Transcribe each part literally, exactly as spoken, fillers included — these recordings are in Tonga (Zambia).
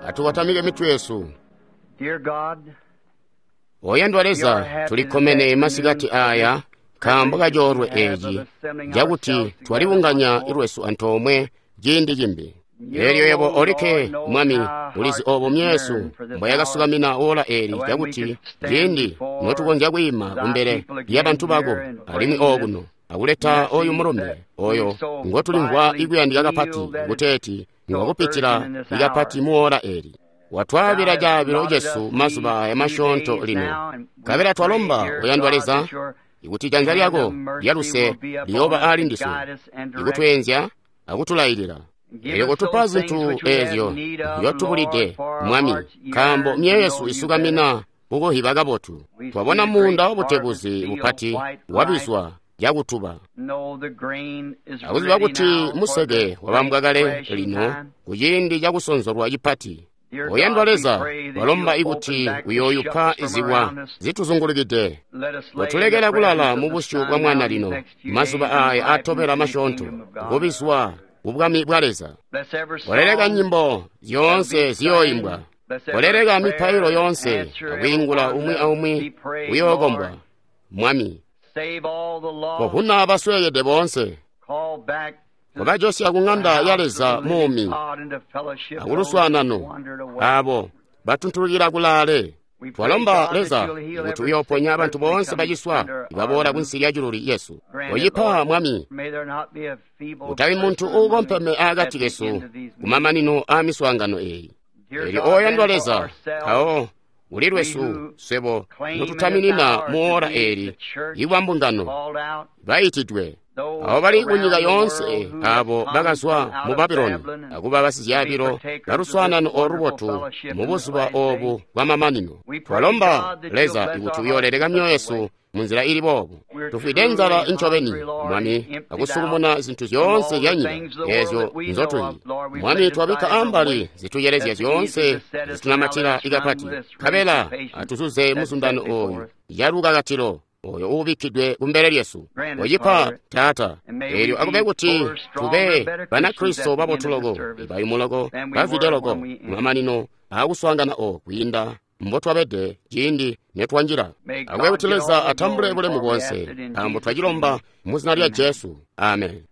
Atukotamike mitwe yesu. Oyandwa Leza, tulikkomene masikati aya nkaambo kacoolwe eeci cakuti twalibunganya lwesu antoomwe ciindi cimbi. Eelyo yebo olikke, Mwami, ulizi oobo myeesu mbwayakasukamina ola eeli cakuti ciindi notukonzya kwiima kumbele lyabantu bako alimwi ookuno akuleta oyu mulumbe oyo ngotulimvwa ikuyandika kapati kuteeti ngwakupitila ikapati muola eeli. Watwaabila caabilo cesu mazuba aya masyoonto lino. Nkabela twalomba, oyandwa Leza, ikuti janza lyako lyaluse liyooba aali ndiswe, ikutweenzya akutulailila. Eelyo kotupa zintu eezyo nzyotubulide, Mwami, nkaambo myoyo yesu isukamina kukuhiba kabotu. Twabona muunda wabutebuzi bupati wabizwa cakutuba, akuziba kuti museke wabambwa kale lino kuciindi cakusonzolwa cipati. Oyandwa Leza, twalomba ikuti uyooyupa zibwa zituzungulukide. Kotulekela kulala mubusyu bwa Mwana lino, mazuba aya atobela masyoonto, kubizwa kubwami bwa Leza. Koleleka nyimbo zyoonse ziyooimbwa. Koleleka mipailo yoonse akwiingula umwi aumwi uyookombwa. Mwami, kovuna basweekede boonse. Kobajosya ku ŋanda ya Leza muumi akuluswaanano aabo batuntulukila kulaale. Twalomba Leza kuti uyooponya bantu boonse baciswa ibaboola kunsi lya ciluli yesu. Koyipa, Mwami, kutabi muntu uukompeme aakati kesu kumamanino aamiswaangano eeyi. Eelyo oyandwa Leza, mpawo uli lwesu swebo notutaminina muola eeli ibwa mbungano bayitidwe, abo bali kunyika yoonse abo bakazwa mu Babuloni akuba basizyaabilo baluswaanano olubotu mu buzuba oobu bwamamanino. Twalomba Leza ikuti uyooleleka myoyo yesu munzila ili boobu. Tufwide nzala incobeni, Mwami, akusukumuna zintu zyoonse zyanyika eezyo nzotuyi. Mwami, twabikka ambali zituyelezya zyoonse zitunamatila ikapati, nkabela atuzuze muzundano ooyu calukakatilo oyo uubikkidwe kumbele lyesu. Koyipa, Taata, eelyo akube kuti tube Banakristo babotu loko, ibayumu loko, bazwide loko kumamanino aakuswaangana oo kwiinda mbotwabede ciindi netwanjila. Akube kuti Leza atambule bulemu boonse, nkaambo twacilomba mu zina lya Jesu. Amen.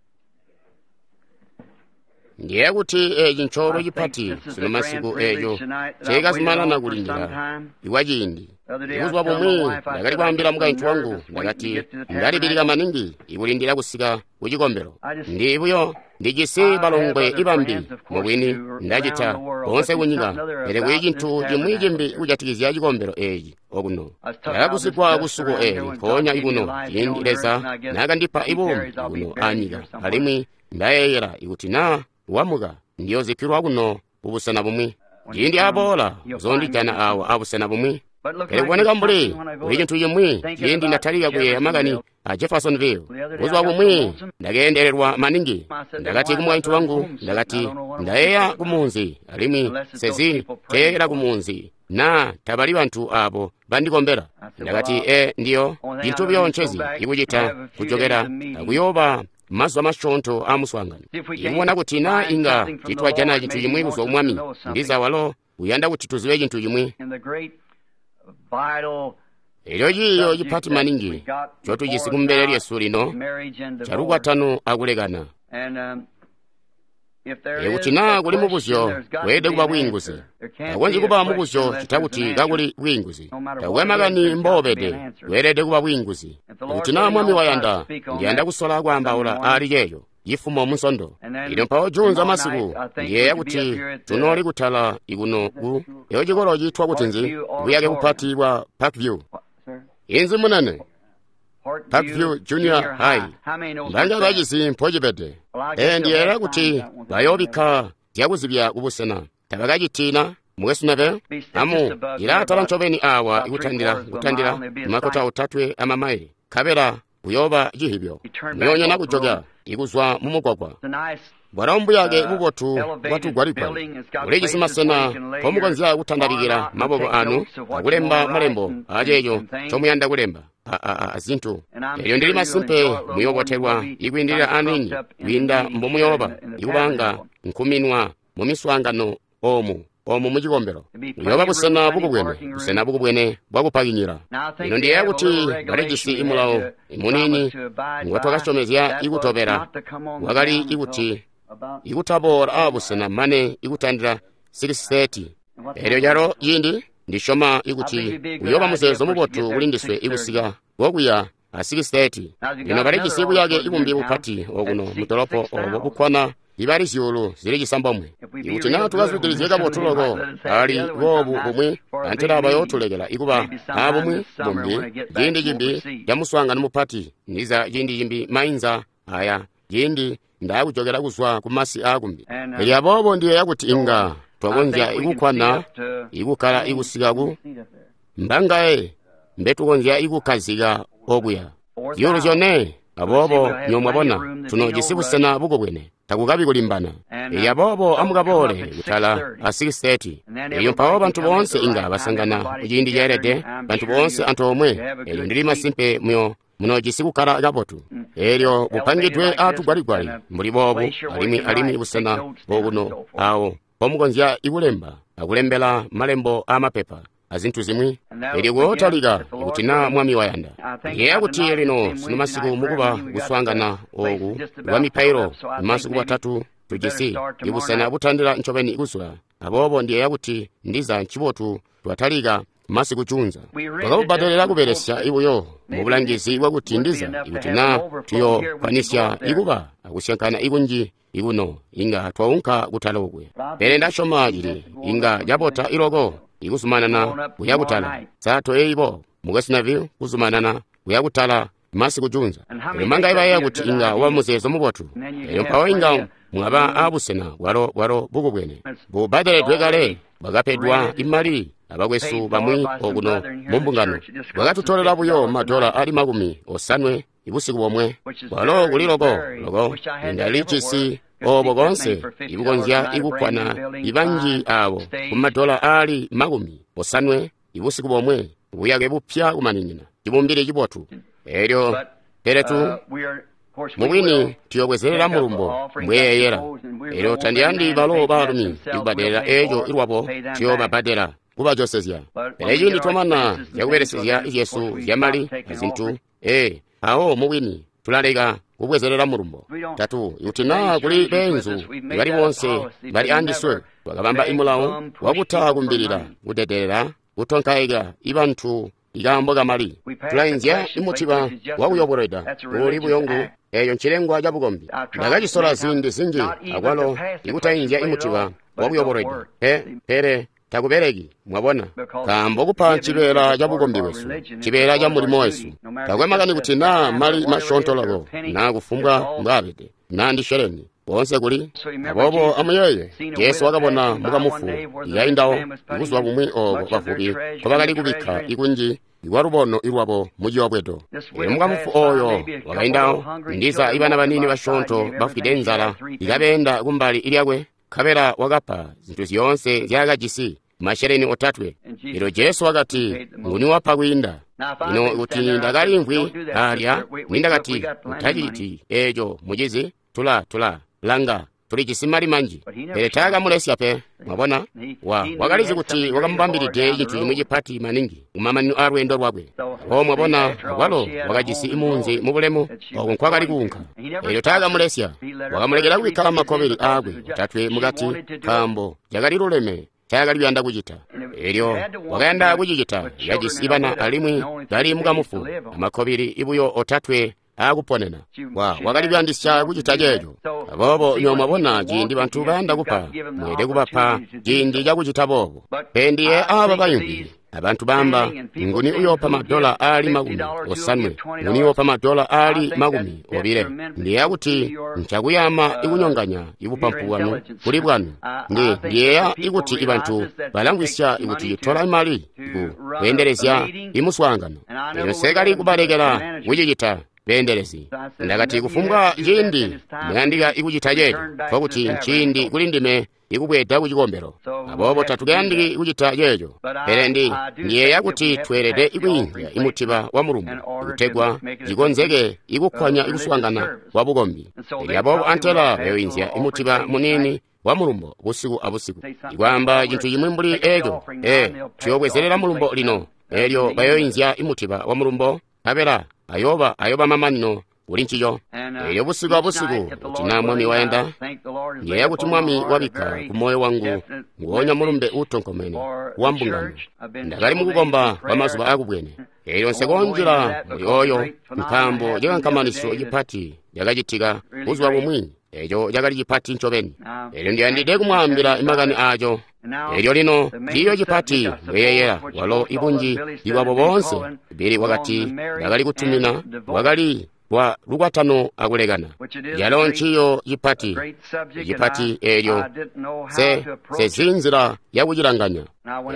Ndiye kuti eeci ncoolwe cipati sino masiku eeco ceekazumanana kulindila ikwa ciindi. Ibuzuba bumwi ndakali kwaambila mukaintu wangu, ndakati ndalibilika maningi ikulindila kusika kucikombelo. Ndi buyo ndijisi balongwe ibambi mubwini ndacita boonse kunyika, pele kuli cintu cimwi cimbi kujatikizya cikombelo eeci okuno. Ndakagusigwa kusuko eeli mpoonya ikuno ciindi Leza naakandipa ibuumi kuno anyika, alimwi ndayeeyela ikuti naa wamuka ndiyozikkilwa kuno kubusena bumwi. Ciindi aboola uzoondijana awa abusena bumwi. Pele kuboneka mbuli kuli cintu cimwi ciindi ndatalika kuyeeya makani a Jeffersonville. Buzuba bumwi ndakeendelelwa maningi. Ndakati kumukaintu wangu, ndakati ndayeeya kumunzi alimwi sezi teeyela kumunzi naa tabali bantu abo bandikombela. Ndakati e ndiyo cintu buyo ncezi ikucita kujokela akuyooba mazuba masyoonto aamuswaangano. Ikubona kuti naa inga titwajana cintu cimwi kuzwa ku Mwami, ndiza walo uyanda kuti tuzibe cintu cimwi. Eelyo ciiyo cipati maningi ncotujisi kumbele lyesu lino calukwatano akulekana. Ikuti naa kuli mubuzyo, weelede kuba bwiinguzi. Takukonzyi kuba mubuzyo cita kuti kakuli bwiinguzi. Takukwe makani mboobede, weelede kuba bwiinguzi. Ikuti naa Mwami wayanda, ndiyanda kusola kwaambaula aali ceeco cifumo Munsondo. Lino mpawo juunza masiku, ndiyeeya kuti tunooli kutala ikuno ku eyo cikolo ciitwa kuti nzi, buyake bupati bwa Parkview. Inzi munene? Parkview Junior High. Mbanga bacizi mpocibede. Ee, ndiyeeya kuti bayoobikka zyakuzibya kubusena. Tabakacitina, mukwesu Neville? Amu ilaatala ncobeni awa ikutandila kutandila makota otatwe amamaile, nkabela kuyooba cihibyo. Muyoonyana kujoka ikuzwa mumugwagwa. Bwalo mbuyake bubotu bwatugwaligwali. Ulijisi masena mpomukonzya kutandabikila maboko anu akulemba malembo aceeco ncomuyanda kulemba azintu. Eelyo ndili masimpe muyoobotelwa ikwiindilila aniini kwiinda mbomuyooba ikubanga nkuminwa mumiswaangano oomu omu mucikombelo. Uyooba busena bukubwene, busena bukubwene bwakupakinyira. Lino ndiyeeya kuti balijisi imulawo imuniini ngotwakasyomezya ikutobela, wakali ikuti ikutaboola aabusena mane ikutandila six thirty. Elyo calo ciindi ndisyoma ikuti uyooba muzeezo mubotu kuli ndiswe ikusika kokuya a six thirty. Lino balijisi buyake ibumbi bupati okuno mudolopo obo bukkwana ibali zyuulu zili cisambomwe. Ikuti naa tukazwidilizye kabotu loko ali boobu bumwi, antela bayootulekela ikuba aabumwi bumbi ciindi cimbi camuswaangano mupati, ndiza ciindi cimbi mainza aya ciindi ndaakujokela kuzwa ku masi aakumbi. Elyo aboobo ndiyeeya kuti inga twakonzya ikukkwana ikukkala ikusika ku mbangaye mbetukonzya ikukkazika okuya zyuulu zyone. Aboobo nyo mwabona tunojisi busena bukubwene, takukabi kulimbana. Elyo aboobo amukaboole kutala a six thirty. Elyo mpawo bantu boonse inga basangana kuciindi ceelede, bantu boonse antoomwe. Elyo ndili masimpe muyo munojisi kukkala kabotu. Elyo bupangidwe aatugwaligwali mbuli boobu, alimwi alimwi busena bokuno awo mpomukonzya ikulemba akulembela malembo aamapepa azintu zimwi. Elyo kuyootalika ikuti naa Mwami wayanda. Ndiyeeya kuti lino sino masiku mukuba kuswaangana ooku kwa mipailo masiku watatu tujisi ibusena butandila ncobeni kuzula. Aboobo ndiyeeya kuti ndiza ncibotu twatalika masiku junza. Twakabubbadelela kubelesya ibuyo mubulangizi bwakuti ndiza ikuti naa tuyokwanisya ikuba akusyankana ikunji ikuno inga twaunka kutala okwe. Pele ndasyoma cili inga cabota iloko ikuzumanana kuya kutala. Sa toyeibo Mukwesu Neville kuzumanana kuya kutala masiku junza. Elyo manga ibayeeya kuti inga waba muzeezo mubotu. Elyo mpawo inga mwaba aabusena bwalo bwalo bukubwene bubbadeledwe kale, bwakapedwa imali abakwesu bamwi okuno mumbungano. Bwakatutolela buyo madola ali makumi osanwe ibusiku bomwe, bwalo kuli loko loko indalijisi obo konse ibukonzya ikukkwana ibanji abo kumadola ali makumi osanwe ibusiku bomwe, buyake bupya kumaninina, cibumbili cibotu. Elyo pele tu mubwini tuyobwezelela mulumbo mbweyeyela. Elyo tandiyandi balo baalumi ikubbadelela eeco ilwabo tuyobabbadela kubajosezya. Pele ciindi twamana zyakubelesezya zyesu zyamali azintu, ee awo mubwini tulaleka kubwezelela mulumbo. Tatu ikuti naa kuli beenzu bali boonse bali andiswe, twakabamba imulawo wakutakumbilila kudedelela kutonkaika ibantu ikaambo kamali. Tulainzya imutiba wakuyobolweda uuli buyongu. Eeyo ncilengwa cabukombi. Ndakacisola ziindi zinji akwalo ikutainzya imutiba wakuyobolweda pe, pele takubeleki, mwabona, nkaambo kupa cibeela cabukombi bwesu, cibeela ca mulimo wesu. Takwe makani kuti naa mali masyoonto loko, naa kufumbwa mbwaabede, naa ndi sheleni, boonse kuli. Aboobo amuyeeye, Jesu wakabona mukamufu yaindawo ibuzuba bumwi oobo bavubi nkobakali kubikka ikunji ikwalubono ilwabo muciyobwedo. Elyo mukamufu ooyo wakaindawo, ndiza ibana baniini basyoonto bafwide nzala ikabeenda kumbali lyakwe, nkabela wakapa zintu zyoonse nzyaakajisi, masheleni otatwe. Elyo Jesu wakati, nguni wapa kwiinda? Lino kuti ndakalimvwi alya, nindakati, utaciti eeco mucizi, tula tula langa, tulijisi mali manji. Pele taakamulesya pe, mwabona. Wa wakalizi kuti wakamubambilide cintu cimwi cipati maningi kumamanino aalweendo lwakwe. Aboobo mwabona, akwalo wakajisi imunzi mubulemu oku nkwakali kuunka. Elyo taakamulesya, wakamulekela kubikka makkobili aakwe otatwe mukati, nkaambo cakali luleme ncaakali kuyanda kucita. Elyo wakayanda kucicita, kajisi bana alimwi kali mukamufu amakkobili ibuyo otatwe aakuponena. Wa wakali kuyandisya kucita ceeco. Aboobo nyo mwabona ciindi bantu bayanda kupa, mweelede kubapa ciindi cakucita boobo. Pe ndiye aaba bayimvwi abantu bamba, nguni uyoopa madola aali makumi osanwe, nguni uyoopa madola aali makumi obile. Ndiyeeya kuti ncakuyama ikunyonganya ibupampu bwanu kuli bwanu. Ndi ndiyeeya ikuti ibantu balamvwisya ikuti citola imali ku kweendelezya imuswaangano. Elyo nsekali kubalekela kucicita beendelezi. Ndakati kufumbwa ciindi muyandika ikucita ceeco, nkokuti nciindi kuli ndime ikubweeda ku cikombelo. Aboobo tatukayandiki kucita ceeco. Pele ndi ndiyeeya kuti tweelede ikwiinzya imutiba wa mulumbo kutegwa cikonzeke ikukkwanya ikuswaangana kwa bukombi. Elyo aboobo antela bayoinzya imutiba muniini wa mulumbo busiku abusiku, ikwaamba cintu cimwi mbuli eco. E tuyobwezelela mulumbo lino, elyo bayoinzya imutiba wa mulumbo, nkabela ayoba ayoba mamanino kuli ncico. Elyo busiku abusiku, kuti naa Mwami wayanda, ndiyeeya kuti Mwami wabikka ku moyo wangu nguonya mulumbe uutonkomene wa mbungano. Ndakali mukukomba kwa mazuba akubwene. Elyo nsekonjila muli oyo, nkaambo cikankamanisyo cipati cakacitika buzuba bumwi. Eco cakali cipati ncobeni. Elyo ndiyandide kumwaambila makani aco. Elyo lino ciiyo cipati mbweyeyela walo ibunji ibwabo boonse. Bili wakati ndakali kutumina wakali wa lukwatano akulekana. Yalo nciyo cipati, cipati elyo se sezi nzila yakucilanganya.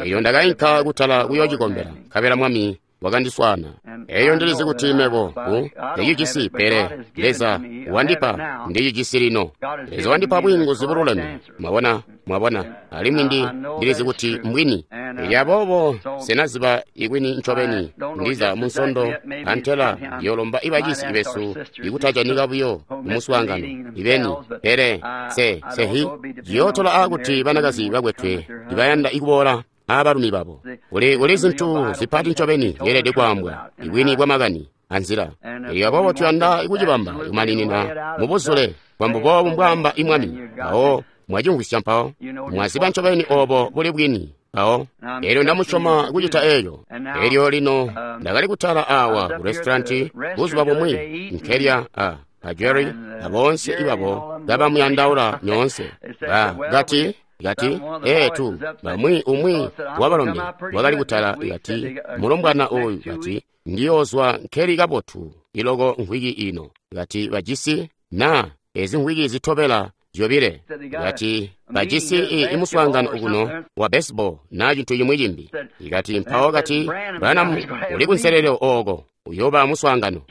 Elyo ndakainka kutala kuyoocikombela, nkabela Mwami wakandiswaana. Eyo ndilizi kuti mebo ku ndicijisi, pele Leza wandipa ndicijisi lino. Leza wandipa bwiinguzi bululeme. Mwabona, mwabona, alimwi ndi ndilizi kuti mbwini. Elyo aboobo senaziba ikwini ncobeni ndiza munsondo antela ndiyolomba ibacisi besu ikutajanika buyo kumuswaangano ibeni, pele se sehi ciyootola aakuti banakazi bakwetwe ibayanda ikuboola abalumi babo. Kuli kuli zintu zipati ncobeni yeelede kwaambwa, ibwini bwa makani anzila. Elyo aboobo tuyanda ikucibamba kumaninina mubuzule bwambo boobu mbwaamba imwami. Mpawo mwacimvwisya mpawo mwaziba ncobeni obo buli bwini mpawo. Elyo ndamusyoma kucita eeco. Elyo lino ndakali kutala awa ku restauranti buzuba bumwi nkelya a a Jerry aboonse ibabo kabamuyandaula nyoonse. Ba kati kati ee tu bamwi umwi wabalombe wakali kutala kati mulombwana oyu kati ndiyozwa nkeli kabotu iloko nkhwiki ino kati bajisi na ezi nkhwiki zitobela zyobile kati bajisi imuswaangano kuno wa baseball na cintu cimwi cimbi. Ikati mpawo kati Branham uli kunselelo oko uyoba muswaangano.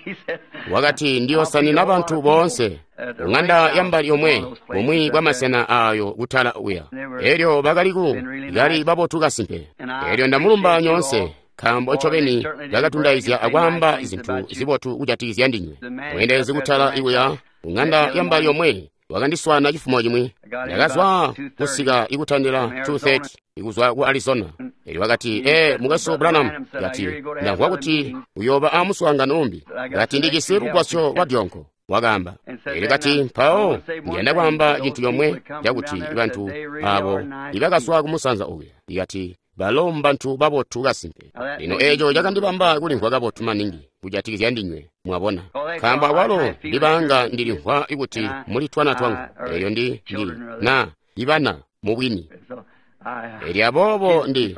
Wakati ndiyosanina bantu boonse kung'anda yambali yomwe bumwi bwa masena ayo kutala uya. Elyo bakali ku kali babotu kasimpe. Elyo ndamulumba nyoonse nkaambo ncobeni bakatundayizya akwaamba zintu zibotu kujatikizya ndinywe. Mweendelezi kutala ikuya kung'anda yambali yomwe wakandiswana chifumo chimwi. Ndakazwa kusika ikutandila two thirty ikuzwa ku Arizona. Elyo wakati ee mukwesu Branham, kati ndamvwa kuti uyoba amuswaangano umbi, kati ndijisi lugwasyo lwa dyonko. Wakaamba. Elyo kati mpawo ndiyanda kwaamba cintu comwe cakuti bantu abo ibakazwa kumusanza uya, ikati balo mbantu babotu kasimpe. Lino eco cakandibamba kulimvwa kabotu maningi kujatikizya ndinywe, mwabona, nkaambo akwalo ndibanga ndilimvwa kuti muli twana twangu. Elyo ndi ndi na ibana mubwini. Elyo aboobo ndi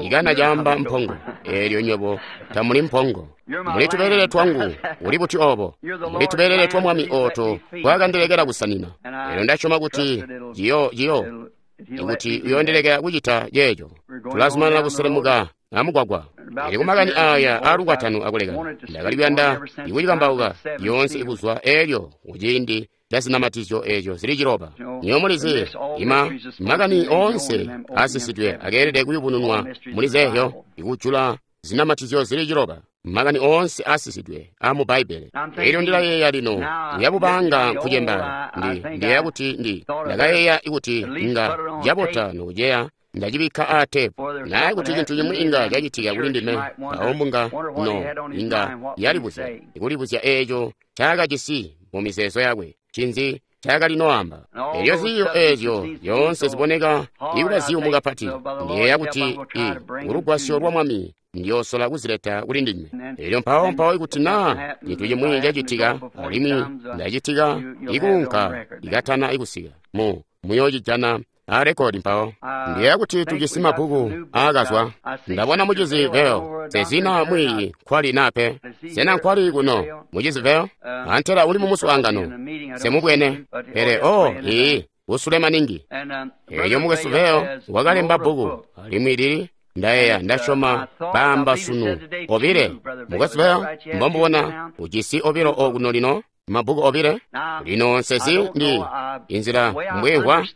ikana caamba mpongo. Elyo nywebo tamuli mpongo, muli tubelele twangu. Uli buti obo? Muli tubelele twa Mwami oto twakandilekela kusanina. Elyo ndasyoma kuti ciyo ciyo ikuti uyondelekela kucita ceeco. Tulazumanana kuselemuka amugwagwa. Elyo kumakani aya aalukwatano akulekana, ndakali kuyanda ikucikambauka yoonse ikuzwa elyo kuciindi ca zinamatizyo eeco zili ciloba. Nywebo mulizi, ima makani oonse asisidwe akeelede kuyubununwa muli zeezyo, ikujula zinamatizyo zili ciloba, makani oonse asisidwe amu Bbaibbele. Elyo ndilayeeya lino uyabubanga nkucembala. Ndi ndiyeeya kuti ndi ndakayeeya ikuti inga cabota nokuceya ndacibikka aa tepu, naye kuti cintu cimwi inga cacitika kuli ndime, mpawo mbunga no inga yalibuzya ikulibuzya eeco ncaakajisi mu mizeezo yakwe, cinzi ncaakali noamba. Elyo ziiyo eezyo zyoonse ziboneka ikuba ziyumu kapati. Ndiyeeya kuti i kulugwasyo lwa Mwami ndiyoosola kuzileta kuli ndinywe. Elyo mpawo mpawo ikuti naa cintu cimwi cacitika alimwi ndacitika ikuunka ikatana ikusika mu muyoocijana a rekodi mpawo. Ndiyeeya kuti tujisi mabbuku aakazwa. Ndabona mucizi Veo. Sezina mwiiyi nkwali nape. Sena nkwali kuno mucizi Veo? Antela uli mumuswaangano semubwene. Pele o ii usule maningi. Elyo mukwesu Veo wakalemba bbuku alimwi lili ndayeeya ndasyoma baamba sunu obile. Mukwesu Veo mbombubona ujisi obilo okuno lino, mabbuku obile. Lino nsezi ndi inzila mbwemvwa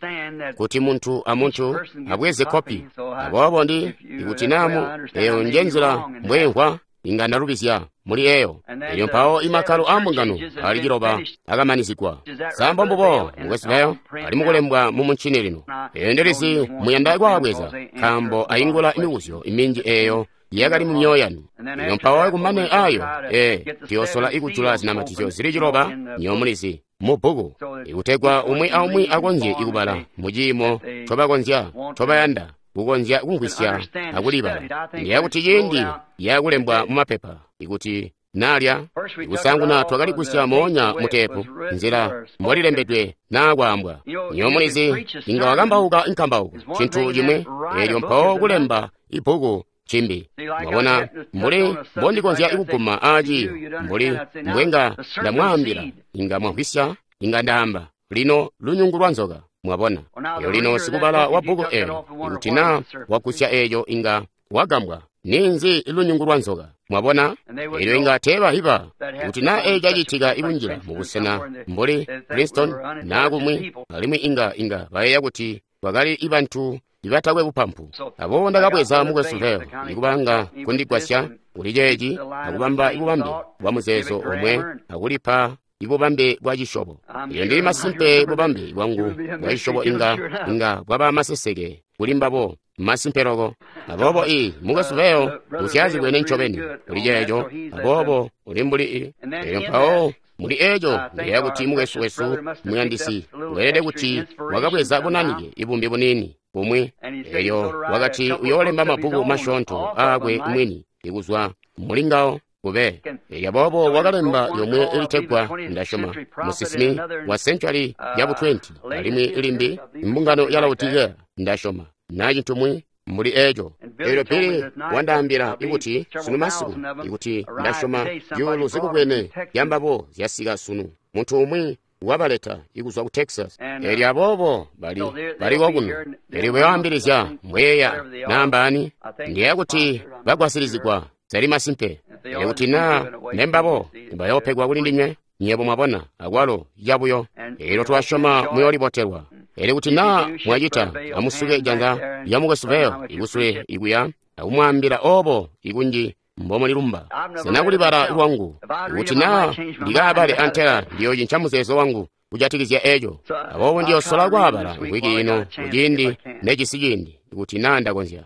kuti muntu amuntu abweze kopi. Aboobo ndi ikuti namu eyo nje nzila mbwemvwa inga ndalubizya. muli eyo. Elyo mpawo imakkalo aa mbungano ali ciloba akamanizigwa. Sa mbombubo, Mukwesu Vayle? Ali mukulembwa mu muncini lino. Eyo ndilizi muyanda kwaabweza, nkaambo aingula mibuzyo minji eyo yakali mu myoyo yanu. Elyo mpawo kumane ayo, ee, tuyosola ikujula zinamatizyo zili ciloba, nyo mulizi, mu bbuku, ikutegwa umwi aumwi akonzye ikubala mu ciimo ncobakonzya, ncobayanda, kukonzya kumvwisya akulibala. Ndiya kuti ciindi yakulembwa mu mapepa, ikuti nalya kusanguna twakali kusya moonya mutepu nzila mbolilembedwe naa kwaambwa. Nyo mulizi, inga wakambauka nkambauko cintu cimwe, elyo mpawo kulemba ibbuku cimbi. Mwabona, mbuli mbondikonzya kuguma aaciyo, mbuli mbwenga ndamwaambila, inga mwamvwisya, inga ndaamba lino lunyungu lwa nzoka. Mwabona, elyo lino sikubala wa bbuku eelyo, ikuti naa wagusya eeco, inga wagambwa ninzi lunyungu lwa nzoka. Mwabona, elyo inga teebahiba kuti naa eeco cacitika ikunjila mubusena mbuli Princeton naa kumwi, alimwi inga inga bayeeya kuti bakali ibantu ibatakwe bupampu. Aboobo ndakabweza Mukwesu Vayle ikubanga kundigwasya kuli ceeci akubamba ibubambe bwa muzeezo omwe akulipa ibubambe bwa cisyobo. Elyo ndili masimpe bubambe bwangu bwa cisyobo inga inga bwaba maseseke kuli mbabo, masimpe loko. Aboobo i Mukwesu Vayle usyazibwene ncobeni kuli ceeco, aboobo uli mbuli i. Elyo mpawo muli eeco ndiyeeya kuti mukwesu wesu muyandisi weelede kuti wakabweza bunanike ibumbi buniini bumwi. Elyo wakati uyoolemba mabbuku masyoonto aakwe mwini ikuzwa mulingawo kube. Elyo aboobo wakalemba yomwe ilitegwa, ndasyoma, musinsimi wa century yabu twenty, alimwi ilimbi mbungano ya Laodicea, ndasyoma, na cintumwi mbuli eeco. Elyo Billy wandaambila ikuti sunu masiku, ikuti ndasyoma zyuulu zikubwene zyambabo zyasika sunu, muntu umwi wabaleta ikuzwa ku Texas. Elyo aboobo bali baliko kuno. Elyo kuyoambilizya mbweya naambaani, ndiyeeya kuti bagwasilizigwa zali masimpe. Elyo kuti naa nembabo bayoopegwa kuli ndinywe, nyebo mwabona, akwalo yabuyo. Elyo twasyoma muyoolibotelwa. Elyo kuti naa mwacita, amusuke janza lya Mukwesu Vayle ikusule ikuya akumwaambila obo ikunji mbomulilumba. Sena kulibala lwangu, ikuti naa ndikaabale antela ndiyoocinca muzeezo wangu kujatikizya eeco. Aboobo ndiyosola kwaabala mvwiki ino kuciindi necisi ciindi, ikuti naa ndakonzya.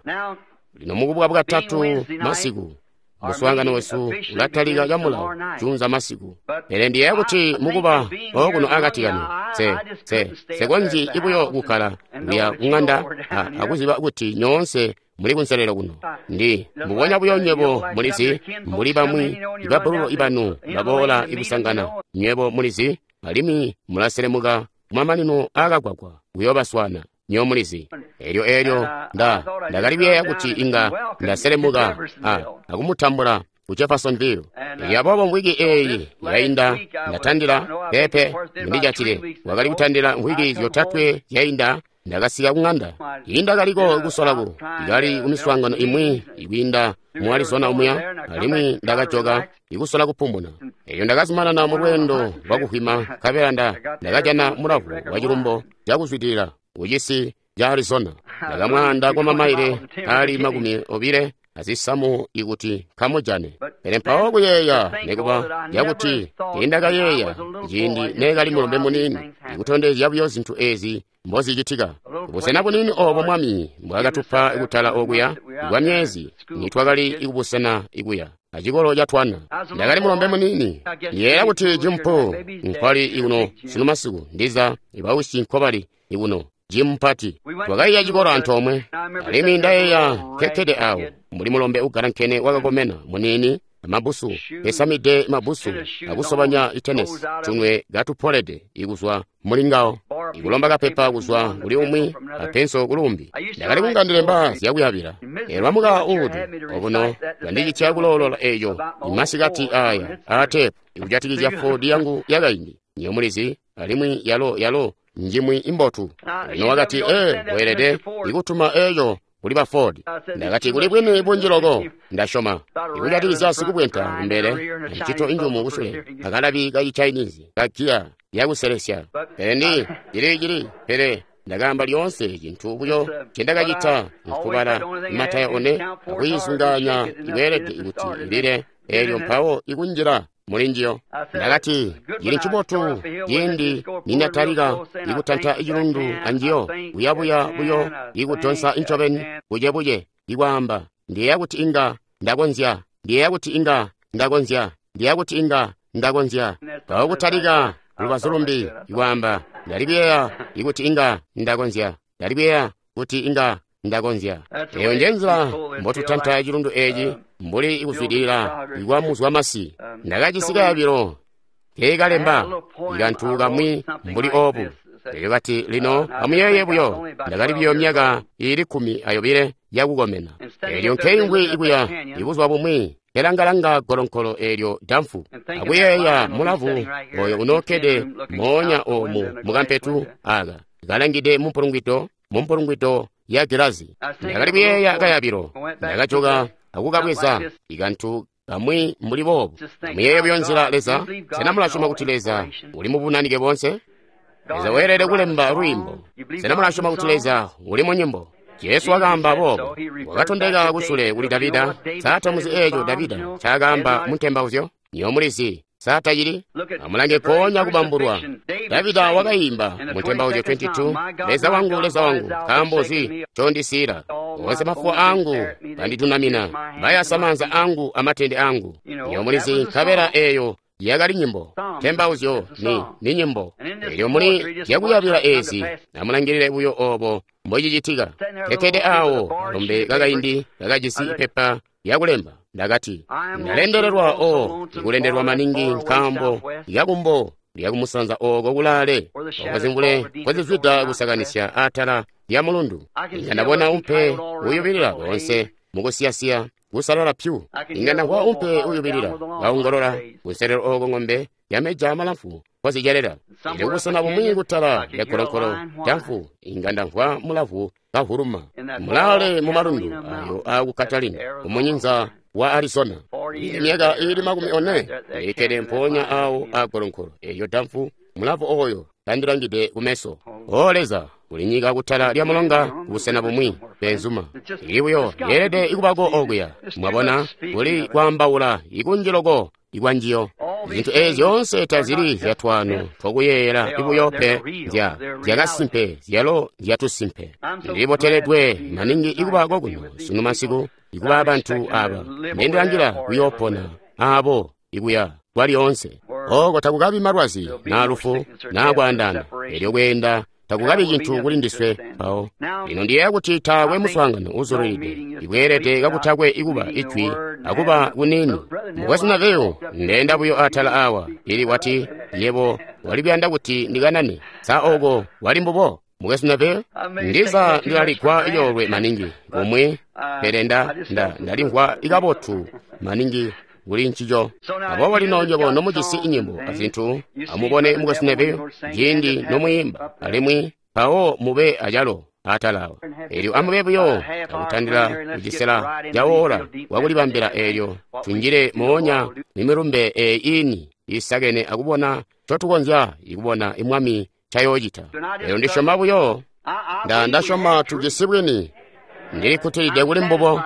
Lino mukubuka bwatatu masiku, muswaangano wesu ulatalika camulawo juunza masiku. Pele ndiyeeya kuti mukuba okuno akati kanu, se se sekonzyi ibuyo kukkala kuya kuŋanda akuziba kuti nyoonse muli kunselelo kuno. Ndi mbubonya buyo nywebo mulizi, mbuli bamwi ibabbululu ibanu baboola ikusangana, nywebo mulizi, alimwi mulaselemuka kumamanino aakagwagwa kuyoobaswaana. Nyo mulizi. Elyo elyo nda ndakali kuyeeya kuti inga ndaselemuka a akumutambula ku Jeffersonville. Elyo aboobo mvwiki eeyi yainda ndatandila pepe mundijatile, wakali kutandila mvwiki zyotatwe zyainda ndakasika kuŋanda. Indakaliko kusolaku ikali kumiswaangano imwi ikwiinda mu Arizona omuya, alimwi ndakajoka ikusola kupumuna. Elyo ndakazumanana mu lweendo lwakuhwima, nkabela nda ndakajana mulavu wa cilumbo cakuzwidilila kucisi ca Arizona. Ndakamwaanda kwa mamaile ali makumi obile azisamu ikuti nkamujane. Pele mpawo kuyeeya nekuba yakuti tiindakayeeya ciindi neekali mulombe muniini, ikutondezya buyo zintu ezi mbozicitika. Busena buniini oobo Mwami mbwaakatupa kutala okuya kwa myezi nitwakali ikubusena ikuya acikolo ca twana. Ndakali mulombe muniini. Ndiyeeya kuti Jim Poole nkwali ikuno sunu masiku, ndiza ibawisi nkobali ikuno. Jim Mpati twakaiya cikolo antoomwe, alimwi ndayeeya nkekkede awo mbuli mulombe ugalankene wakakomena muniini amabusu, esamide mabusu akusobanya itenesi, tunwe katupolede ikuzwa mulingawo, ikulomba kapepa kuzwa kuli umwi apenso kulumbi. Ndakali kunga ndilemba zyakuyabila. Elwa muka uudu obuno bandicitya kuloolola eeco imasikati aya aatepu ikujatikizya Ford yangu yakaindi. Niyo mulizi, alimwi yalo yalo njimwi imbotu. Lino wakati, ee, weelede ikutuma eeco kuli ba Ford. Ndakati kuli bwini bunji loko, ndasyoma ikujatikizya sikubwenta kumbele ncito injumu kusule akalabi ka Chinese kagiya yakuselesya. Pele ndi cili cili pele ndakaamba lyoonse cintu buyo ncendakacita nkubala mataya one akuyizungaanya ikweelede kuti ilile Elyo mpawo ikunjila muli njiyo. Ndakati, cili ncibotu ciindi nindatalika ikutanta cilundu anjiyo, kuyabuya buyo ikudonsa incobeni bucebuce, ikwaamba, ndiyeeya kuti inga ndakonzya, ndiyeeya kuti inga ndakonzya, ndiyeeya kuti inga ndakonzya. Mpawo kutalika lubazu lumbi, ikwaamba, ndali kuyeeya ikuti inga ndakonzya, ndali kuyeeya kuti inga ndakonzya. Eyo nje nzila mbotutanta cilundu eci, mbuli ikuzwidilila ikwamuzwa masi. Ndakajisi kayabilo keekalemba ikantu kamwi mbuli obu. Elyo kati, lino amuyeeye buyo, ndakali buyo myaka iili kkumi ayobile yakukomena. Elyo nkeingwi ikuya ibuzuba bumwi kelangalanga golonkolo eelyo damfu, akuyeeya mulavu oyo unookkede moonya omu mukampetu aka, kalangide mumpulungwido mumpulungwido ya gilazi. Ndakali kuyeeya kayabilo, ndakajoka akukabweza ikantu kamwi mbuli boobu. Muyeeye buyo nzila Leza. Sena mulasyoma kuti Leza uli mubunanike bonse? Leza weelede kulemba lwiimbo. Sena mulasyoma kuti Leza uli mu nyimbo? Jesu wakaamba boobo, wakatondeka kusule kuli Davida. Sata muzi eeco Davida ncaakaamba mu ntembauzyo? Nyo mulizi, sata cili? Amulange nkoonya kubambulwa. Davida wakaimba mu ntembauzyo makumi abili aibili, Leza wangu, Leza wangu, nkaambo nzi ncondisiila? Onse mafuwa angu banditunamina, bayasa maanza angu amatende angu. Nyo mulizi, nkabela eeyo yakali nyimbo. Ntembauzyo ni, ni nyimbo. Elyo muli zyakuyabila ezi, amulangilile buyo obo mbocicitika. Kekkede awo kalombe kakaindi kakajisi ipepa lyakulemba. Ndakati, ndalendelelwa o, ndikulendelwa maningi nkaambo lyakumbo lyakumusanza oko kulaale, oko zimvule nkozizwida kusakanisya atala lya mulundu. Inga ndabona umpe uyubilila konse mukusiyasiya kusalala pyu. Inga ndamvwa umpe uyubilila kaongolola kunselelo oko ng'ombe yameja malamfu kozicelela. Ili kubusena bumwi kutala lya golonkolo damfu, inga ndamvwa mulavu kahuluma mulaale mu malundu ayo aku Catalina kumunyinza wa Arizona. Myaka iili makumi one ndikkede mpoonya awo a golonkolo eyo damfu, mulavu oyo kandilangide kumeso. O Leza, kuli nyika kutala lya mulonga kubusena bumwi benzuma. Ili buyo yeelede ikubako okuya. Mwabona, kuli kwaambaula ikunji loko ikwanjiyo. Zintu ezi zyoonse tazili zyatwano twakuyeeyela ibuyo pe, nzya zyakasimpe, zyalo nzyatusimpe. Ndiliboteledwe maningi ikuba kokuno sunu masiku, ikuba abantu aba mbendilangila kuyoopona abo ikuya kwalyoonse. Oko takukabi malwazi naa lufu naa kwaandana, elyo kweenda takukabi cintu kuli ndiswe mpawo. Lino ndiyeeya kuti taakwe muswaangano uzulilide ikweelede kakutakwe ikuba ijwi akuba kunini. Mukwesu Neville, ndeenda buyo atala awa, ili wati, yebo wali kuyanda kuti ndikanane. Sa oko wali mbubo, Mukwesu Neville? Ndiza ndilaligwa icoolwe maningi kumwi, pele nda, nda, ndalimvwa ikabotu maningi kuli ncico. Aboobo lino nywebo nomujisi inyimbo azintu, amubone Mukwesu Neville ciindi nomwiimba, alimwi mpawo mube acalo atala awa. Elyo amube buyo akutandila kucisela cawola wakulibambila eelyo tunjile moonya mimilumbe eyi ini isakene akubona ncotukonzya ikubona imwami ncayoocita. Elyo ndisyoma buyo, nda ndasyoma tujisi bwini. Ndilikkutilide kuli mbubo.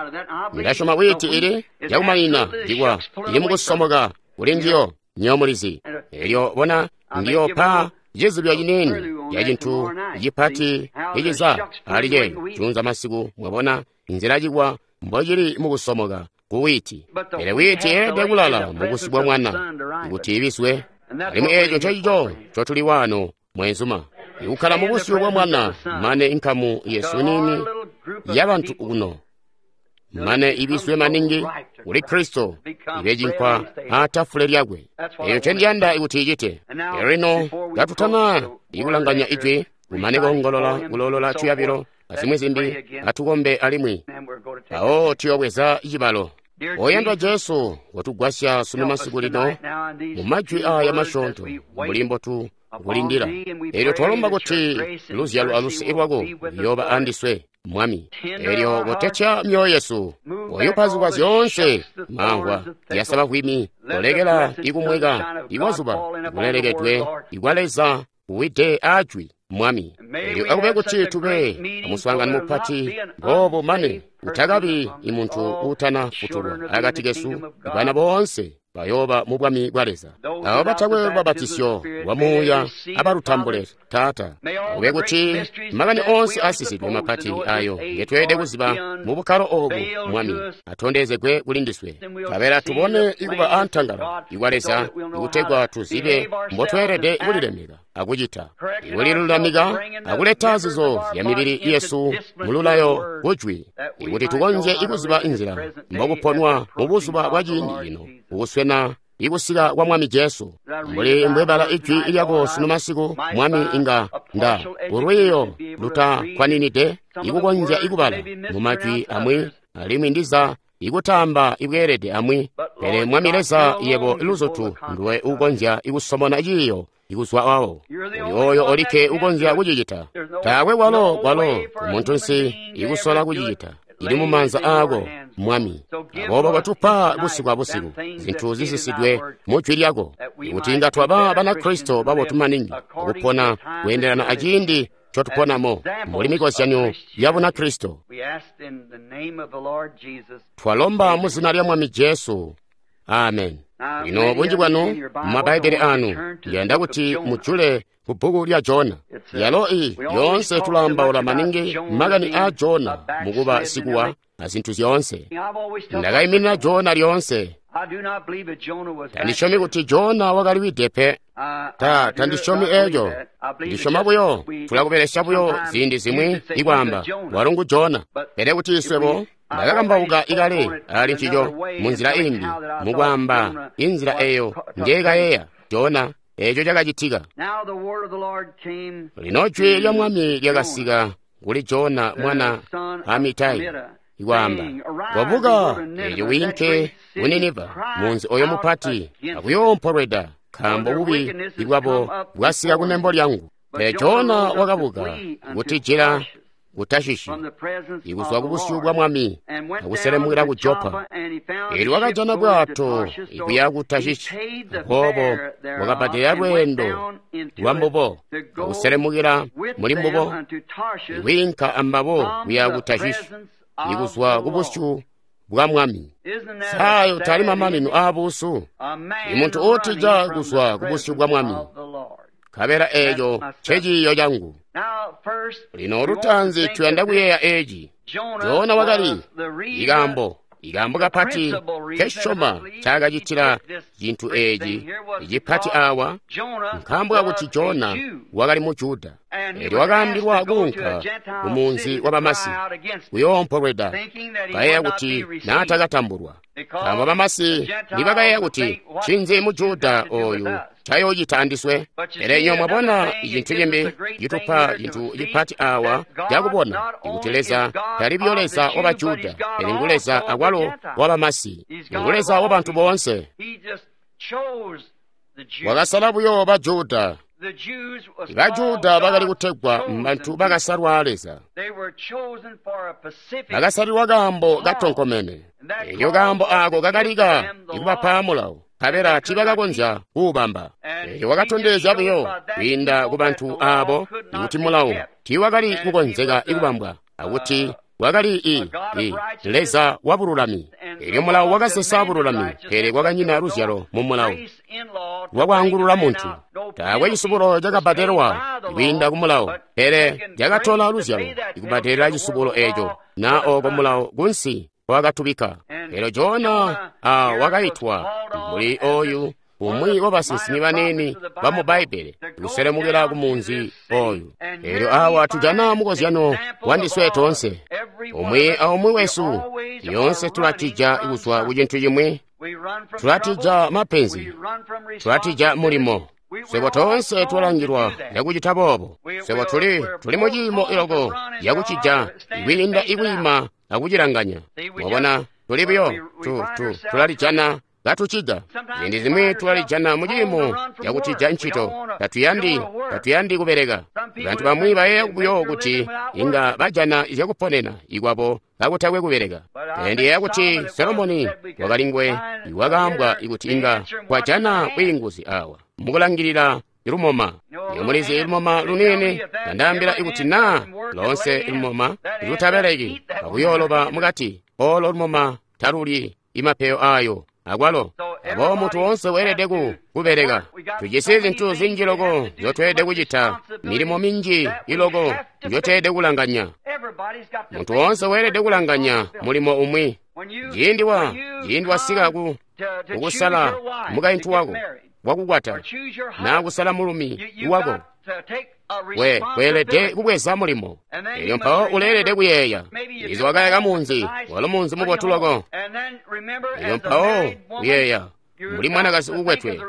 Ndasyoma bwiti ili yakumanina ndikwa ili mukusomoka kuli njiyo nyo mulizi. Elyo bona ndiyopa cizibyo ciniini ya cintu cipati iciza ali ceeyo junza masiku. Mwabona inzila cikwa mbocili mukusomoka ku witi. Pele witi yeelede kulala mubusi bwa mwana kuti ibiswe. Alimwi eeco ncecico ncotuli wano mwenzuma, ikukkala mubusyu bwa mwana mane inkamu yesu nini yabantu kuno mane ibiswe maningi kuli Kristo ibe cinkwa atafule lyakwe. Eyo ncendiyanda ikuti icite. Elyo lino katutana ikulanganya ijwi, kumane koongolola kulolola tuyabilo azimwi zimbi, atukombe alimwi mpawo tuyobweza cibalo. Oyandwa Jesu, watugwasya sunu masiku lino mu majwi aya masyoonto mbuli mbotu kulindila. Elyo twalomba kuti luzyalo aluse lwako luyooba andiswe, Mwami. Elyo kotetya myoyo yesu, oyupa zikwa zyoonse mamvwa zyasaba bwimi, kolekela ikumweka ikwa zuba kulelekedwe ikwa Leza kuwide ajwi Mwami. Elyo akube kuti tube amuswaangano mupati boobo mane utakabi imuntu uutana futulwa akati kesu, bana boonse bayooba mu bwami bwa Leza. Abo batakwe lubabatisyo lwa Muuya abalutambule, Taata. Akube kuti makani oonse asisidwe mapati ayo ngetweelede kuziba mu bukkalo obu, Mwami, atondezegwe kuli ndiswe. Kabela tubone ikuba antangala ikwa Leza, ikutegwa tuzibe mbotweelede kulilemeka akucita, ikulilulamika akuleta zizo zya mibili yesu mululayo kujwi, ikuti tukonzye ikuziba inzila mbokuponwa mu buzuba bwa ciindi cino, ukuswena ikusika kwa Mwami Jesu. Mbuli mbwebala ijwi lyako sunu masiku, Mwami, inga nda ulwiiyo lutakwaninide ikukonzya ikubala mu majwi amwi, alimwi ndiza ikutamba ibweelede amwi, pele Mwami Leza, yebo luzutu nduwe ukonzya ikusomona ciiyo ikuzwa awo. Uli oyo olikke ukonzya kucicita. Taakwe kwalo kwalo kumuntu nsi ikusola kucicita. Ili mumanza aako, Mwami. Aboobo kotupa busiku abusiku zintu zisisidwe mu jwi lyako, ikuti inga twaba Banakristo babotu maningi akupona kweendelana aciindi ncotuponamo mbuli mikozyanyo ya Bunakristo. Twalomba mu zina lya Mwami Jesu. Amen. Lino bunji bwanu mu Mabbaibele anu ndiyanda kuti mujule ku bbuku lya Jona. Yalo i yoonse tulaambaula maningi makani a Jona mukuba sikuwa a zintu zyoonse. Ndakaiminina Jona lyoonse. Tandisyomi kuti Jona wakaliwide pe. Ta tandisyomi eeco. Ndisyoma buyo tulakubelesya buyo ziindi zimwi ikwaamba walo ngu Jona. Pele kuti iswebo ndakakambauka ikale ali ncico munzila imbi, mukwaamba inzila eyo njeekayeeya Jona eeco cakacitika. Lino jwi lya Mwami lyakasika kuli Jona mwana Amitai, ikwaamba, kobuka eelyo wiinke ku Niniva, munzi oyo mupati, akuyoompolweda, nkaambo bubi bwabo bwasika kunembo lyangu. Pele Jona wakabuka kutijila ku Tashishi, ikuzwa ku busyu bwa Mwami, akuselemukila ku Jopa. Eelyo wakajana bwato ikuya ku Tashishi, aboobo wakabbadela lweendo lwa mbubo, akuselemukila muli mbubo, ikwiinka ambabo kuya ku Tashishi, ikuzwa ku busyu bwa Mwami. Sayo tali mamanino aabuusu, imuntu uutija kuzwa ku busyu bwa Mwami. Kabela eeco nceciiyo cangu. Lino lutaanzi tuyanda kuyeeya eeci. Jona wakali ikaambo ikaambo kapati kesyoma ncaakacitila cintu eeci icipati awa, nkaambo kakuti Jona wakali mu Juda. Eelyo wakaambilwa kuunka kumunzi wa Bamasi kuyoompolweda, kayeeya kuti naatakatambulwa. Nkaambo Bamasi nibakayeeya kuti ncinzi mu Juda ooyu ncayoocita andiswe. Pele nyo mwabona icintu cimbi citupa cintu cipati awa cakubona ikuti Leza tali buyo Leza wa Bajuda, pele ngu Leza akwalo wa Bamasi, ngu Leza wa bantu boonse. Wakasala buyo Bajuda. Bajuda bakali kutegwa mbantu bakasalwa Leza. Bakasalilwa kaambo katonkomene. Elyo kaambo aako kakalika ikubapa mulawo, nkabela tiibakakonzya kuubamba. Elyo wakatondezya buyo kwiinda ku bantu aabo ikuti mulawo tiiwakali kukonzeka ikubambwa, akuti wakali i, i Leza wa bululami. Elyo mulawo wakasesa bululami, pele kwakanyina luzyalo mu mulawo lwakwaangulula muntu. Taakwe cisubulo cakabbadelwa kwiinda ku mulawo, pele cakatola luzyalo ikubbadelela cisubulo eeco, na ooko mulawo kunsi wakatubika. Elyo Jona a wakaitwa mbuli oyu umwi wa basinsimi baniini bamu Bbaibbele kuselemukila ku munzi oyu. Elyo awa tujana mukozyano wandiswe toonse. Umwi aumwi wesu lyoonse tulatija kuzwa ku cintu cimwi, tulatija mapenzi, tulatija mulimo. Swebo toonse twalangilwa yakucita boobo. Swebo tuli tuli mu ciimo iloko yakucija ikwiinda ikwiima akucilanganya. Mwabona, tuli buyo tu tu tulalijana katucija. Ziindi zimwi tulalijana mu ciimo cakutija ncito. Tatuyandi tatuyandi kubeleka. Bantu bamwi bayeeya buyo kuti inga bajana zyakuponena ikwabo kakutakwe kubeleka. Pele ndiyeeya kuti Solomoni wakali ngwe iwakaambwa ikuti inga kwajana bwiinguzi awa mukulangilila lumoma. Iyo mulizi lumoma luniini landaambila ikuti naa loonse lumoma lutabeleki akuyooloba mukati, olo lumoma talulyi imapeyo ayo akwalo. Aboobo muntu woonse weelede ku kubeleka. Tujisi zintu zinji loko nzyotweelede kucita, milimo minji iloko nzyotweelede kulanganya. Muntu woonse weelede kulanganya mulimo umwi. Ciindi wa ciindi wasika ku kukusala mukaintu wako wakukwata naa kusala mulumi wako, we weelede kubweza mulimo. Elyo mpawo uleelede kuyeeya, izi wakayaka munzi, walo munzi mubotu loko. Elyo mpawo kuyeeya mbuli mwanakazi ukwetwe,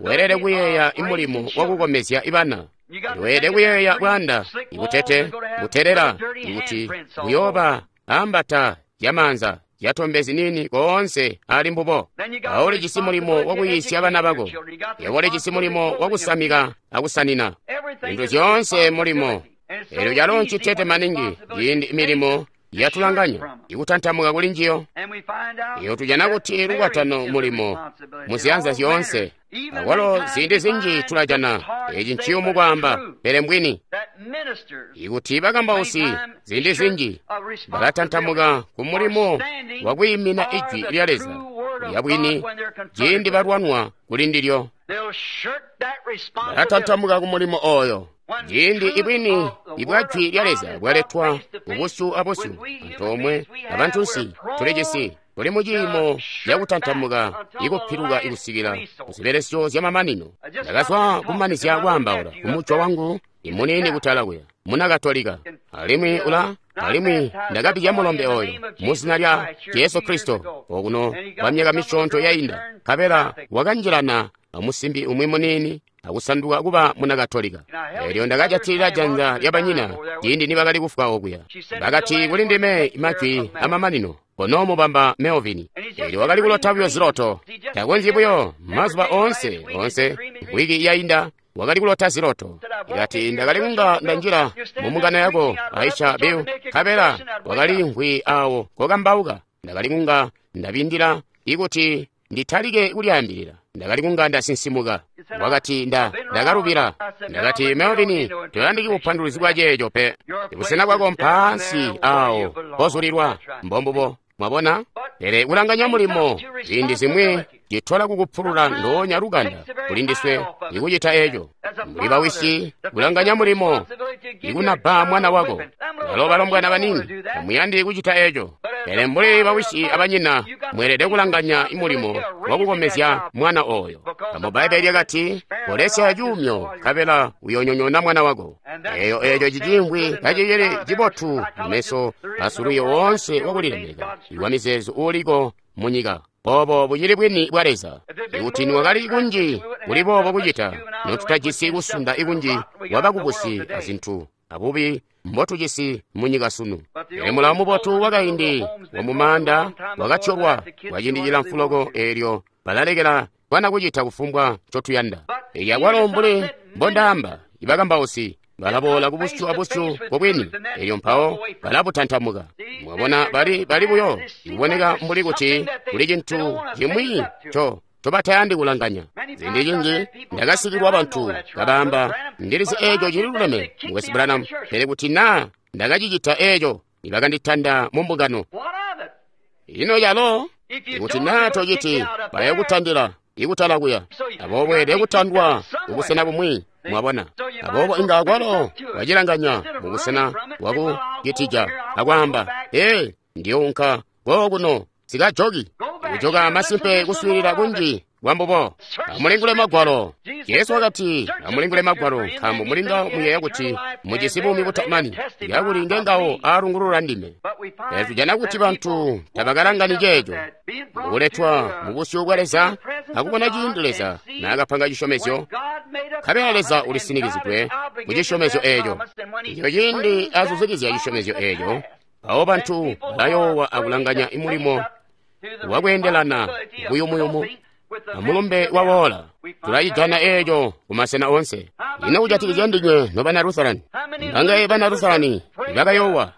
weelede kuyeeya imulimo wakukomezya ibana. Weelede kuyeeya bwaanda ibutete butelela ikuti buyooba ambata zyamanza zyatombe ziniini koonse ali mbubo. Mpawo ulijisi mulimo wakuyiisya bana bako. Yebo ulijisi mulimo wakusamika akusanina. Zintu zyoonse mulimo. Elyo calo ncitete maningi ciindi milimo yatulanganya ikutantamuka kuli njiyo. Iyo tujana kuti lukwatano mulimo muziyanza zyoonse. Akwalo ziindi zinji tulajana eci nciyumu kwaamba, pele mbwini ikuti bakambausi ziindi zinji balatantamuka ku mulimo wakwiimina ijwi lya Leza lya bwini ciindi balwanwa kuli ndilyo. Balatantamuka ku mulimo oyo. Ciindi ibwini ibwa jwi lya Leza bwaletwa kubusyu abusyu antoomwe abantunsi, tulijisi tuli mu ciimo cakutantamuka ikupiluka ikusikila kuzibelesyo zyamamanino. Ndakazwa kumanizya kwaambaula kumujwa wangu imuniini kutala kuya muna Katolika, alimwi ula alimwi ndakabikya mulombe oyo muzina lya Jesu Kristo okuno kwa myaka misyoonto yainda, nkabela wakanjilana amusimbi umwi muniini akusanduka kuba muna Katolika. Elyo ndakajatilila janza lya banyina ciindi nibakali kufwa okuya. Bakati kuli ndime majwi amamanino, kono mubamba Melvin. Elyo wakali kulota buyo ziloto, takonzyi buyo mazuba oonse onse wiki yainda wakali kulota ziloto. Ikati ndakali kunga ndanjila mumungano yako Aisha Bill, nkabela wakali nkwi awo kokambauka. Ndakali kunga ndabindila ikuti nditalike kulyaambilila. Ndakali kunga ndasinsimuka. Wakati nda ndakalubila. Ndakati Melvin, toyandiki bupanduluzi bwa ceeco pe. Busena bwako mpansi awo pozulilwa. Mbombubo. Mwabona? Pele kulanganya mulimo ziindi zimwi citola kukupulula ndoonya lukanda kuli ndiswe ikucita eco. Mbuli bawisi kulanganya mulimo ikunabba mwana wako. Balo balombwana banini tamuyandi kucita eco. Pele mbuli bawisi abanyina mweelede kulanganya imulimo wakukomezya mwana oyo. Mu Bbaibbele lyakati, kolesya cuumyo nkabela uyoonyonyoona mwana wako. Eyo eco cicimbwi kacicili cibotu mumeso asuluyo woonse wakulilemeka iwa mizeezo uuliko munyika. Obo bucili bwini bwa Leza. Ikuti niwakali kunji kuli boobo kucita, notutajisi kusunda ikunji wabakubusi azintu abubi mbotujisi munyika sunu. Pele mulawo mubotu wakaindi wamumaanda wakatyolwa kwa ciindi cilamfu loko, eelyo balalekela bana kucita kufumbwa ncotuyanda. Elyo akwalo mbuli mbondaamba, ibakambausi balaboola kubusyu abusyu bwabwini, elyo mpawo balabutantamuka. Mwabona, bali bali buyo ikuboneka mbuli kuti kuli cintu cimwi nco ncobatayandi kulanganya. Ziindi zinji ndakasikilwa bantu kabaamba, ndilizi eeco cililuleme, Mukwesu Branham, pele kuti naa ndakacicita eeco, nibakanditanda mu mbungano. Ino calo ikuti naa tociti, bayakutandila ikutala kuya. Aboobo weelede kutandwa kubusena bumwi. Mwabona? Aboobo inga akwalo wacilanganya mubusena bwaku citija akwaamba, ee, ndiyounka kookuno sikajoki. Kujoka masimpe kuswiilila kunji kwambubo. Amulingule Magwalo. Jesu wakati, amulingule Magwalo, nkaambo mulinga muyeeya kuti mujisi buumi butamani, yakuli ngengawo aalungulula ndime. Pele tujana kuti bantu tabakalangani ceeco. Kuletwa mubusyu bwa Leza akubona ciindi Leza naakapanga cisyomezyo, nkabela Leza ulisinikizidwe ku cisyomezyo eeco. Eco ciindi azuzikizya cisyomezyo eeco, mpawo bantu balayoowa akulanganya imulimo wakweendelana buyumuyumu amulumbe wawoola. Tulacijana eeco kumasena oonse. Ino kujatikizya ndinywe nobana Lutherani? Mbangaye bana Lutherani ibakayoowa?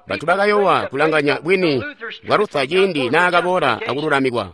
Bantu bakayoowa kulanganya bwini bwa Luther ciindi naakaboola akululamikwa.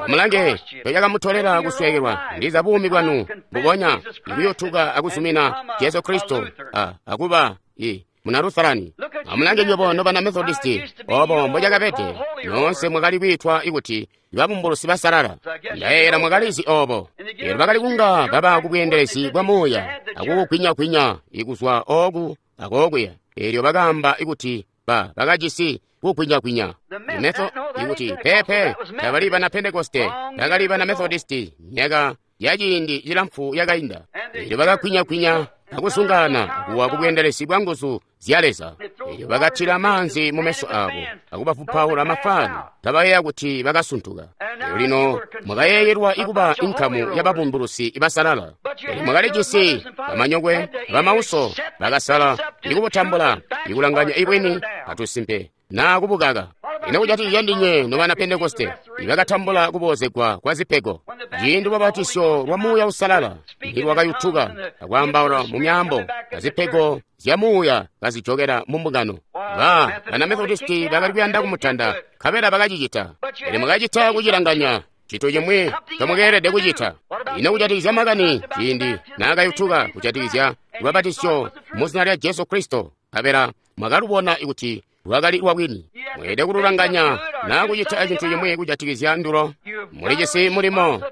Amulange ncocakamutolela kusweekelwa ndiza buumi bwanu mbubonya ikuyutuka akuzumina Jesu Kristo a akuba i muna Lutherani. Amulange nywebo nobana Methodisti, obo mbocakabede, nyoonse mwakali kwiitwa ikuti babumbulusi basalala. Ndayeeyela mwakalizi obo. Eelyo bakali kunga baba kubweendelezi bwa muuya akukugwinya-gwinya ikuzwa ooku akookuya. Eelyo bakaamba ikuti ba bakajisi kugwinya-gwinya. Imetho ikuti pepe tabali bana Pentekoste, bakali bana Methodisti myaka yaciindi cilamfu yakainda. Eelyo bakagwinya-gwinya akuzungaana kuwa kubweendelezi bwa nguzu zya Leza. Eelyo bakatila maanzi mu meso abo akubafupaula mafani, kabayeeya kuti bakasuntuka. Eelyo lino mwakayeeyelwa ikuba inkamu yababumbulusi basalala. Eelyo mwakalijisi bamanyokwe bamauso bakasala ikubutambula ikulanganya ibwini atusimpe naa kubukaka. Ino kujatikizya ndinywe nobana Pentekoste ibakatambula kuboozegwa kwa zipego, ciindi lubabatisyo lwa Muuya Uusalala nilwakayutuka akwaambaula mu myaambo azipego zya Muuya kazijokela mu mbungano. Ba bana Methodisti bakali kuyanda kumutanda, nkabela bakacicita. Pele mwakacita kucilanganya cintu cimwi ncomukeelede kucita. Ino kujatikizya makani ciindi naakayutuka kujatikizya lubabatisyo mu zina lya Jesu Kristo, nkabela mwakalubona kuti lwakali lwabwini. Mweelede kululanganya naa kucita cintu cimwi kujatikizya ndulo. Mulijisi mulimo,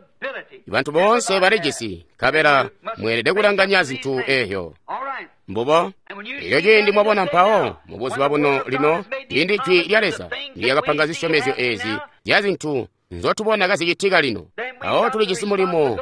bantu boonse balijisi, nkabela mweelede kulanganya zintu eezyo. Mbubo elyo ciindi mwabona mpawo mubuzuba buno lino ciindi jwi lya Leza lyakapanga zisyomezyo ezi zya zintu nzotubona kazicitika lino, mpawo tulijisi mulimo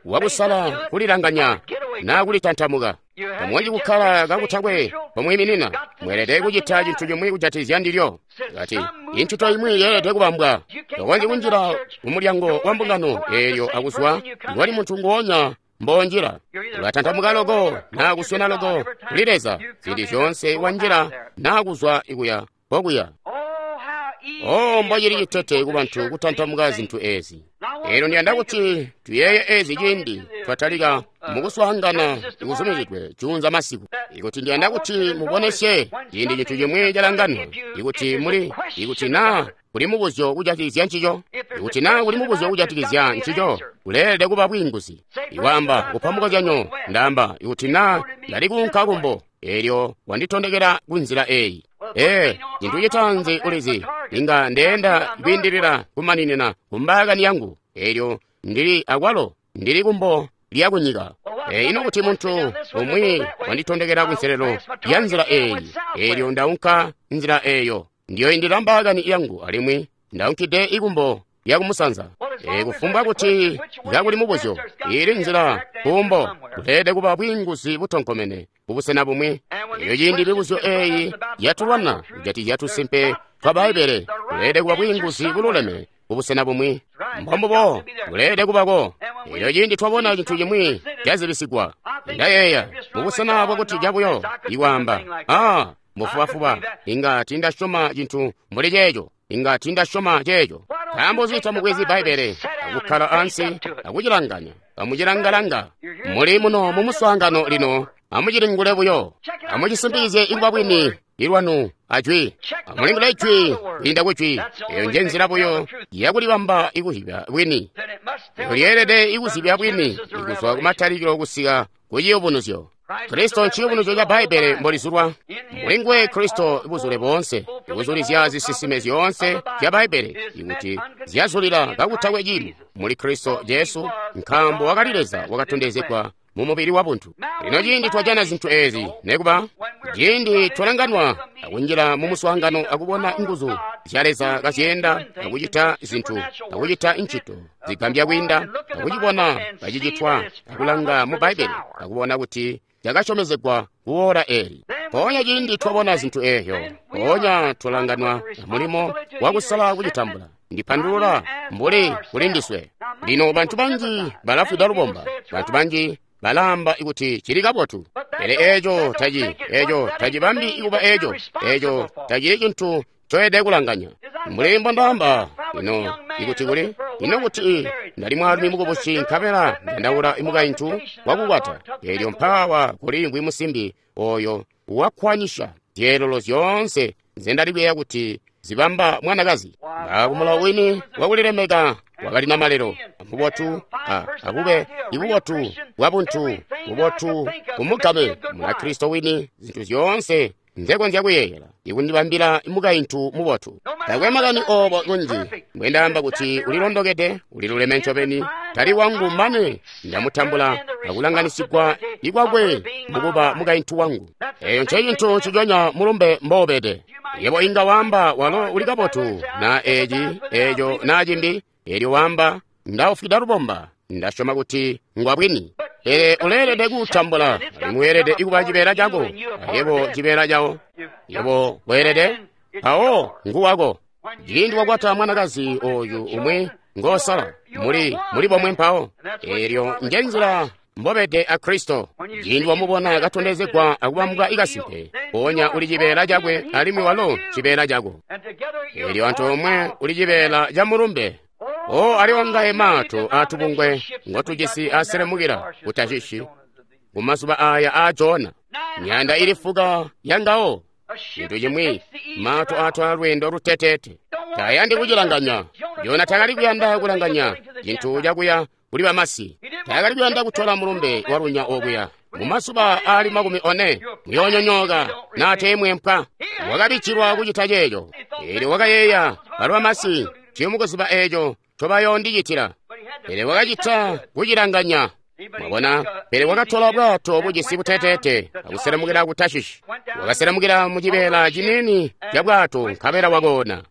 wakusala kulilanganya naa kulitantamuka. Tamukonzyi kukkala kakutakwe pomwiiminina. Mweelede kucita cintu cimwi kujatikizya ndilyo. Kati incito imwi yeelede kubambwa. Tokonzyi kunjila kumulyango wa mbungano eelyo akuzwa ngoli muntu nguonya mbonjila. Ulatantamuka loko naa kuswena loko kuli Leza ziindi zyoonse wanjila naa kuzwa ikuya kokuya. Oh, mbocili citete kubantu kutantamuka zintu ezi. Eelyo ndiyanda kuti tuyeeye ezi ciindi twatalika mukuswaangana ikuzumizidwe juunza masiku. Ikuti ndiyanda kuti mubonesye ciindi cintu cimwi calanganwa, ikuti muli, ikuti naa kuli mubuzyo kujatikizya ncico, ikuti naa kuli mubuzyo kujatikizya ncico, kuleelede kuba bwiinguzi. Iwaamba kupa mukozyanyo, ndaamba ikuti naa ndali kuunka kumbo, eelyo wanditondekela kunzila eyi. Ee, cintu citaanzi ulizi, inga ndeenda kwiindilila kumaninina kumbaakani yangu, eelyo ndili akwalo ndili kumbo lya kunyika. Ee, ino kuti muntu umwi wanditondekela kunselelo ya nzila eyi, eelyo ndaunka nzila eyo, ndiyoindila mbaakani yangu alimwi ndaunkide ikumbo lya kumusanza. Ee, kufumbwa kuti kakuli mubuzyo, ili nzila kumbo, kuleelede kuba bwiinguzi butonkomene kubusena bumwi. Eyo ciindi mibuzyo eyi yatulwana kujatikizya tusimpe twa Bbaibbele, kuleelede kuba bwiinguzi bululeme kubusena bumwi. Mbombubo kuleelede kubako. Elyo ciindi twabona cintu cimwi cazibisigwa, ndayeeya mubusena bwakuti cabuyo ikwaamba, ah, mbufubafuba, inga tindasyoma cintu mbuli ceeco, inga tindasyoma ceeco. Nkaambo nzi tamubwezi Bbaibbele akukkala ansi akucilanganya, kamucilangalanga? Muli muno mumuswaangano lino, amucilingule buyo, amucisimpikizye ikuba bwini ilwanu ajwi. Amulingule ijwi kwiinda kujwi. Eyo nje nzila buyo yakulibamba ikuzibya bwini. Eyo lyeelede ikuzibya bwini ikuzwa kumatalikilo kusika ku ciyubunuzyo. Kristo nciyubunuzyo ca Bbaibbele mbolizulwa. Mulinguwe Kristo buzule boonse, ikuzulizya zisisime zyoonse zya Bbaibbele, ikuti zyazulila kakutakwe ciimo muli Kristo Jesu, nkaambo wakali Leza wakatondezegwa mu mubili wabuntu. Lino ciindi twajana zintu ezi, nekuba ciindi twalanganwa akunjila mu muswaangano akubona nguzu zya Leza kazyeenda akucita zintu akucita incito zigambya kwiinda akucibona kacicitwa akulanga mu Bbaibbele akubona kuti cakasyomezegwa kuora eli. Mpoonya ciindi twabona zintu eezyo, mpoonya twalanganwa mulimo wakusala kucitambula. Ndipandulula mbuli kuli ndiswe. Lino bantu banji balafwida lubomba, bantu banji balaamba kuti cili kabotu, pele eeco taci eeco tacibambi ikuba eeco eeco tacili cintu ncoyede kulanganya. Mbuli mbondaamba ino ikuti kuli ino kuti ndali mwaalumi mukubusi nkabela ndandaula mukaintu wakukwata, eelyo mpaawa kuli ngwi musimbi oyo wakkwanyisha zyeelelo zyoonse nzendali kuyeeya kuti zibamba mwanakazi. Kumulawo wini wakulilemeka wakali namalelo, mubotu a abube ibubotu bwabuntu, bubotu kumugame Munakristo wini, zintu zyoonse nzekonzya kuyeeyela ikundibambila mukaintu mubotu. Takwe makani obo kunji mbwendaamba kuti ulilondokede, uliluleme ncobeni, tali wangu mane ndamutambula akulanganisigwa ikwakwe mukuba mukaintu wangu. Eyo ncecintu nciconya mulumbe mboobede. Yebo inga waamba walo uli kabotu na eci eco na cimbi, elyo waamba ndaufwida lubomba, ndasyoma kuti ngwabwini. Pele uleelede kuutambula, alimwi weelede kuba cibeela cako, ayebo cibeela cawo. Yebo weelede, mpawo nguwako. Ciindi wakwata mwanakazi oyu umwi ngosala, muli muli bomwe mpawo. Elyo njenzila mbobede a Kristo. Ciindi wamubona katondezegwa akubambwa ikasimpe, mpoonya uli cibeela cakwe alimwi walo cibeela cako. Elyo antoomwe uli cibeela ca mulumbe. O ali wangaye maato atubungwe ngotujisi aselemukila ku Tashishi kumazuba aya a Jona, myanda ili fuka yangawo. Cintu cimwi, maato atwala lweendo luteteete, tayandi kucilanganya. Jona takali kuyanda kulanganya cintu cakuya kuli bamasi, takali kuyanda kutola mulumbe walunya okuya. Mumazuba aali makumi one muyoonyonyooka nateemwempwa. Wakabichilwa kucita ceeco. Eelyo wakayeeya balo bamasi ciyomukuziba eeco ncobayoondicitila. Pele wakacita kucilanganya. Mwabona, pele wakatola bwato bujisi buteteete akuselemukila ku Tashishi. Wakaselemukila mu cibeela ciniini ca bwato nkabela wakoona.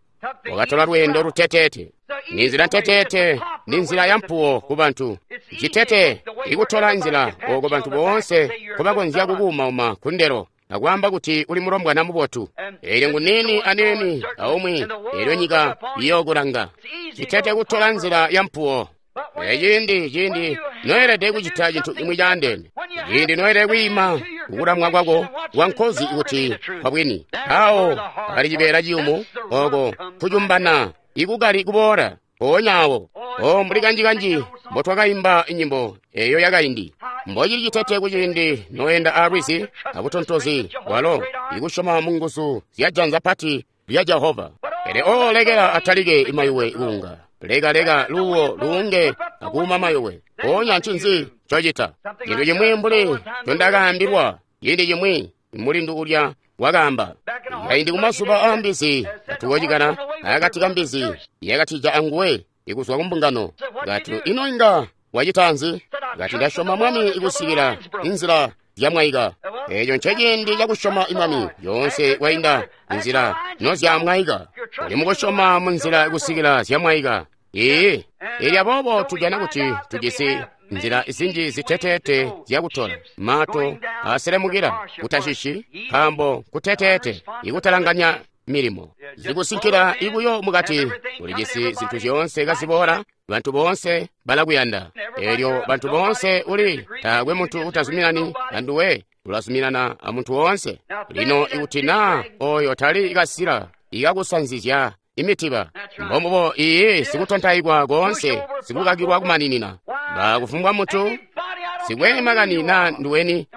Wakatola lweendo luteteete. Ni nzila nteteete, ni nzila ya mpuwo ku bantu. Citete ikutola nzila oko bantu boonse nkobakonzya kukuumauma kundelo akwaamba kuti uli mulombwana mubotu. Eelyo ngunini aniini aumwi, eelyo nyika iyookulanga. Citete kutola nzila ya mpuwo. Ciindi ciindi noelede kucita cintu cimwi caandeene, ciindi noelede kwiima kukulamwa kwako kwa nkozi kuti kwabwini, awo pali cibeela ciyumu oko kucumbana ikukali kuboola mpoonya awo. O mbuli kanji-kanji mbotwakaimba nyimbo eyo yakaindi, mbocili citete kuciindi noenda alwizi abutontozi bwalo ikusyoma mu nguzu zya janza pati lya Jehova. Pele o lekela atalike imayuwe kuunga, leka leka luwo luunge akuuma mayuwe. Mpoonya ncinzi ncocita? Cintu cimwi mbuli ncondakaambilwa ciindi cimwi mulindu ulya wakaamba kaindi kumazuba a mbizi katuwocikana akati ka mbizi yakatija anguwe ikuzwa kumbungano. Kati ino inga wacita nzi? Kati ndasyoma Mwami ikusikila inzila zyamwaika. Eeco nceciindi cakusyoma Mwami yoonse kwainda inzila nozyamwaika. Uli mukusyoma munzila kusikila zyamwaika. Ee, elyo aboobo tujana kuti tujisi nzila zinji ziteteete zyakutola maato aselemukila ku Tashishi, nkaambo kuteteete ikutalanganya milimo zikusinkila ibuyo mukati. Ulijisi zintu zyoonse kaziboola, bantu boonse balakuyanda. Elyo bantu boonse uli taakwe muntu utazuminani anduwe, ulazuminana amuntu woonse. Lino ikuti naa oyo tali kasila ikakusanzizya imitiba, mbombubo iye sikutontaikwa koonse, sikukakilwa kumaninina. Bakufumbwa muntu sikwe makani naa nduweni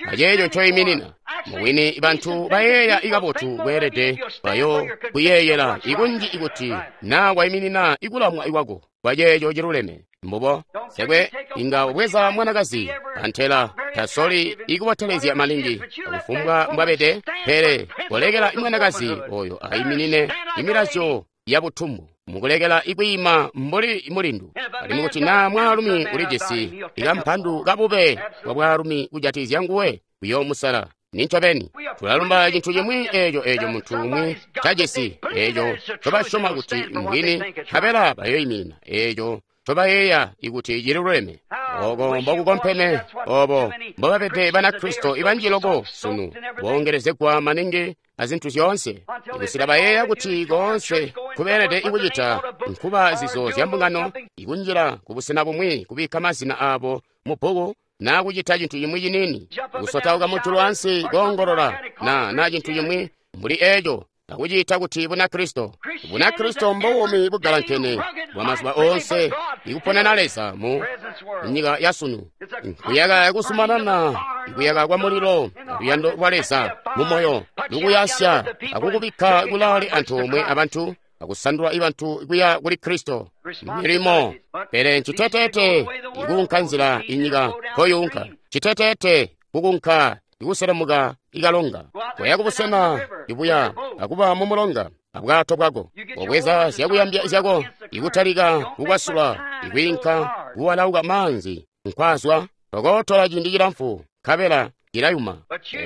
aceeco ncoyiminina. Mubwini bantu bayeeya ikabotu kweelede bayo kuyeeyela ikunji ikuti naa wayiminina ikulamwa ikwako kwaceeco ciluleme. Mbubo sekwe inga ubweza mwanakazi antela tasoli ikubotelezya maningi akufumbwa mbwabede, pele kolekela mwanakazi oyo ayiminine imilazyo ya butumbu mukulekela ikwiima mbuli mulindu. Alimwi kuti naa mwaalumi ulijisi ikampandu kabube bwa bwaalumi kujatizya nguwe kuyoomusala. Nincobeni tulalumba cintu cimwi eeco eeco muntu umwi cajisi eeco ncobasyoma kuti mbwini, nkabela bayoyiminina eeco ncobayeeya ikuti cililuleme. Oko mbokukompeme obo mbobabede Banakristo ibanji loko sunu, boongelezegwa maningi azintu zyoonse ikusila bayeeya kuti koonse kubeelede ikucita nkuba zizo zya mbungano, ikunjila kubusena bumwi kubikka mazina aabo mu bbuku, naa kucita cintu cimwi ciniini, kusotauka mujulu ansi koongolola na na cintu cimwi mbuli eeco, akuciita kuti Bunakristo. Bunakristo mbuumi bugalankene bwa mazuba oonse ikuponena Leza mu nyika ya sunu, nkuyaka kusumanana, ikuyaka kwa mulilo luyando lwa Leza mu moyo lukuyasya akukubikka kulaale antoomwe abantu akusandula ibantu kuya kuli Kristo milimo. Pele nciteteete ikuunka nzila inyika nkoyuunka, citeteete kukunka ikuselemuka ikalonga koya kubusena ibuya akuba mu mulonga abwato bwako, obweza zyakuyambya zyako ikutalika kukwasula ikwiinka kuwalauka maanzi nkwazwa tokotola ciindi cilamfu nkabela cilayuma.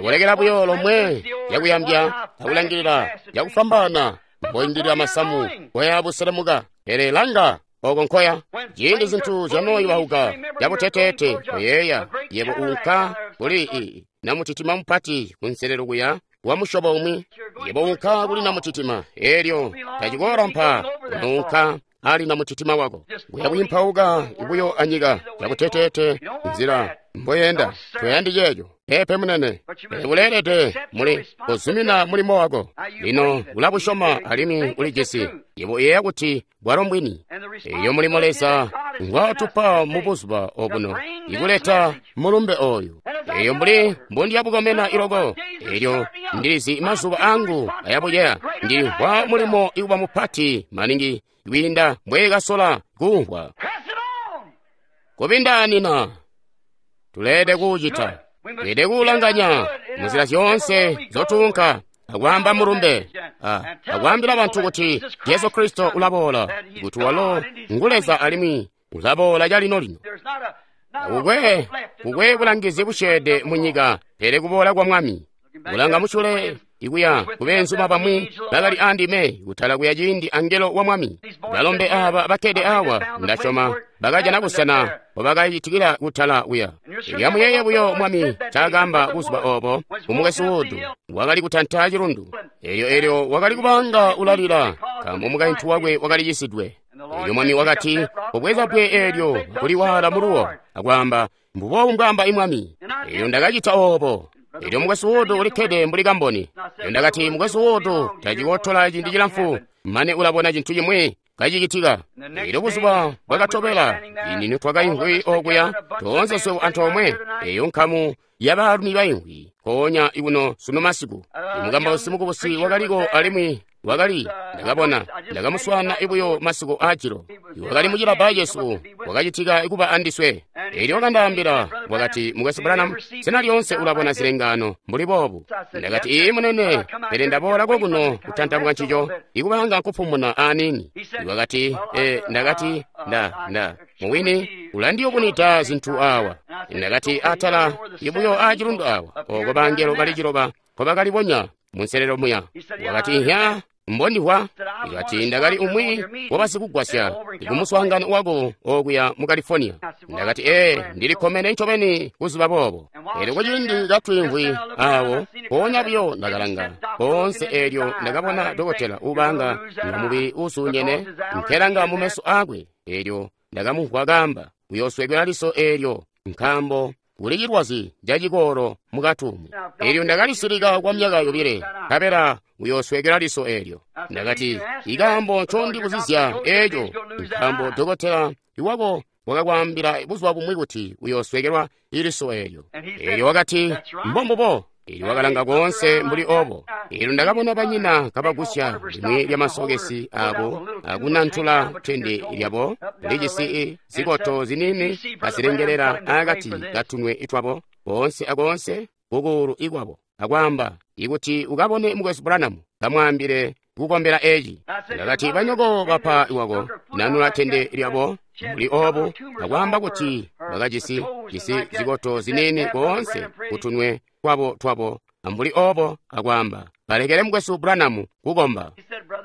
Kulekela buyo lomwe zyakuyambya akulangilila zyakufwambaana mboindilila masamu koya buselemuka. Pele langa oko nkoya ciindi zintu zyanooyubauka cabuteteete koyeeya yebo uunka kuli namutitima mupati kunselelo kuya wa musyobo umwi. Yebo uunka kuli namutitima eelyo tacikoolampa unounka ali namutitima wako kuya kuyimpauka ibuyo anyika cabuteteete nzila mboyenda. Toyandi ceeco pepe munene, pele uleelede muli kuzumina mulimo wako. Lino ulabusyoma alimwi ulijisi. Yebo uyeeya kuti bwalo mbwini. Eyo mulimo Leza ngwatupa mu buzuba obuno ikuleta mulumbe oyu. Eyo mbuli mbondiyabukomena iloko, elyo ndilizi mazuba angu ayabuceya. Ndilimvwa mulimo ikuba mupati maningi kwiinda mbweekasola kumvwa. Kubindaanina tuleede kuucita, tuleede kuulanganya munzila zyoonse zotuunka akwaamba mulumbe, akwaambila bantu kuti Jesu Kristo ulaboola, kuti walo ngu Leza alimwi ulaboola calino lino. Kukwe kukwe bulangizi busyeede mu nyika pele kuboola kwa Mwami. Kulanga musyule ikuya kubeenzuma bamwi bakali andime kutala kuya ciindi angelo wa Mwami. Balombe aba bakkede awa ndasyoma bakajana busena mbobakacitikila kutala kuya. Lyamuyeeye buyo Mwami ncaakaamba buzuba obo kumukwesu Wood wakali kutanta cilundu. Elyo elyo wakali kubanga ulalila nkaambo mukaintu wakwe wakali cisidwe. Elyo Mwami wakati, "Ubweza bbwe eelyo akuliwaala muluwo," akwaamba, "Mbuboobu mbwaamba Mwami." Elyo ndakacita oobo. Elyo mukwesu Wood ulikkede mbuli kamboni. Elyo ndakati, "Mukwesu Wood tacikotola ciindi cilamfu mane ulabona cintu cimwi kacicitika." Elyo buzuba bwakatobela ciindi nitwakaimvwi okuya toonse swebo antoomwe, eyo nkamu yabaalumi baimvwi nkoonya ikuno sunu masiku. Imukambausi mukubusi wakaliko alimwi wakali ndakabona ndakamuswaana ibuyo masiku aajilo. Wakali mucilabba cesu wakacitika kuba andiswe. Elyo wakandaambila wakati, "Mukwesu Branham, sena lyoonse ulabona zilengaano mbuli boobu?" Ndakati, "Ii munene, pele ndaboola kokuno kutantamuka ncico ikubanga nkupumuna aniini." Wakati, e, ndakati nda nda muwini ulandiyubunida zintu awa. Ndakati, atala ibuyo aacilundu awa oko bangelo bali ciloba nkobakalibonya munselelo muya. Wakati, "Ihya mbondihwa." Ikati, "Ndakali umwi wabasikugwasya kumuswaangano wako okuya mu California." Ndakati, "Ee, ndilikkomene ncobeni kuziba boobo." Elyo kuciindi katwiimvwi awo mpoonya buyo ndakalanga koonse, eelyo ndakabona dokotela ubanga nga mubili uusuunyene nkelanga mu meso aakwe. Eelyo ndakamumvwa kaamba, "Uyoosweekela liso eelyo nkaambo kuli cilwazi cacikoolo mukatumu." Elyo ndakalisilika kwa myaka yobile, nkabela uyoosweekela liso eelyo. Ndakati, "Ikaambo ncondibuzizya eeco nkaambo dokotela iwako wakakwaambila buzuba bumwi kuti uyoosweekelwa iliso eelyo." Elyo wakati, "Mbombubo." Elyo wakalanga koonse mbuli obo. Elyo ndakabona banyina kabagusya limwi lyamasokesi abo akunantula tende lyabo lijisi zikoto ziniini kazilengelela akati katunwe twabo koonse akoonse kukuulu ikwabo, akwaamba, "Ikuti ukabone Mukwesu Branham, kamwaambile kukombela eci." Ndakati, "Banyoko bapa iwako nanula tende lyabo mbuli obu, akwaamba kuti bakajisi jisi zikoto ziniini koonse kutunwe twabo twabo ambuli obo, akwaamba, balekele Mukwesu Branham kukomba."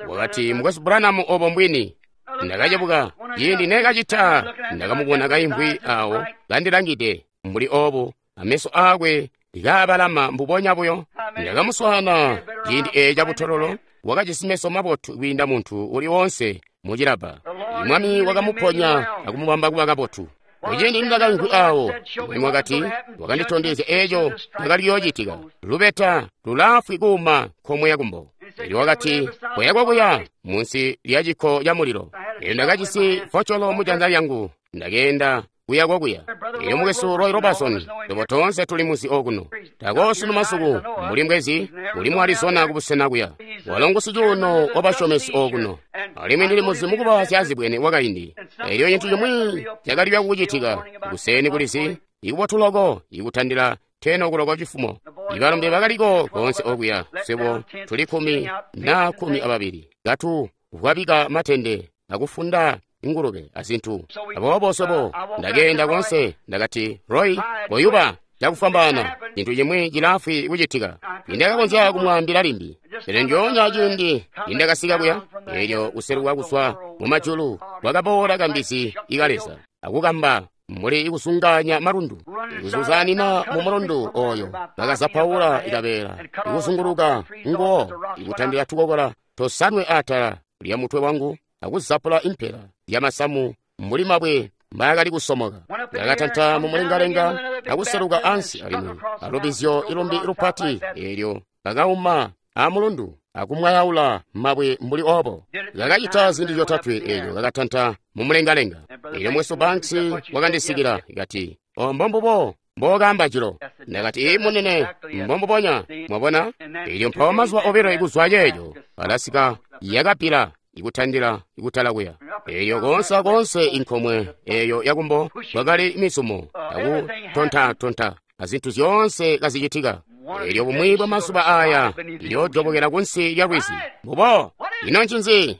Wakati, "Mukwesu Branham, obo mbwini." Ndakacebuka ciindi neekacita ndakamubona kaimvwi awo kandilangide mbuli obu, ameso aakwe kaabalama mbubonya buyo. Ndakamuswaana ciindi eeci cabutololo, wakajisi meso mabotu kwiinda muntu uli woonse mucilabba. Mwami wakamuponya akumubamba kuba kabotu. Kuciindi ndakaimvwi awo, Mwami wakati, wakanditondezya eeco cakali kuyoocitika. Lubeta lulaafwi kuuma nkomwe yakumbo. Elyo wakati, "Koya kokuya munsi lya cikko ca mulilo." Elyo ndakajisi focolo mu janza lyangu, ndakeenda kuya kokuya. Elyo mukwesu Roy Robertson, tobo toonse tuli muzi okuno. Tako sunu masuku, mbuli mbwezi, uli mu Arizona kubusena kuya. Walo ngu sicuuno wa basyomesi okuno. Alimwi ndili muzi mukuba syazibwene wakaindi. Elyo cintu cimwi cakali kucitika, kuseni kulizi, ikubotu loko, ikutandila teno okuloko cifumo. Ibalombe bakaliko konse okuya, swebo tuli kumi na kumi ababili. Katu vwabika matende, akufunda ingulube azintu. Aboobo swebo ndakeenda konse, ndakati, Roy, koyuba cakufwambaana, cintu cimwi cilaafwi kucitika. Nindakakonzya kumwaambila limbi. Pele ndyoonya ciindi nindakasika kuya, elyo kuseluka kuzwa mu majulu kwakaboola kambizi ikaleza, akukamba mbuli ikusunganya malundu, ikuzuzanina mu mulundu oyo, bakazapaula ikabeela, ikuzunguluka nguwo, ikutandila tukokola tosanwe atala lya mutwe wangu, akuzapula impela yamasamu mbuli mabwe mbaakali kusomoka. Ndakatanta mu mulengalenga akuseluka ansi alimwi alubizyo ilumbi lupati elyo bakauma amulundu akumwayaula mabwe mbuli obo. Kakacita zindi zyotatwe elyo kakatanta mu mulengalenga. Elyo mwesu Banks wakandisikila kati, o mbombubo mbokamba jilo. Ndakati, ii munene, mbombubonya. Mwabona? Elyo mpawo mazuba obilo ikuzwa ceeco alasika yakapila ikutandila ikutala kuya. Eyo konse konse inkomwe eyo yakumbo kwakali mizumo akutonta-tonta azintu zyoonse kazicitika. Elyo bumwi bwa mazuba aya iyojobokela kunsi lya lwizi. Mbubo, ino ncinzi?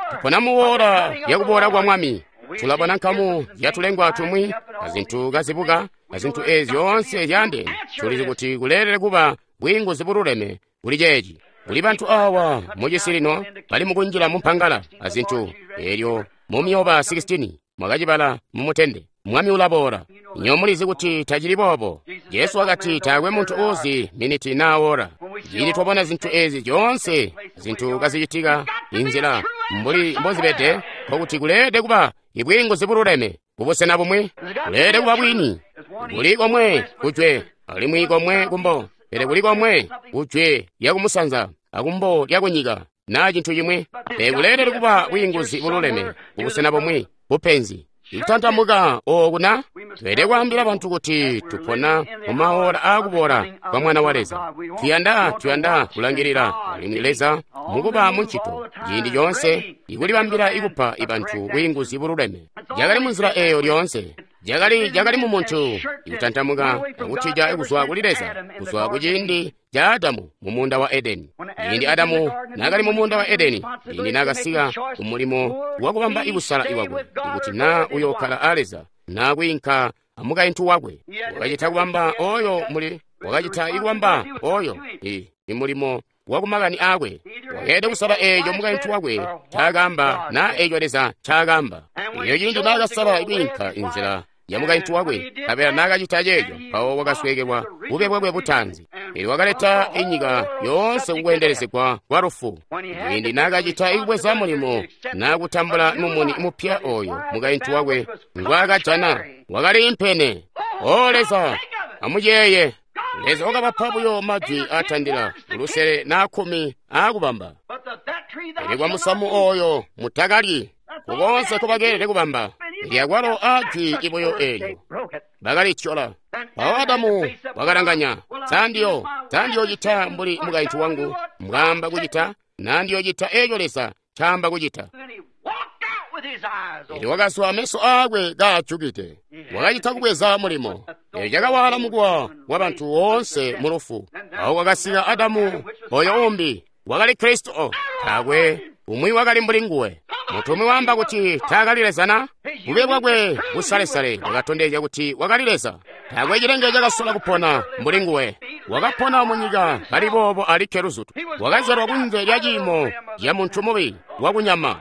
Tupona muwora yakuboola kwa Mwami. Tulabona nkamu yatulengwa tumwi azintu kazibuka azintu ezi zyoonse zyaandeene. Tulizi kuti kuleelele kuba bwiinguzi bululeme kuli ceeci. Kuli bantu awa mucisi lino bali mukunjila mumpangala azintu. Elyo mu myoba sixteen mwakacibala mumutende, Mwami ulaboola. Nyo mulizi kuti tacili boobo. Jesu wakati taakwe muntu uzi miniti na ora. Cindi twabona zintu ezi zyoonse zintu kazicitika inzila mbuli mbozibede, nkokuti kuleede kuba ibwiinguzi bululeme kubusena bumwi. Kuleede kuba bwini. Kuli komwe kujwe alimwi komwe kumbo, pele kuli komwe kujwe lyakumusanza akumbo lyakunyika na cintu cimwi. Pele kuleelele kuba bwiinguzi bululeme kubusena bumwi bupenzi. Ikutantamuka oku na tweelede kwaambila bantu kuti tupona mu maora aakuboola kwa Mwana wa Leza. Tuyanda tuyanda kulangilila alimwi Leza mukuba muncito ciindi coonse ikulibambila ikupa ibantu bwiinguzi bululeme. Cakali munzila eeyo lyoonse. Cakali cakali mu muntu ikutantamuka akutija kuzwa kuli Leza kuzwa kuciindi ca Adamu mu munda wa Edeni. Ciindi Adamu naakali mu munda wa Edeni, ciindi naakasika kumulimo wakubamba ikusala iwakwe ikuti naa uyokkala a Leza naa kwiinka amukaintu wakwe. Wakacita kubamba oyo muli wakacita ikubamba oyo i imulimo wakumakani aakwe. Wakeelede kusala eeco mukaintu wakwe ncaakaamba naa eeco Leza ncaakaamba. Elyo ciindi naakasala kwiinka inzila ya mukaintu wakwe, nkabela naakacita ceeco, mpawo wakasweekelwa bube bwakwe butaanzi. Elyo wakaleta inyika yoonse kukweendelezegwa kwa lufu. Ciindi naakacita ikubweza mulimo naakutambula mumuni mupya oyo mukaintu wakwe ngwaakajana, wakali impene. O Leza, amuyeeye. Leza wakabapa buyo majwi atandila lusele na kkumi aakubamba. Pele kwa musamu oyo mutakalyi, kukonse kubakeelede kubamba. Lyakwalo ajwi ibuyo eelyo bakalityola. Mpawo Adamu wakalanganya, sandiyo sandiyocita mbuli mukaintu wangu mbwaamba kucita, nandiyocita eeco Leza ncaamba kucita. Elyo wakazwa meso aakwe kaajukide. Wakacita kubweza mulimo. Elyo cakawala mukuwa wa bantu woonse mu lufu. Awo kwakasika Adamu oyo umbi wakali Kristo. Taakwe umwi wakali mbuli nguwe. Muntu umwi waamba kuti taakali Leza na? Bube bwakwe busalesale bwakatondezya kuti wakali Leza. Taakwe cilenge cakasola kupona mbuli nguwe. Wakapona munyika kali boobo alikke luzutu. Wakazyalwa kunze lya ciimo ca muntu mubi wakunyama.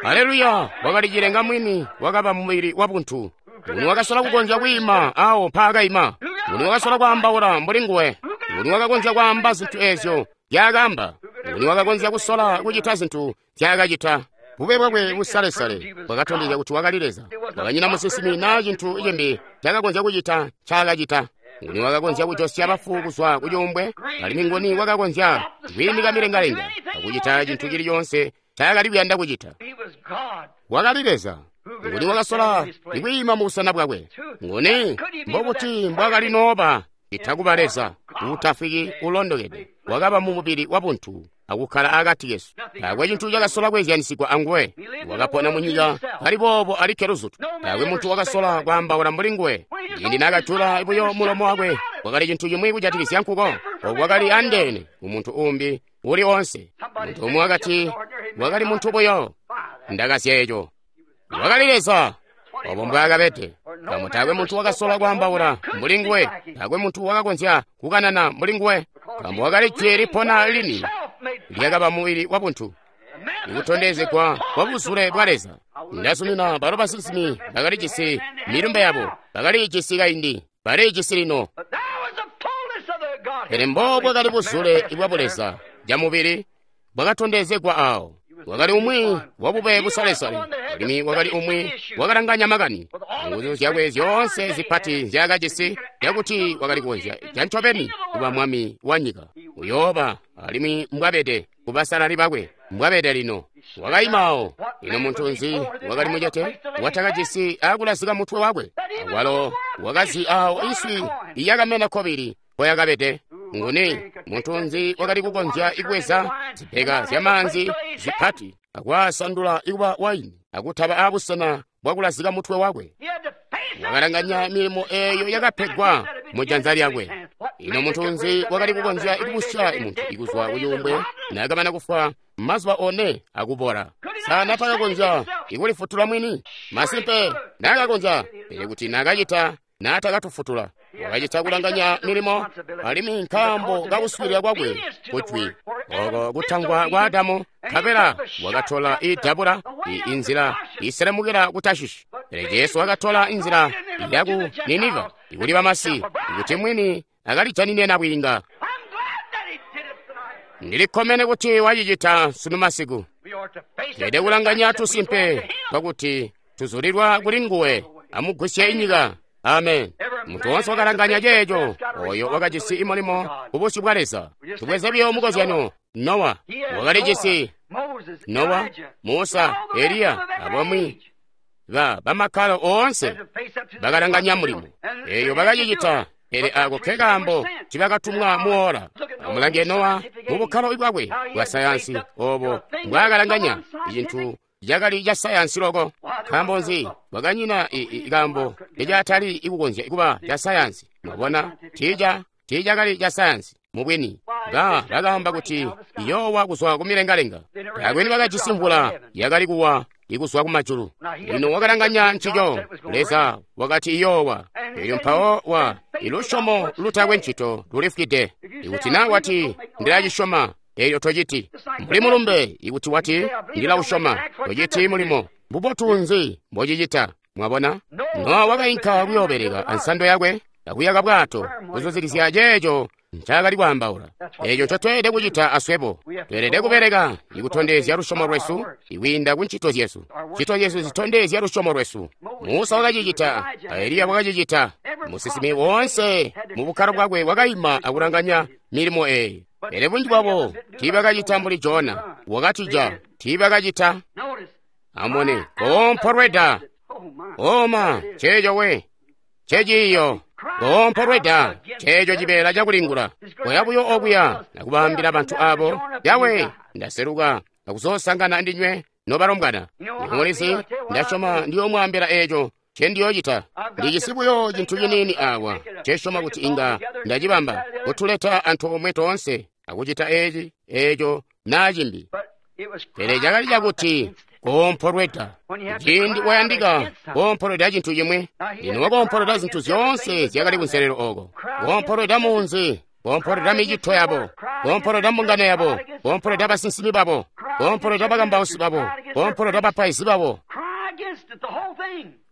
Haleluya! Wakali cilenga mwini wakaba mubili wa buntu. Nguni wakasola kukonzya kwiima awo mpaakaima? Nguni wakasola kwaambaula mbuli nguwe? Nguni wakakonzya kwaamba zintu eezyo zyaakaamba? Nguni wakakonzya kusola kucita zintu zyaakacita? Bube bwakwe busalesale bwakatondezya kuti wakali Leza. Wakanyina musinsimi naa cintu cimbi cakakonzya kucita ncaakacita. Nguni wakakonzya kujosya bafu kuzwa ku cuumbwe? Alimwi nguni wakakonzya kwiimika milengalenga akucita cintu cili coonse ncaakali kuyanda kucita. Wakali Leza. Nguni wakasola ikwiima mu busena bwakwe? Nguni mbobuti mbwakali nooba itakuba Leza uutafwiki ulondokede wakaba mu mubili wabuntu akukkala akati kesu. Taakwe cintu cakasola kwezyanisigwa anguwe. Wakapona mu nyika kali boobo alikke luzutu. Taakwe muntu wakasola kwaambaula mbuli nguwe. Ciindi naakajula buyo mulomo wakwe, kwakali cintu cimwi kujatikizya nkuko. Oku kwakali andeene kumuntu uumbi uli oonse. Muntu umwi wakati wakali muntu buyo. Ndakazya eco. Wakali Leza. Obo mbwaakabede. Nkaambo taakwe muntu wakasola kwaambaula mbuli nguwe. Taakwe muntu wakakonzya kukanana mbuli nguwe. Nkaambo wakali jwi lipona lini lyakaba mubili wabuntu, ikutondezegwa kwa buzule bwa Leza. Ndazumina balo basinsimi bakalijisi milumbe yabo, bakaliijisi kaindi, baliijisi lino. Pele mbo bwakali buzule bwa buleza bwamubili bwakatondezegwa awo. Wakali umwi wabube busalesale, alimwi wakali umwi wakalanganya makani. Nguzu zyakwe zyoonse zipati nzyaakajisi zyakuti wakali kukonzya cancobeni kuba mwami wa nyika. Uyooba alimwi mbwabede kubasalali bakwe, mbwabede lino. Wakaima awo. Ino muntu nzi wakali mucete watakajisi akulazika mutwe wakwe? Walo wakazi awo inswi iyakamena kobili mpoyakabede. Nguni muntu nzi wakali kukonzya ikubweza zipeka zyamaanzi zipati akwaasandula ikuba waini akutaba abusena bwakulazika mutwe wakwe? Wakalanganya milimo eeyo yakapegwa mu janza lyakwe. Ino muntu nzi wakali kukonzya ikubusya muntu ikuzwa kucuumbwe naakamana kufwa mazuba one akubola? Sa natakakonzya ikulifutula mwini? Masimpe naakakonzya, pele kuti naakacita naatakatufutula. Wakacita kulanganya milimo, alimwi nkaambo kakuswiilila kwakwe kujwi oko kutangwa kwa Adamu, nkabela wakatola idabula inzila iselemukila ku Tashishi. Pele Jesu wakatola inzila yaku Niniva ikuli bamasi, ikuti mwini akalijanine nabwiinga. Ndilikkomene kuti wacicita sunu masiku. Tweelede kulanganya tusimpe twakuti tuzulilwa kuli nguwe amugwisye inyika. Amen. Muntu wonse wakalanganya ceeco oyo wakajisi imulimo kubusyu bwa Leza. Tubweze buyo mukozyano. Nowa wakalijisi Nowa, Musa, Eliya abamwi ba bamakkalo oonse bakalanganya mulimo eyo bakacicita. Pele ako ke kaambo tibakatumwa muola. Amulange Nowa mu bukkalo bwakwe bwa sayansi obo mbwaakalanganya icintu cakali ca sayansi loko. Nkaambo nzi? Bwakanyina kaambo icatali ikukonzya kuba ca sayansi. Mwabona, tiica tiicakali ca sayansi mubwini. Ba bakaamba kuti iyoowa kuzwa kumilengalenga. Taakwe nibakajisi mvula yakali kuwa ikuzwa kumajulu. Lino wakalanganya ncico. Leza wakati iyoowa. Elyo mpawo wa ilusyomo lutakwe ncito lulifwide. Ikuti na wati ndilacisyoma, elyo tociti. Mbuli mulumbe, ikuti wati ndilausyoma, tociti mulimo. Mbubotu nzi mbocicita? Mwabona? Nowa wakainka kuyoobeleka ansando yakwe akuyaka bwato kuzuzikizya ceeco ncaakali kwaambaula. Eeco ncotweelede kucita aswebo. Tweelede kubeleka ikutondezya lusyomo lwesu ikwiinda ku ncito zyesu. Ncito zyesu zitondezya lusyomo lwesu. Musa wakacicita, Eliya wakacicita. Musinsimi woonse mu bukkalo bwakwe wakaima akulanganya milimo eeyi. Pele bunji bwabo tiibakacita mbuli Jona wakatija, tiibakacita. Amone koompolweda. Oma ceeco we ceciiyo koompolweda ceeco cibeela cakulingula. Koya buyo okuya nakubaambila bantu abo, Yawe ndaseluka akuzoosangana ndinywe nobalombwana. Mulizi ndasyoma ndiyoomwaambila eeco ncendiyoocita. Ndijisi buyo cintu ciniini awa ncesyoma kuti inga ndacibamba kutuleta antoomwe toonse akucita eeci eeco naa cimbi. Pele cakali cakuti koompolweda. Ciindi wayandika koompolweda cintu cimwi, lino wakoompolweda zintu zyoonse zyakali kunselelo oko. Koompolweda munzi, koompolweda micito yabo, koompolweda mbungano yabo, koompolweda basinsimi babo, koompolweda bakambausi babo, koompolweda bapaizi babo,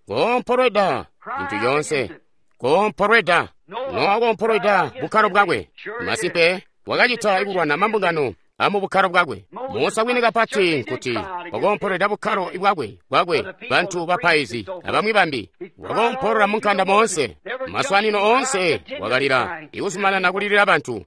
koompolweda cintu coonse, koompolweda. Nowa koompolweda bukkalo bwakwe. Masimpe wakacita ikulwana mambungano amu bukkalo bwakwe. Musa bwini kapati nkuti wakoompolweda bukkalo bwakwe bwakwe bantu bapaizi abamwi bambi. Wakoompolola mu nkanda moonse, maswanino oonse wakalila, ikuzumanana kulilila bantu.